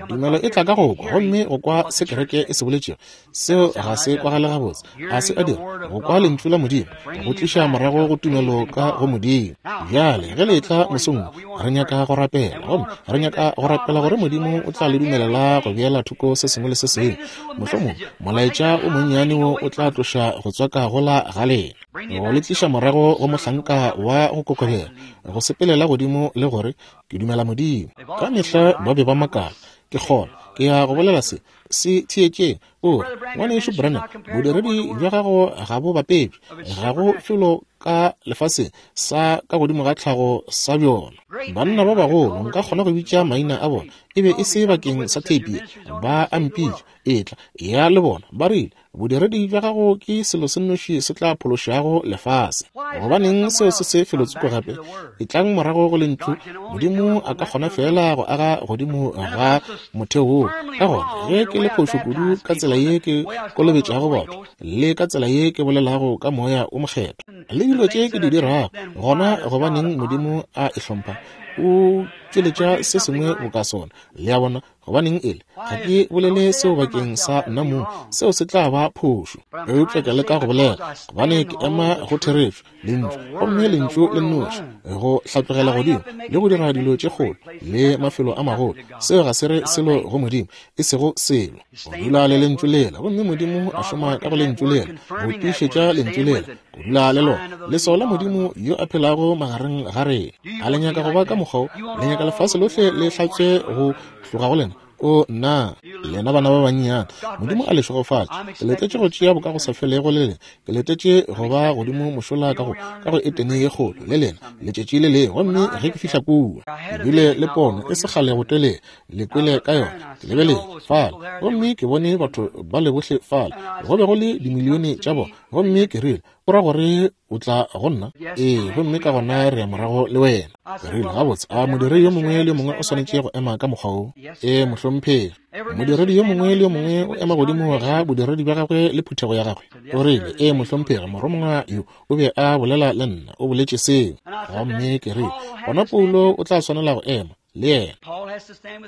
Speaker 1: Tumelo e tla ka go kwa, gomme go kwa se kereke e se boletšego. Seo ga se kwagale gabotse. Ga se a dira. Go kwa lentšu la Modimo go tliša morago go tumelo ka go Modimo. Bjale ge le etla mosong, re nyaka go rapela, gomme re nyaka go rapela gore Modimo o tla le dumelela go beela thoko se sengwe le se sengwe. Mohlomong molaetša o monnyane wo o tla tloša go tswaka gola ga lena, go le tliša morago go mohlanka wa go kokobela, go sepelela godimo le gore ke dumela Modimo. Ka mehla ba be ba makala. Ke kgona, ke ya go bolela se, se theetšeng. O re, ngwanešu Branham, bodiredi bja gago ga bo bapetšwe, ga go felo ka lefaseng sa ka godimo ga tlhago sa bjona. Banna ba bagolo, nka kgona go bitša maina a bona, e be e se bakeng sa theipi, ba a mpitša, etla, ya le bona, ba rile, bodiredi bja gago ke selo se nnoši se tla phološago lefase. Gobaneng seo se se felotsoko gape? Etlang morago go lentšu. Modimo a ka kgona fela go aga godimo ga motheo woo. Ka gona, ge ke le phošo kudu ka tsela ye ke kolobetšago batho, le ka tsela ye ke bolelago ka moya o mokgethwa, le dilo tše ke di dirago, gona gobaneng Modimo a e hlompha? O tšweletša se sengwe boka sona. Le a bona? Gobaneng ele? Ga ke bolele seo bakeng sa nna mong, seo se tla ba phošo. Eupša ke leka go bolela, gobane ke ema go therešo, lentšu, gomme lentšu le nnoši, go hlatlogela godimo le go dira dilo tše kgolo le mafelo a magolo. Seo ga se re selo go Modimo, e sego selo. Go dula le lentšu lela, gomme Modimo a šoma ka go lentšu lela, go tiišetša lentšu lela, go dula le lona, leswao la Modimo yo a phelago magareng ga rena. A le nyaka go ba ka mokgwa wo? Le nyaka lefase lohle le hlatswe go tloga go lena? O nna, lena bana ba bannyane, Modimo a le šegofatše. Ke letetše go tšea bokagosafelego le lena. Ke letetše go ba godimo mošola ka go ka go Etene ye kgolo le lena letšatši le lengwe. Gomme ge ke fihla kua, ke bile le pono e se kgale go telele, le kwele ka yona. Ke lebeletše fale, gomme ke bone batho ba le bohle fale, go be go le dimilione tša bona. Gomme ke rile, o ra gore o tla go nna? Ee, gomme ka gona re ya morago le wena. Ke rile, gabotse, a modiredi yo mongwe le yo mongwe o swanetše go ema ka mokgwa wo? Ee, mohlomphegi. Modiredi yo mongwe le yo mongwe o ema godimo ga bodiredi bja gagwe le phuthego ya gagwe. O rile, ee, mohlomphegi, morongwa yo o be a bolela le nna, o boletše seo. Gomme ke rile, gona Paulo o tla swanela go ema le yena.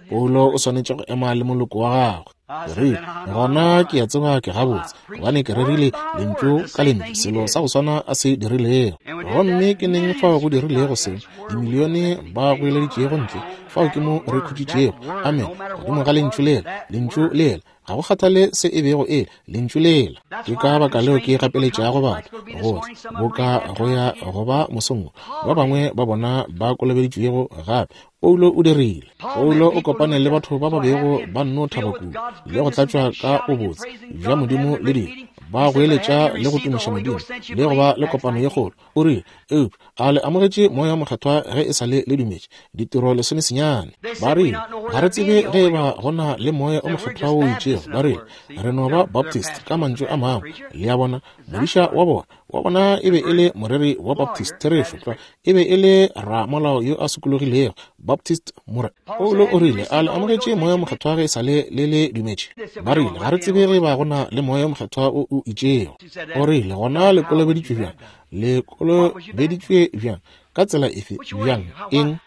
Speaker 1: Paulo o swanetše go ema le moloko wa gagwe. Ke rile, gona ke a tseba ke gabotse, gobane ke rerile lentšu ka lentšu selo sa go swana a se dirilego. Gomme ke neng fao go dirilego seo? Dimilione ba goeleditšego ntle, fao ke mo re khutšitšego. Amen. Godimo ga lentšu lela, lentšu lela, ga go kgathale se e bego e le, lentšu lela. Ke ka baka leo ke gapeletšago batho gore boka go ya go ba mosong, ba bangwe ba bona ba kolobeditšwego gape. Paulo o dirile. Paulo o kopane le batho ba ba bego ba nno thaba kudu le go tlatšwa ka bobotse bja Modimo le dilo, ba goeletša le go tumiša Modimo le go ba le kopano ye kgolo. O rile, eupša a le amogetše moya mokgethwa ge e sa le le dumetše? Ditiro lesomesenyane. Ba rile, ga re tsebe ge e ba go na le moya o mokgethwa o itšego. Ba rile, re no ba Baptist ka mantšu a mangwe. Le a bona, modiša wa bona wa bona e be e le moreri wa Baptist, therešo tlwa, e be e le ramolao yo a sokologilego, Baptist more. Paulo o rile, a le amogetše moya mokgethwa ge e sa le le le dumetše? Ba rile, ga re tsebe ge ba go na le moya mokgethwa o o itšego. O rile, gona le kolobeditšwe bjang? Le kolobeditšwe bjang? Ka tsela efe? Bjang? Eng?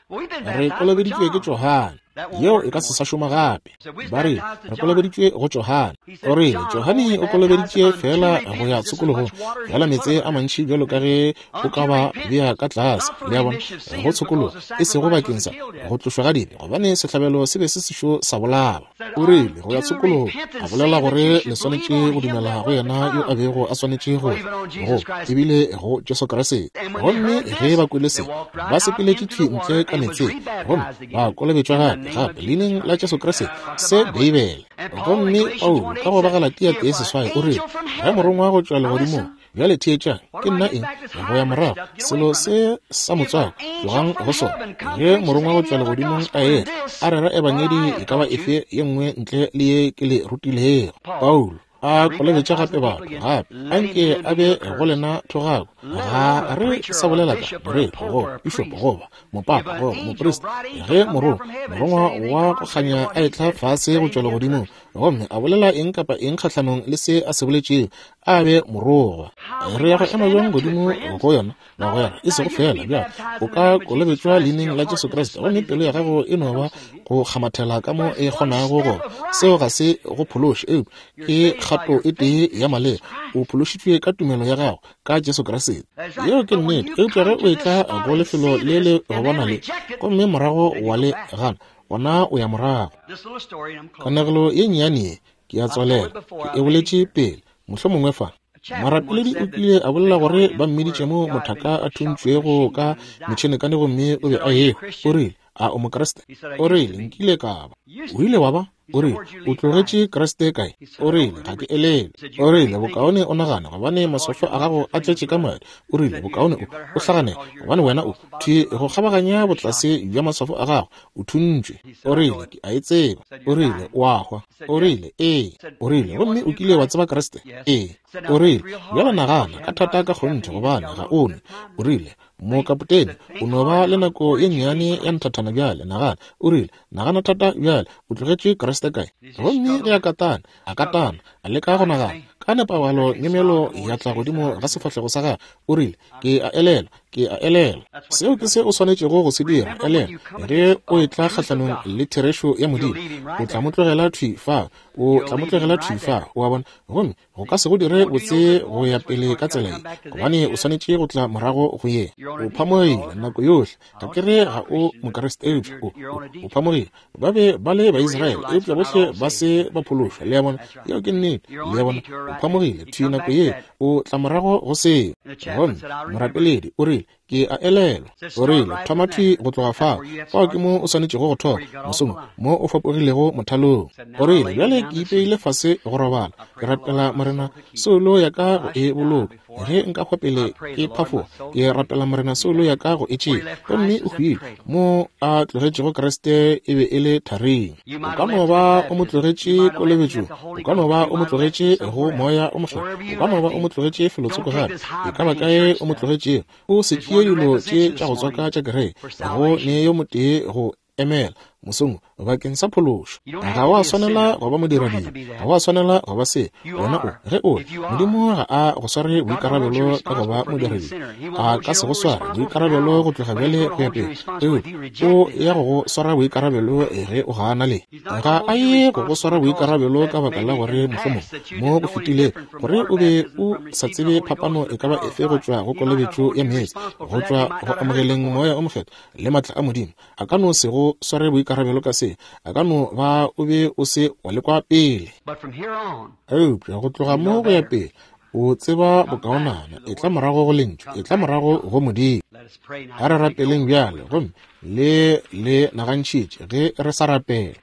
Speaker 1: Re kolobeditšwe ke Johane. Yeo e ka se sa šoma gape. Ba rile, re kolobeditšwe go Johane. O rile, Johane o kolobeditše fela go ya tshokologong, fela meetse a mantši bjalo ka ge o ka ba bea ka tlase. Le a bona, go tshokologo, e sego bakeng sa go tlošwa ga dibe, gobane sehlabelo se be se sešo sa bolawa. O rile, go ya tshokologong, a bolela gore le swanetše go dumela go yena yo a bego a swanetše go go ebile go Jesu Kriste. Gomme ge ba kwele se, ba sepeletše thwi ntle ka meetseng, gomme ba kolobetšwa gape gape leineng la Jesu Kriste, se Beibele. Gomme Paulo ka go ba Galatia tee seswai o rile, ge morongwa go tšwa legodimong, bjale theetšang, ke nna eng? Go ya morago, selo se sa motswako, tlogang go sona. Ge morongwa go tšwa legodimong a etla, a rera ebangedi e ka ba efe ye nngwe ntle le ye ke le rutilego. Paulo a kolobetša gape batho gape, anke a be go lena thogako. Ga re sa bolela ka moreri goba pišopo goba mopapa goba moprista. Ge morongwa morongwa wa go kganya a etla fase go tšwa legodimong gomme a bolela eng kapa eng kgahlanong le se a se boletšego, a be morogwa. Re ya go ema bjang godimo go yona, bagwera? E sego fela bjale o ka kolobetšwa leineng la Jesu Kriste, gomme pelo ya gago e no ba go kgamathela ka mo e kgonago go. Seo ga se go phološe, eupša ke kgato e tee ya maleba. O phološitšwe ka tumelo ya gago ka Jesu Kriste. Yeo ke nnete. Eupša ge o etla go lefelo le le go bona le, gomme morago wa le gana, gona o ya morago. Kanegelo ye nnyane ye ke ya tswalela, ke e boletše pele mohlomongwe fa. Morapeledi o kile a bolela gore ba mmiditše mo mothaka a thuntšwego ka metšhenekane gomme o be a ehwa. O rile, a o Mokriste? O rile, nkile ka ba. O ile wa ba? O rile, o tlogetše Kriste kae? O rile, ga ke elele. O rile, bokaone o nagana, gobane maswafo a gago a tletše ka madi. O rile, bokaone o o hlagane, gobane wena o thwi go kgabaganya botlase bja maswafo a gago, o thuntšwe. O rile, ke a e tseba. O rile, o a hwa. O rile, ee. O rile, gomme o kile wa tseba Kriste? Ee. O rile, bjale nagana ka thata ka kgonthe, gobane ga o nwe. O rile, mokapotene, o no ba le nako ye nnyane ya nthathana bjale, nagana. O rile, nagana thata bjale, o tlogetše Kriste kae? Gomme ge a katana, a katana, a leka go nagana, ka nepagalo nyemelo ya tla godimo ga sefahlego sa gagwe. O rile, ke a elelwa, ke a elelwa. Seo ke se o swanetšego go se dira, elelwa. Ge o etla kgahlanong le therešo ya Modimo, o tla mo tlogela thwi fa, o tla mo tlogela thwi fa, o a bona. Gomme go ka se go dire botse go ya pele ka tsela ye, gobane o swanetše go tla morago go ye. O phamogile nako yohle. Ga ke re ga o Mokriste, eupša o, o, o phamogile. Ba be ba le Baisraele, eupša bohle ba se ba phološwa. Le a bona? Yeo ke nnete. Le a bona? O phamogile thwi nako ye, o tla morago go seo. Gomme morapeledi o rile, ke a elelwa. O rile, thoma thwi go tloga fao. Fao ke mo o swanetšego go thoma, mosong mo o fapogilego mothalong. O rile, bjale ke ipeile fase go robala, ke rapela Morena soulo ya ka go e boloka. Ge nka hwa pele ke phafoga, ke rapela Morena soulo ya ka go e tšea. Gomme o hwile. Mo a tlogetšego Kriste e be e le tharing. O ka no ba o mo tlogetše kolobetšong, o ka no ba o mo tlogetše go moya o mokgethwa, o ka no ba o mo tlogetše felotsoko gape. E ka ba kae o mo tlogetšego, o se tšee dilo tše tša go tswaka tša kereke, go ne yo motee go emela mosong bakeng sa phološo. Ga wa swanela go ba modiradibe, ga wa swanela go ba se. Wena o, ge o, Modimo ga a go sware boikarabelo ka go ba modiradibe, a ka se go sware boikarabelo go tloga bjale go ya pele. Eupša o ya go go swara boikarabelo ge o gana le. Ga a ye go go swara boikarabelo ka baka la gore mohlomong mo go fetilego gore o be o sa tsebe phapano e ka ba efe go tšwa go kolobetšo ya meetse, go tšwa go amogeleng moya o mokgethwa le matla a Modimo. A ka no se go sware boikarabelo ka se, a ka no ba o be o se wa lekwa pele. Eupša go tloga mo go ya pele, o tseba bokaonana, e tla morago go lentšu, e tla morago go Modimo. A re rapeleng bjale, gomme le le nagantšhitše ge re sa rapela.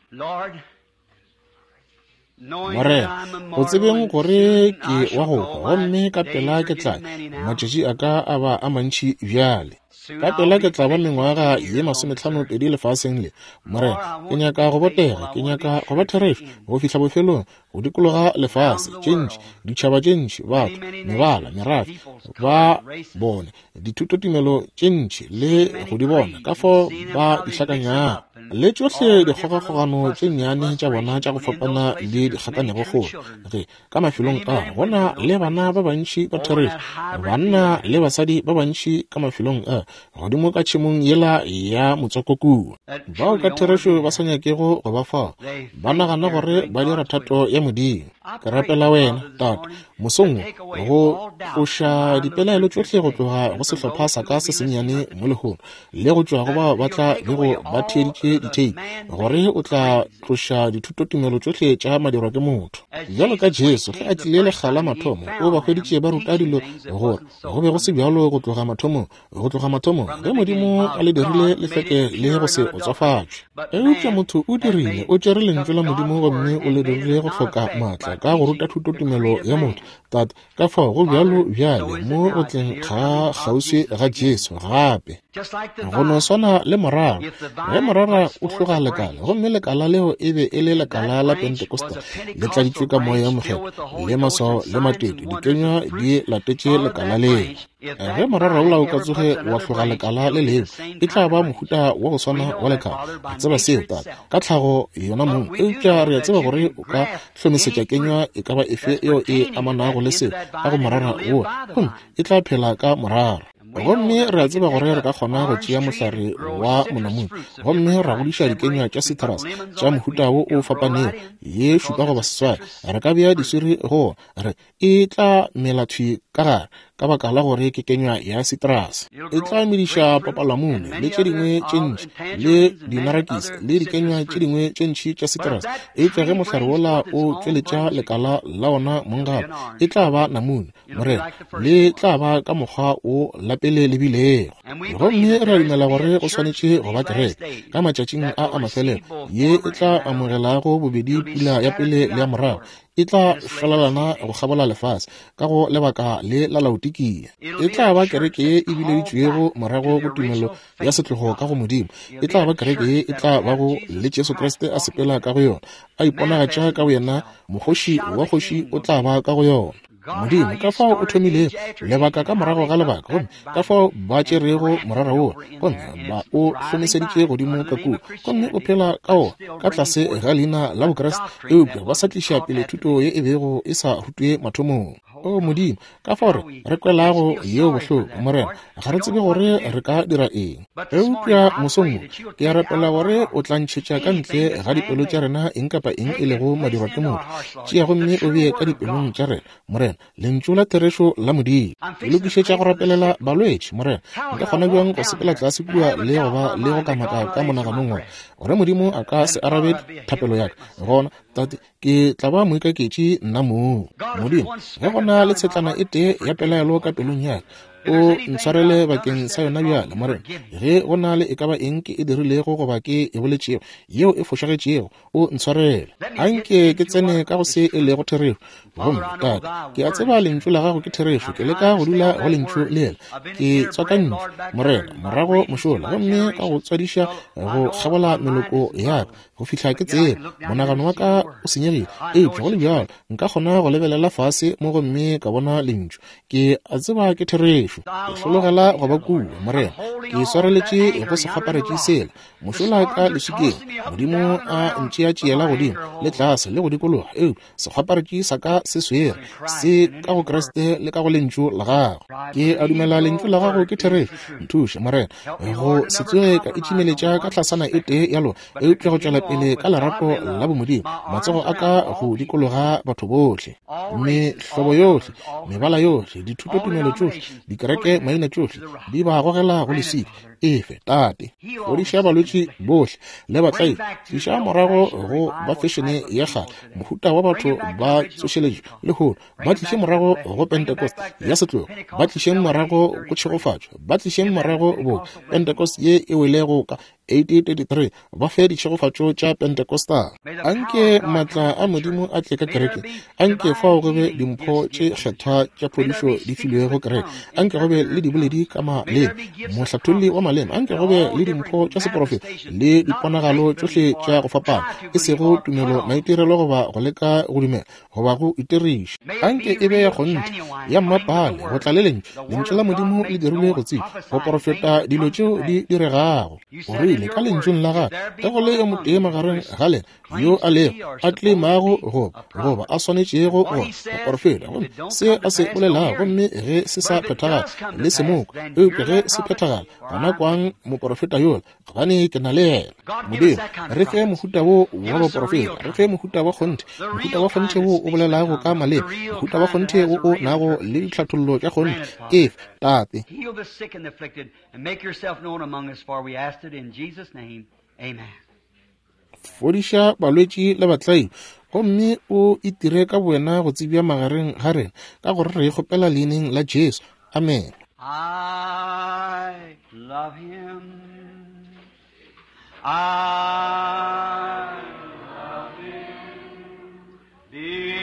Speaker 1: Morena, go tsebeng gore ke wa go hwa, gomme ka pela ke tla, matšatši a ka a ba a mantši bjale. Ka pela ke tla ba mengwaga ye masometlhano pedi lefaseng le. Morena, ke nyaka go botega, ke nyaka go ba therešo go fihla bofelong, go dikologa lefase, tše ntši, ditšhaba tše ntši, batho, mebala, merafe, ba bone dithutotumelo tše ntši le go di bona ka fao ba di hlakanyago, le tšohle dikgogakgogano tše nnyane tša bona tša go fapana le dikgakanego kgolo. Ge ka mafelong a go na le bana ba bantši ba therešo, banna le basadi ba bantši ka mafelong a godimo ka tšhemong yela ya motswako kua, bao ka therešo ba sa nyakego go ba fao, ba nagana gore ba dira thato ya Modimo. Ke rapela wena, Tate, mosong wo, go tloša dipelaelo tšohle go tloga go sehlopha sa ka se sennyane mo lehono, le go tšwa go bao ba tla bego ba theeditše ditheipi, gore o tla tloša dithutotumelo tšohle tša madirwa ke motho. Bjalo ka Jesu ge a tlile lekga la mathomo, o ba hweditše ba ruta dilo gore go be go se bjalo go tloga mathomong, go tloga mathomong ge Modimo a le dirile le hlweke le go se otswafatšwe. Eupša motho o dirile, o tšere lentšu la Modimo gomme o le dirile go hloka maatla ka go ruta thutotumelo ya motho. Tate, ka fao go bjalo bjale mo go tleng ga kgauswi ga Jesu gape. Go no swana le morara. Ge morara o hloga lekala, gomme lekala leo e be e le lekala la Pentecostal, le tladitšwe ka Moya Mokgethwa, le maswao le matete, dikenywa di latetše lekala leo. Ge morara wola o ka tsoge wa hloga lekala le lengwe, e tla ba mohuta wa go swana wa lekala. Re tseba seo, Tate, ka tlhago yona mong. Eupša re a tseba gore o ka hlomesetša kenywa e ka ba efe yeo e amanago le seo ka go morara wola, gomme e tla phela ka morara. Gomme re a tseba gore re ka kgona go tšea mohlare wa monamune gomme ra godiša dikenywa tša citrus tša mohuta wo o fapanego ye šupa goba seswai. Re ka bea diswiri go re e tla mela thwi ka gare ka baka la gore ke kenywa ya citrus. E tla mediša papalamune le tše dingwe tše ntši le dinarakisi le dikenywa tše dingwe tše ntši tša citrus. Eupša ge mohlare wola o tšweletša lekala la ona mong gape, e tla ba namune, Morena, le tla ba ka mokgwa o la pele le bilego. Gomme re a dumela gore go swanetše go ba kereke ka matšatšing a a mafelelo ye e tla amogelago bobedi pula ya pele le ya morago, e tla šwalalana go kgabola lefase ka go lebaka le la Laodikia. E tla ba kereke ye e bileditšwego morago go tumelo ya setlogo ka go Modimo. E tla ba kereke ye e tla bago le Jesu Kriste a sepela ka go yona, a iponagatša ka boyena, mokgoši wa kgoši o tla ba ka go yona. Modimo, ka fao o thomilego lebaka ka morago ga lebaka, gomme ka fao ba tšerego morara wola gomme ba o hlomeseditše godimo ka kua, gomme o phela ka wona ka tlase ga leina la Bokriste, eupša ba sa tliša pele thuto ye e bego e sa rutwe mathomong. O Modimo, ka fao re re kwelago yeo bohloko, Morena, ga re tsebe gore re ka dira eng. Eupša mosong wo ke a rapela gore o tla ntšhetša ka ntle ga dipelo tša rena eng kapa eng e lego madirwa ke motho. Tšea gomme o bee ka dipelong tša rena, Morena, lentšu la therešo la Modimo. Ke lokišetša go rapelela balwetši, Morena. Nka kgona bjang go sepela tlase kua le go ba le go kamaka ka monaganong wa gore Modimo a ka se arabe thapelo ya ka? Gona, Tate, ke tla ba moikaketši nna mong. Modimo, ge go na le tshetlana e tee ya pelaelo ka pelong ya ka, o ntshwarele bakeng sa yona bjale, Morena. Ge go na le e ka ba eng ke e dirilego goba ke e boletšego yeo e fošagetšego, o ntshwarele. Anke ke tsene ka go se e lego therešo. Gomme Tate, ke a tseba lentšu la gago ke therešo. Ke leka go dula go lentšu lela. Ke tswakantšwe, Morena, morago mošola, gomme ka go tswadiša go kgabola meloko ya ka go fihla ke tseba monagano wa ka o senyegile. Eupša go le bjalo nka kgona go lebelela fase mo gomme ka bona lentšu. Ke a tseba ke therešo. Ke hlologela go ba kua, Morena. Ke swareletše go se kgwaparetše sela mošola ka leswikeng. Modimo a ntšeatšeela godimo le tlase le go dikologa, eupša sekgwaparetše sa ka se swere se ka go Kriste le ka go lentšu la gago. Ke a dumela lentšu la gago ke therešo. Nthuše, Morena, go se tsoge ka itšimeletša ka tlasana e tee ya lona, eupša go tšwela pele ka lerato la bomodimo, matsogo a ka go dikologa batho bohle, mehlobo yohle, mebala yohle, dithutotumelo tšohle, dikereke maina tšohle, di ba gogela go leswika. Efe, Tate, fodiša balwetši bohle le batlaiši. Tliša morago go ba fešene ya kgale, mohuta wa batho ba tsošeletšo lehono. Ba tliše morago go Pentecost ya setlogo, ba tlišeng morago go tšhegofatšo, ba tlišeng morago bo Pentecost ye e welego ka eighteen thirty-three, ba fe ditšhegofatšo tša Pentecostal. Anke maatla a Modimo a tle ka kerekeng. Anke fao go be dimpho tše kgethwa tša phodišo di filwego kereke. Anke go be le diboledi ka maleme, mohlatholli wa maleme. Anke go be le dimpho tša seprofeto le diponagalo tšohle tša go fapana, e sego tumelo maitirelo goba go leka go dumela goba go itiriša. Anke e be ya kgonthe ya mmapale go tla le lentšu. Lentšu la Modimo le dirilwe go tseba go porofeta dilo tšeo di diregago. O rile ka lentšung la gagwe, ge go le yo motee magareng ga lena yo a lego a tleimago goba goba a swanetšego go go porofeta, gomme se a se bolelago, gomme ge se sa phethagala le se mokwe, eupša ge se phethagala, gona kwang moporofeta yola, gobane ke na le yena. Modimo, re fe mohuta wo wa baporofeta, re fe mohuta wa kgonthe, mohuta wa kgonthe wo o bolelago ka maleme, mohuta wa kgonthe wo o nago le ditlhathollo tša kgonthe. Efe, Tate.
Speaker 2: Heal the sick and the afflicted, and make yourself known among us, for we asked it in Jesus' name. Amen.
Speaker 1: Fodiša balwetši le batlaiši, gomme o itire ka bowena go tsebja magareng ga rena, ka gore re kgopela leineng la Jesu. Amen.
Speaker 2: I love him. I love him because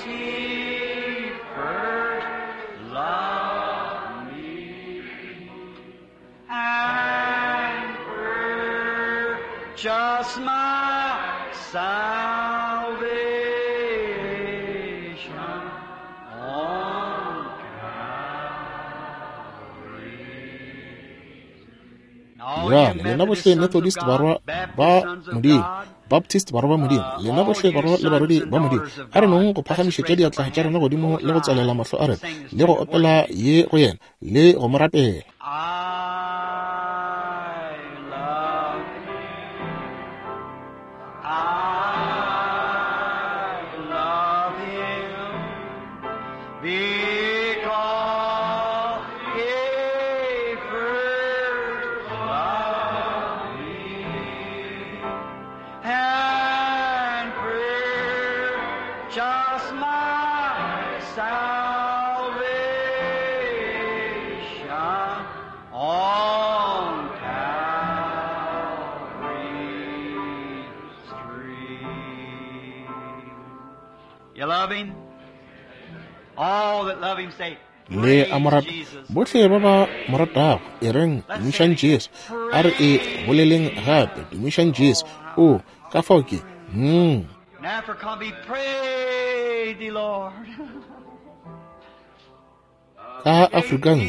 Speaker 2: he first loved me Purchased my salvation on Calvary.
Speaker 1: Bjale lena bohle Methodist barwa ba Modimo, Baptist barwa ba Modimo, lena bohle barwa le barwedi ba Modimo, a re nong go phagamišetša diatla tša rena godimo le go tswalela mahlo a rena le go opela ye go yena le go mo rapela.
Speaker 2: I love him. I love him because he first loved me and purchased my salvation on Calvary's tree. You love him? All that love him say,
Speaker 1: Le a mo
Speaker 2: Praise
Speaker 1: rata
Speaker 2: Jesus.
Speaker 1: bohle ba ba mo ratago, e reng tumišang Jesu. A re e boleleng gape, tumišang Jesu. O ka fao ke mm.
Speaker 2: And Africa be pray thee, Lord.
Speaker 1: Ka Afrikang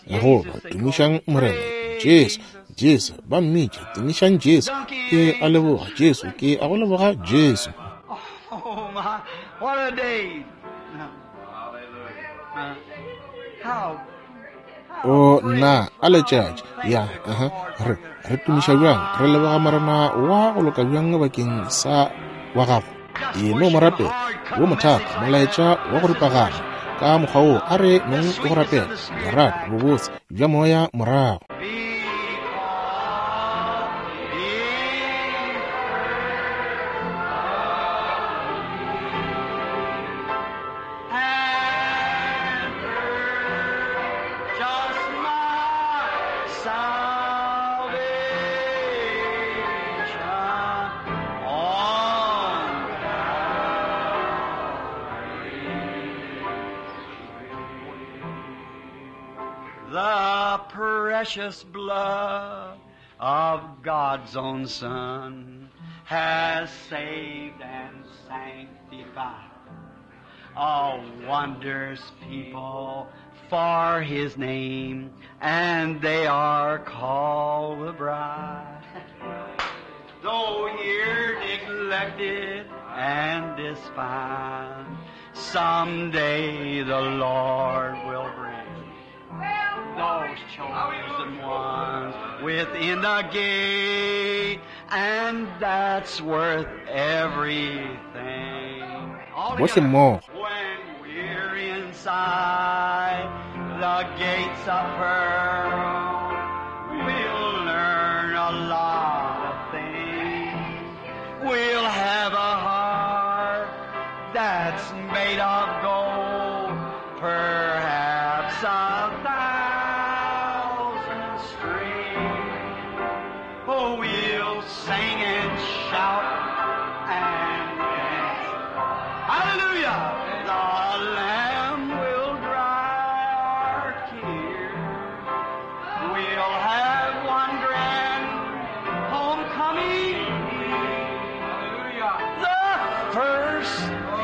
Speaker 1: goba tumišang Morena Jesu, Jesu ba mmitša, tumišang Jesu. Ke a leboga Jesu, ke a go leboga Jesu.
Speaker 2: Oh my, what a day. Uh, how
Speaker 1: O nna a letšatši ya aha re re tumiša bjang, re leboga Morena wa go loka bjang bakeng sa wa gago. E no mo rapela wo mothata molaetša wa go ripagana ka mokgwa wo, a re nong go rapela lerato bobotse bja moya morago.
Speaker 2: because he and purchased my salvation on The precious blood of God's own Son has saved and sanctified a wondrous people for His name, and they are called the bride. Though here neglected and despised, someday the Lord will bring those chosen ones within the gate, and that's worth everything. All
Speaker 1: Bohle
Speaker 2: together.
Speaker 1: mmogo.
Speaker 2: When we're inside the gates of pearl, we'll learn a lot of things. We'll have a heart that's made of gold, perhaps a thousand strings. Oh, we'll sing and shout and dance. Hallelujah! The Lamb will dry our tears. We'll have one grand homecoming. Hallelujah! The first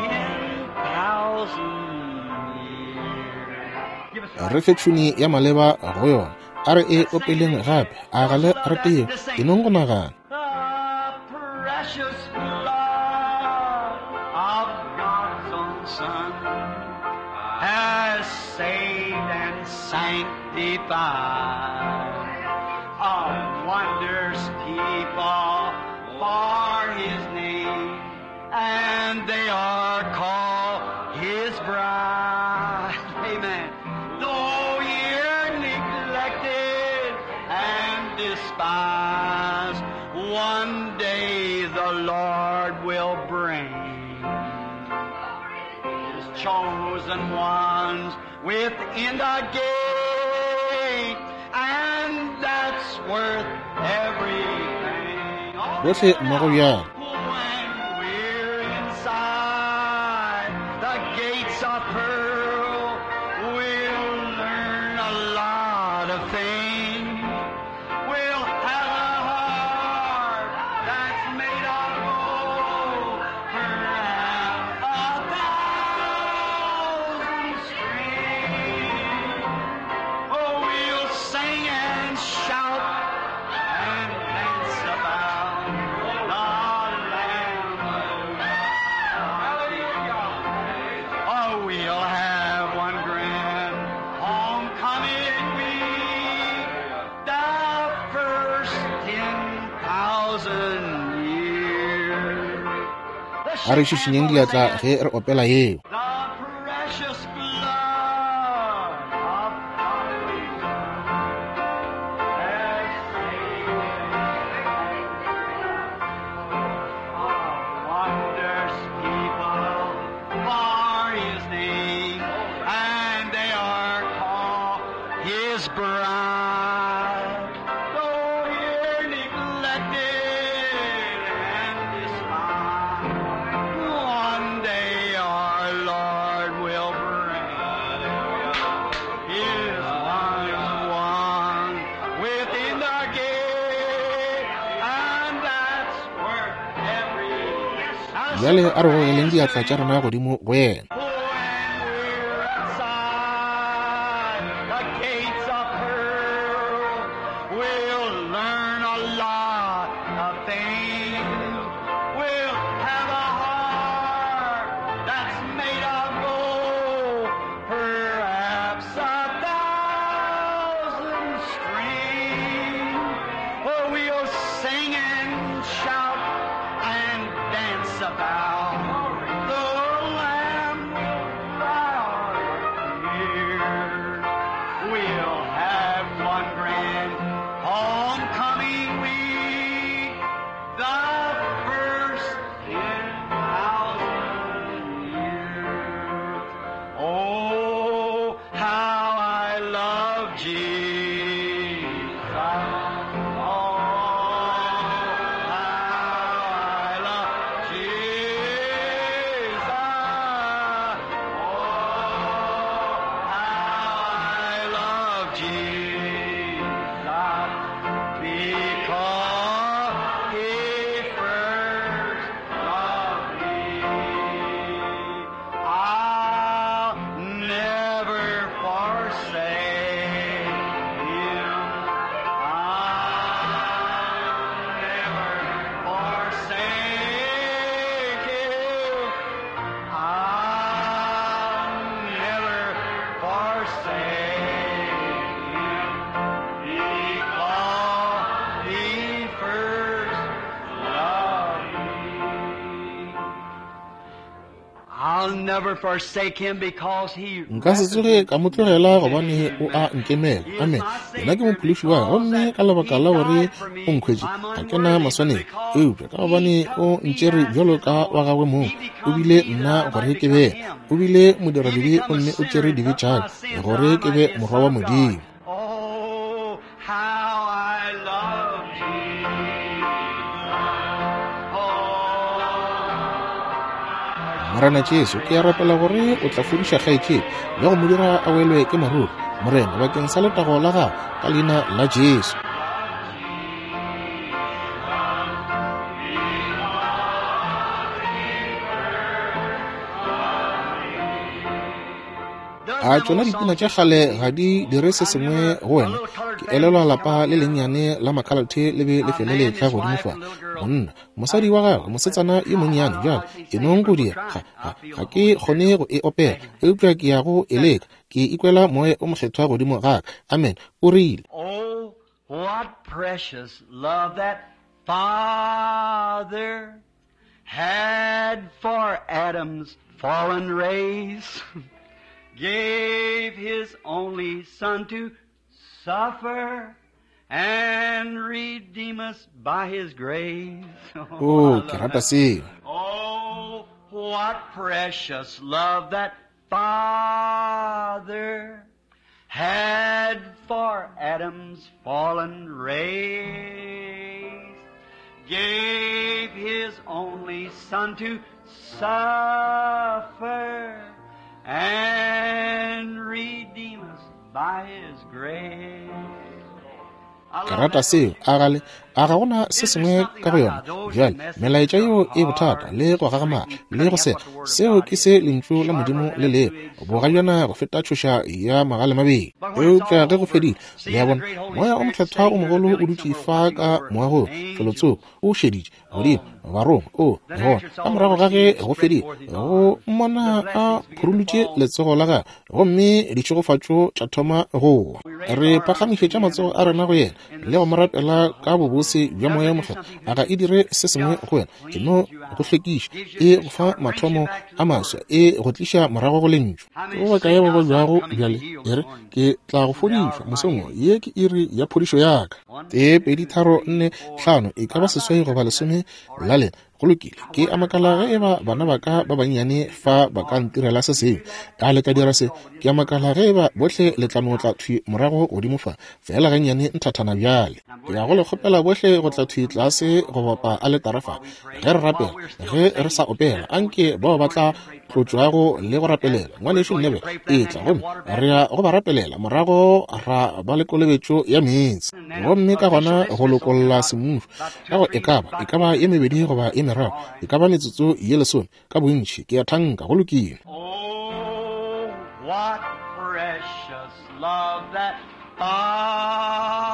Speaker 2: ten thousand years. Give us a
Speaker 1: Re fe tšhuni ya maleba go yona, a re e opeleng gape, a ga le rate yeo, e nong go nagana.
Speaker 2: The precious blood of God's own Son has saved and sanctified a wondrous people for His name, and they are called His bride. Amen. Though you're neglected and despised, one day the Lord will bring His chosen ones within the gate, and that's worth everything. All
Speaker 1: Bohle mmogo bjale.
Speaker 2: When we're inside the gates of pearl, we'll learn a lot of things. We'll have a heart thousand years.
Speaker 1: A re šišinyeng diatla ge re opela yeo.
Speaker 2: The precious blood of has saved wonders people for his name, and they are called his bride. Though here neglected and despised, one day our Lord will bring his one one within the gate, and that's where every
Speaker 1: Bjale a re gogeleng diatla tša rena godimo go yena.
Speaker 2: Oh, and we're outside the gates of pearl. We'll learn a lot of things. We'll have a heart that's made of gold, perhaps a thousand strings. Oh, we'll sing and shout and dance about. The Lamb will bow here. We'll have one grand homecoming week, the first in thousand years. Oh, how I love Jesus. Oh, how I love Jesus. Oh, how I love Jesus. Because he first loved me. I'll never forsake him. I'll never forsake him. I'll never forsake him. Because he first loved me. I'll never forsake him because he
Speaker 1: Nka se tsoge ka mo tlogela gobane o a nkemela. Amen. Yena ke mophološi wa ka, gomme ka lebaka la gore o nkhwetše ga ke na maswanedi, eupša ka gobane o ntšere bjalo ka wa gagwe mong, o bile nna gore ke be yena. O bile modiradibe gomme o tšere dibe tša ka gore ke be morwa wa Modimo.
Speaker 2: Oh, how I love Jesus. Oh,
Speaker 1: Morena Jesu, ke a rapela gore o tla fodiša kgaetšedi le go mo dira a welwe ke maruru, Morena, bakeng sa letago la gago, ka leina la Jesu. A tšona dipina tša kgale ga di dire se sengwe go wena? Ke elelwa lapa le lennyane la makhalate le be le fele le etla godimo fa. Monna, mosadi wa gagwe, mosetsana yo monnyane, bjale e nong go dira, ga, ga, ga ke kgone go e opela, eupša ke ya go e leka. Ke ikwela moya o mokgethwa godimo ga ka. Amen. O rile,
Speaker 2: Oh, what precious love that Father had for Adam's fallen race, gave his only Son to suffer and redeem us by his grace.
Speaker 1: Oh, ke rata seo.
Speaker 2: Oh, what precious love that Father had for Adam's fallen race, gave his only Son to suffer and redeem us by his grace.
Speaker 1: Ke rata seo. A gale, a ga gona se sengwe ka go yona? Bjale, melaetša yeo e bothata le go gagamala le go sega. Seo ke se lentšu la Modimo le lego, bogaljana go feta tšhoša ya magale mabedi. Eupša ge go fedile, le a bona, moya o mokgethwa o mogolo o dutše fa ka moagong felotsoko, o šeditše godimo barongwa. O gona ka morago ga ge go fedile, go mmona a phurulutše letsogo la gagwe, gomme ditšhegofatšo tša thoma go wa. Re phagamišetša matsogo a rena go yena le go mo rapela ka bobose bose bja Moya Mokgethwa, a ga e dire se sengwe go wena? E no go hlwekiša, e go fa mathomo a maswa, e go tliša morago go lentšu. Ke ba bakae ba babjago bjale? E re, ke tla go fodišwa mosong wo. Ye ke iri ya phodišo ya ka. Tee, pedi, tharo, nne, hlano, e ka ba seswai goba lesome la lena. Go lokile. Ke a makala ge eba bana ba ka ba bannyane fa ba ka ntirela se sengwe. A le ka dira se? Ke a makala ge eba bohle le tla no tla thwi morago godimo fa, feela gannyane nthathana bjale. Ke ya go le kgopela bohle go tla thwi tlase go bapa aletara fa. Ge re rapela, ge re sa opela, anke bao ba tla tlotšwago le go rapelela. Ngwanešu Nebe, etla gomme re ya go ba rapelela, morago ra ba le kolobetšo ya meetse. Gomme ka gona go lokolla semmušo ka go e ka ba, e ka ba ye mebedi goba ye meraro, e ka ba metsotso ye lesome ka bontši. Ke a thanka go lokile.
Speaker 2: Oh, what precious love that Father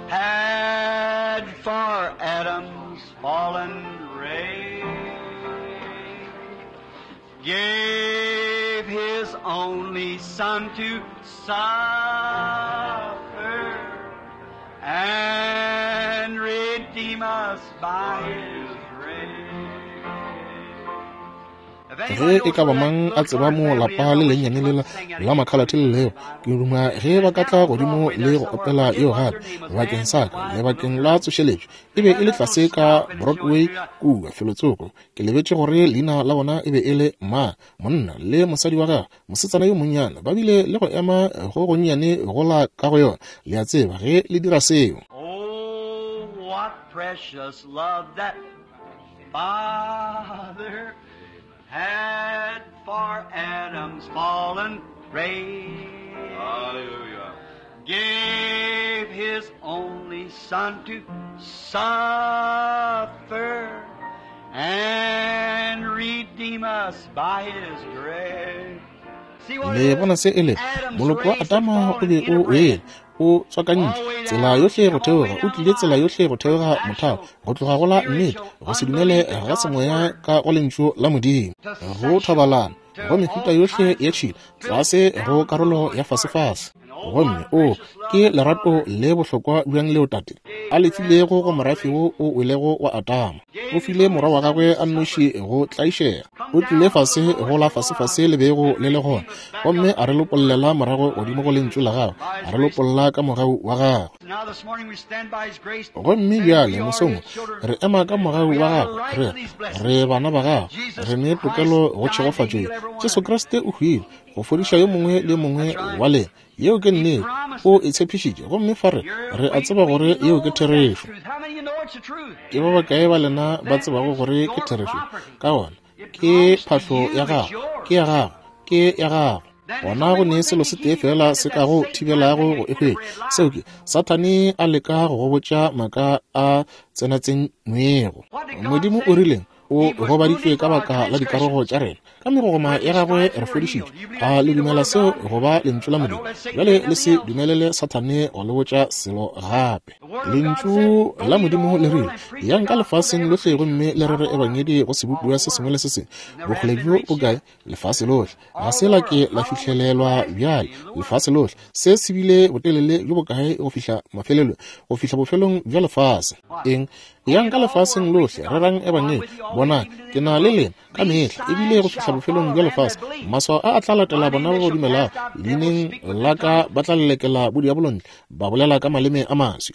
Speaker 2: had for Adam's fallen race, gave his only son to suffer and redeem us by his grace.
Speaker 1: Ge e ka ba mang a tseba mo lapa le lennyane lela la makhalathe le leo, ke duma ge ba ka tla godimo le go opela yeo gape bakeng sa ka le bakeng la tsošeletšo. E be e le tlase ka Broadway kua felotsoko. Ke lebetše gore leina la bona e be e le ma, monna le mosadi wa gagwe, mosetsana yo monnyane, ba bile le go ema go gonnyane gola ka go yona. Le a tseba ge le dira seo.
Speaker 2: Oh, what precious love that Father had for Adam's fallen race.
Speaker 3: Hallelujah.
Speaker 2: Gave his only son to suffer and redeem us by his grace. See what
Speaker 1: Le
Speaker 2: it
Speaker 1: bona
Speaker 2: is?
Speaker 1: se e le
Speaker 2: Adam's
Speaker 1: moloko wa
Speaker 2: race had
Speaker 1: Adama o
Speaker 2: fallen
Speaker 1: be o wele,
Speaker 2: interbred.
Speaker 1: o tswakantšwe tsela yohle go theoga, o tlile tsela yohle go theoga mothao, go tloga go la nnete, go se dumele ga semoya ka go lentšu la Modimo, go thobalano, go mehuta yohle ya tšhila, tlase go karolo ya fasefase. Gomme o ke lerato le bohlokwa bjang leo Tate a le filego go morafe wo o welego wa Adama. O file morwa wa gagwe a nnoši go tlaišega. O tlile fase go la fasefase le bego le le gona, gomme a re lopollela morago godimo go lentšu la gagwe, a re lopolla ka mogau wa gagwe.
Speaker 2: Now this morning we stand by his grace.
Speaker 1: Gomme bjale mosong re ema ka mogau wa gagwe, re re bana ba gagwe, re ne tokelo go tšhegofatšo ye. Jesu Kriste o hwile go fodiša yo mongwe le yo mongwe wa lena. Yeo ke nnete, o e tshepišitše, gomme fa re re a tseba gore yeo ke therešo.
Speaker 2: How many of you know it's the truth?
Speaker 1: Ke ba bakae ba lena ba tsebago gore ke therešo? Ka gona ke phahlo ya gago, ke ya gago, ke ya gago. Gona go ne selo se tee fela se ka go thibelago go e hwetša, seo ke Sathane a leka go go botša maaka a tsenatsenywego. Modimo o rileng? O gobaditšwe ka baka la dikarogo tša rena, ka megogoma ya gagwe re fodišitšwe. A le dumela seo go ba lentšu la Modimo? Bjale le se dumelele Sathane go le botša selo gape. Lentšu la Modimo le rile, yang ka lefaseng lohle gomme le rere ebangedi go sebopiwa se sengwe le se sengwe. Bokgole bjo bokae? Lefase lohle. Ga se la ke la fihlelelwa bjale. Lefase lohle. Se se bile botelele bjo bokae go fihla mafelelong, go fihla bofelong bja lefase? Eng? Yang ka lefaseng lohle, rerang ebangedi. Bona, ke na le lena ka mehla, ebile go fihla bofelong bja lefase. Maswao a a tla latela bona ba ba dumelago leineng la ka, ba tla lelekela bodiabolo ntle, ba bolela ka maleme a maswi.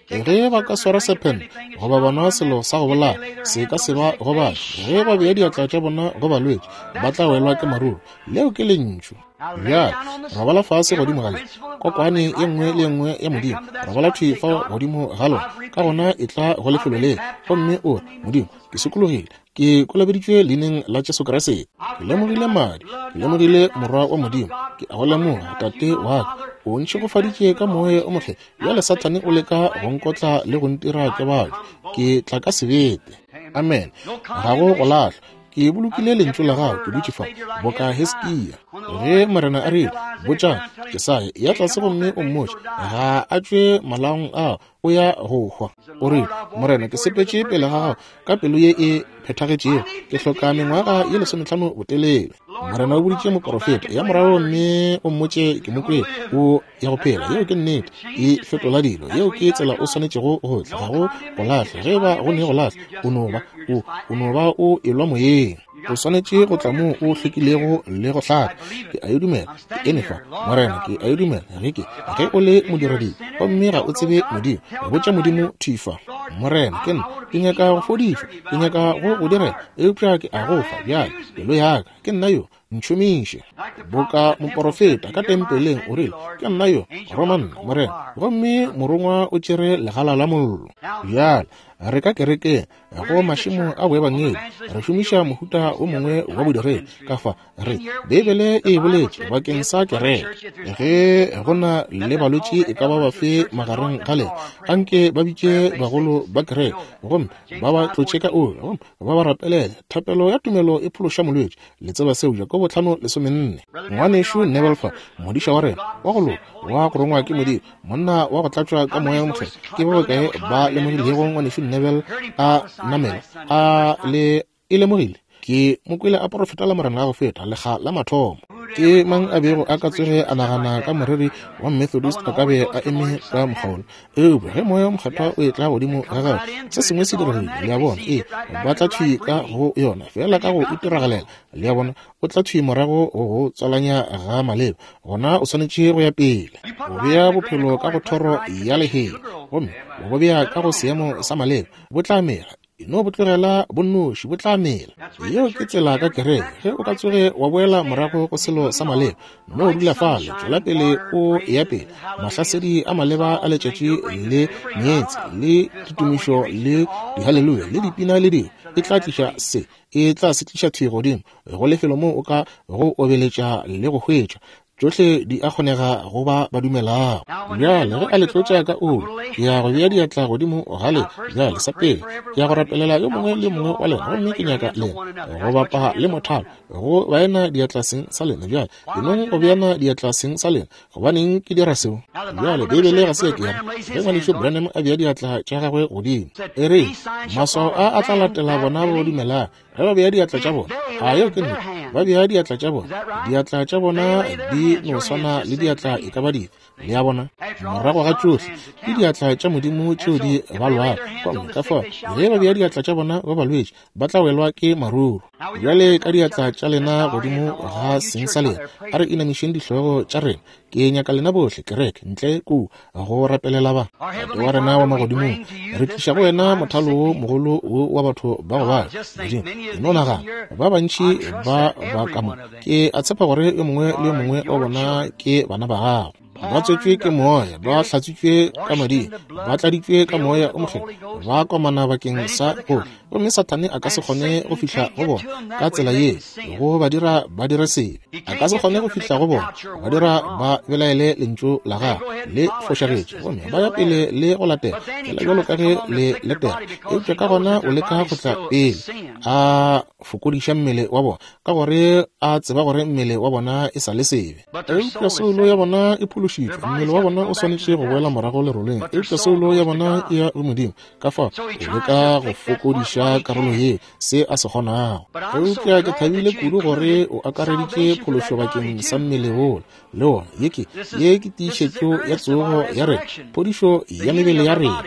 Speaker 1: Ge ba ka swara sephente goba ba nwa selo sa go bolaya, se ka se ba gobatše. Ge ba bea diatla tša bona go balwetši, ba tla welwa ke maruru. Leo ke lentšu. Bjale robala fase godimo ga le kokwane ye nngwe le ye nngwe ya Modimo, robala thwi fao godimo ga lona. Ka gona e tla go lefelo le, gomme o re, Modimo, ke sokologile, ke kolobeditšwe leineng la Jesu Kriste, ke lemogile madi, ke lemogile morwa wa Modimo, ke a go lemoga Tate wa ka, o ntšhegofaditše ka Moya o Mokgethwa. Bjale Sathane o leka go nkotla le go ntira ke batho, ke tla ka sebete. Amen. Ga go go lahlwa. Ke bolokile lentšu la gago, ke dutše fa boka Hiskia. Ge Morena a rile, Botša Jesaya, ya tlase gomme o mmotše, ga a tšwe malaong ao, o ya go hwa. O rile, Morena, ke sepetše pele ga gago ka pelo ye e phethagetšego, ke hloka mengwaga ye lesometlhano botelele. Morena o boditše moporofeta, ya morago mme o mmotše ke mo kwele, o ya go phela. Yeo ke nnete, e fetola dilo. Yeo ke tsela o swanetšego go tla, ga go go lahla. Ge ba go ne go lahla, o no ba o, o no ba o elwa moyeng. O swanetše go tla moo o hlwekilego le go hlaka. Ke a e dumela, ke eme fa, Morena, ke a e dumela. Ge ke, ge o le modiredi gomme ga o tsebe Modimo, botša Modimo thwi fa, Morena, ke nna, ke nyaka go fodišwa, ke nyaka go go direla, eupša ke a go fa bjale pelo ya ka, ke nna yo, ntšhomiše. Boka moporofeta ka tempeleng o rile, ke nna yo, roma nna, Morena, gomme morongwa o tšere legala la mollo. Bjale re ka kerekeng go mašemo a boebangedi, re šomiša mohuta o mongwe wa bodiredi. Ka fa re Beibele e boletše bakeng sa kereke, ge go na le balwetši e ka ba bafe magareng ga lena, anke ba bitše bagolo ba kereke gomme ba ba tlotše ka oli gomme ba ba rapelele. Thapelo ya tumelo e phološa molwetši. Le tseba seo, Jakobo tlhano lesomenne. Ngwanešu Neville fa, modiša wa rena wa go loka, wa go rongwa ke Modimo, monna wa go tlatšwa ka Moya o Mokgethwa. Ke ba bakae ba lemogilego ngwanešu Neville a namela a le e lemogile? Ke mo kwele a porofeta la Morena la go feta lekga la mathomo. Ke mang a bego a ka tsoge a nagana ka moreri wa Methodist a ka be a eme ka mokgwa wola? Eupša ge Moya o Mokgethwa o etla godimo ga gagwe, se sengwe se diregile. Le a bona? Ee, ba tla thwi ka go yona, fela ka go itiragalela. Le a bona? O tla thwi morago go go tswalanya ga maleba. Gona o swanetše go ya pele, go bea bophelo ka go thoro ya lehea, gomme go bea ka go seemo sa maleba, bo tla mela. No bo tlogela bonnoši, bo tla mela. Yeo ke tsela ka kereke. Ge o ka tsoge wa boela morago go selo sa maleba, no dula fale, tšwela pele o ya pele. Mahlasedi a maleba a letšatši le meetse le ditumišo le dihaleluya le dipina le dingwe, e tla tliša se, e tla se tliša thwi godimo go lefelo moo o ka go obeletša le go hwetša. Tšohle di a kgonega go ba ba dumelago. Bjale ge a le tlotša ka oli, ke ya go bea diatla godimo ga lena. Bjale sa pele, ke ya go rapelela yo mongwe le mongwe wa lena, gomme ke nyaka lena go bapa le mothalo go baena diatla seng sa lena. Bjale enong go beana diatla seng sa lena. Gobaneng ke dira seo? Bjale Beibele ga se ya ke ya re ge ngwanešu Branham a bea diatla tša gagwe godimo, e re maswao a a tla latela bona ba dumelago. Ge ba bea diatla tša bona, a yeo ke nnete, ba bea diatla tša bona, diatla tša bona di no swana le diatla e ka ba dife. Le a bona? Morago ga tšohle ke diatla tša Modimo tšeo di balwago. Gomme ka fao ge ba bea diatla tša bona ba balwetši, ba tla welwa ke maruru. Bjale ka diatla tša lena godimo ga seng sa lena, a re inamišeng dihlogo tša rena. Ke nyaka lena bohle kereke ntle kua go rapelela ba. Tate wa rena wa magodimong, re tliša go wena mothalo wo mogolo wo wa batho ba go bala. Modimo, ke no nagana ba bantši ba ba ka mo. Ke a tshepa gore yo mongwe le yo mongwe wa bona ke bana ba gago. Ba tswetšwe ke moya, ba hlatswitšwe ka mading, ba tladitšwe ka Moya o Mokgethwa, ba komana bakeng sa go. Gomme Sathane a ka se kgone go fihla go bona ka tsela ye, go ba dira ba dire sebe. A ka se kgone go fihla go bona, ba dira ba belaele lentšu la gagwe le fošagetše, gomme ba ya pele le go latela fela bjalo ka ge le letela. Eupša ka gona o leka go tla pele a fokodiša mmele wa bona, ka gore a tseba gore mmele wa bona e sa le sebe. Eupša soulo ya bona e phološitšwe, mmele wa bona o swanetše go boela morago leroleng, eupša soulo ya bona e ya go Modimo. Ka fao o leka go fokodiša karolo ye se a se kgonago. Eupša ke thabile kudu gore o akareditše phološo bakeng sa mmele wola le wona. Ye ke ye ke tiišetšo ya tsogo ya rena, phodišo ya mebele ya rena.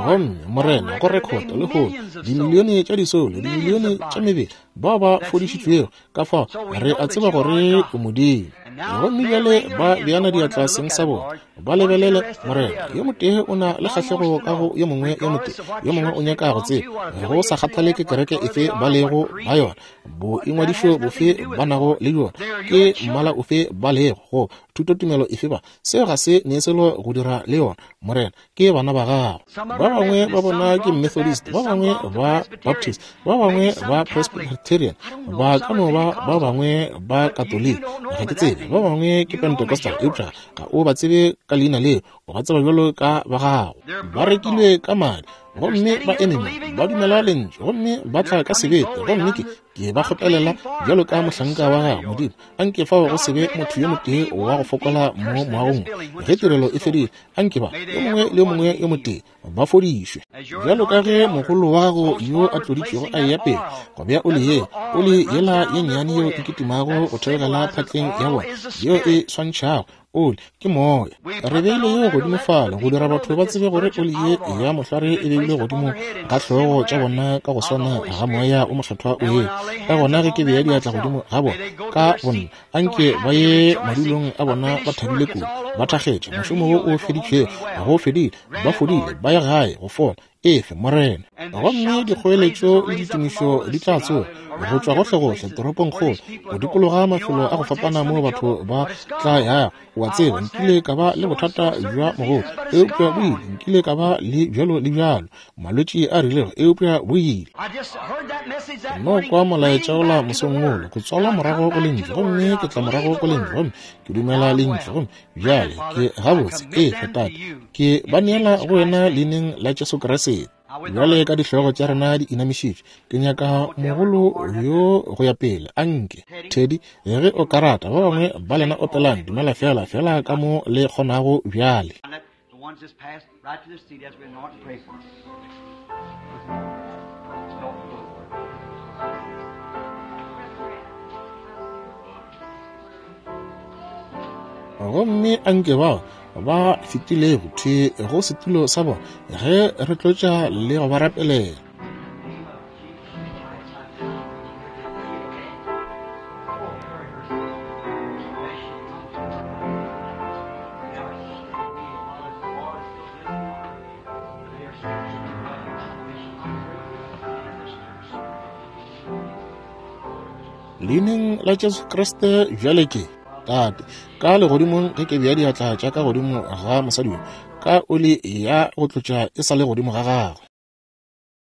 Speaker 1: Gomme Morena, go rekhota lehono dimilione tša disoulo, dimilione tša mebele bao ba fodišitšwego. Ka fao re a tseba gore o Modimo. Gomme bjale ba beana diatla seng sa bona, ba lebelele Morena. Yo motee o na le kgahlego ka go yo mongwe, yo motee yo mongwe o nyaka go tseba, go sa kgathale ke kereke efe ba lego ba yona, boingwadišo bofe ba nago le bjona, ke mmala ofe ba lego, go thutotumelo efe ba, seo ga se ne selo go dira le yona. Morena, ke bana ba gago. Ba bangwe ba bona ke Methodist, ba bangwe ba Baptist, ba bangwe ba Presbyterian, ba ka no ba ba bangwe ba Katoliki, ga ke tsebe, ba bangwe ke Pentecostal, eupša ga o ba tsebe ka leina leo, o ba tseba bjalo ka ba gago. Ba rekilwe ka madi, Gomme ba eme mo, ba dumela lentšu, gomme ba tla ka sebete, gomme ke ke ba kgopelela bjalo ka mohlanka wa gago, Modimo. Anke fao go se be motho yo motee wa go fokola mo moagong ge tirelo e fedile. Anke ba yo mongwe le yo mongwe yo motee ba fodišwe, bjalo ka ge mogolo wa gago yo a tloditšwego a eya pele go bea oli ye, oli yela ye nnyane yeo e kitimago go theogela phatleng ya bona, yeo e swantšhago oli ke moya. Re beile yeo godimo fale go dira batho ba tsebe gore oli ye ya mohlware e beilwe godimo ga hlogo tša bona ka go swana ga moya o mokgethwa o ye. Ka gona ge ke bea diatla godimo ga bona ka bonna, anke ba ye madulong a bona ba thabile kudu, ba thakgetše mošomo wo o feditšwego, go fedile, ba fodile, ba ye gae go fola. Efe, Morena. Gomme dikgoeletšo le ditumišo di tla tsoga go tšwa gohlegohle toropongkgolo, go dikologa mafelo a go fapana moo batho ba tla yago. Wa tseba, nkile ka ba le bothata bja mogopo, eupša bo ile. Nkile ka ba le bjalo le bjalo, malwetši a rilego, eupša bo ile. Ke no kwa molaetša ola mosong wola, ke tswalwa morago go lentšu, gomme ke tla morago go lentšu, gomme ke dumela lentšu, gomme bjale ke gabotse. Efe, Tate, ke ba neela go wena leineng la Jesu Kriste. Bjale ka dihlogo tša rena di inamišitšwe, ke nyaka mogolo yo go ya pele. Anke Teddy, ge o ka rata, ba bangwe ba lena opelang Dumela Fela fela ka mo le kgonago bjale. Gomme anke bao ba fetilego thwi go setulo sa bona ge re tlotša le go ba rapelela. Leineng la Jesu Kriste bjale ke Tate ka legodimong, ge ke bea diatla tša ka godimo ga mosadi yo, ka oli ya go tlotša e sa le godimo ga gagwe.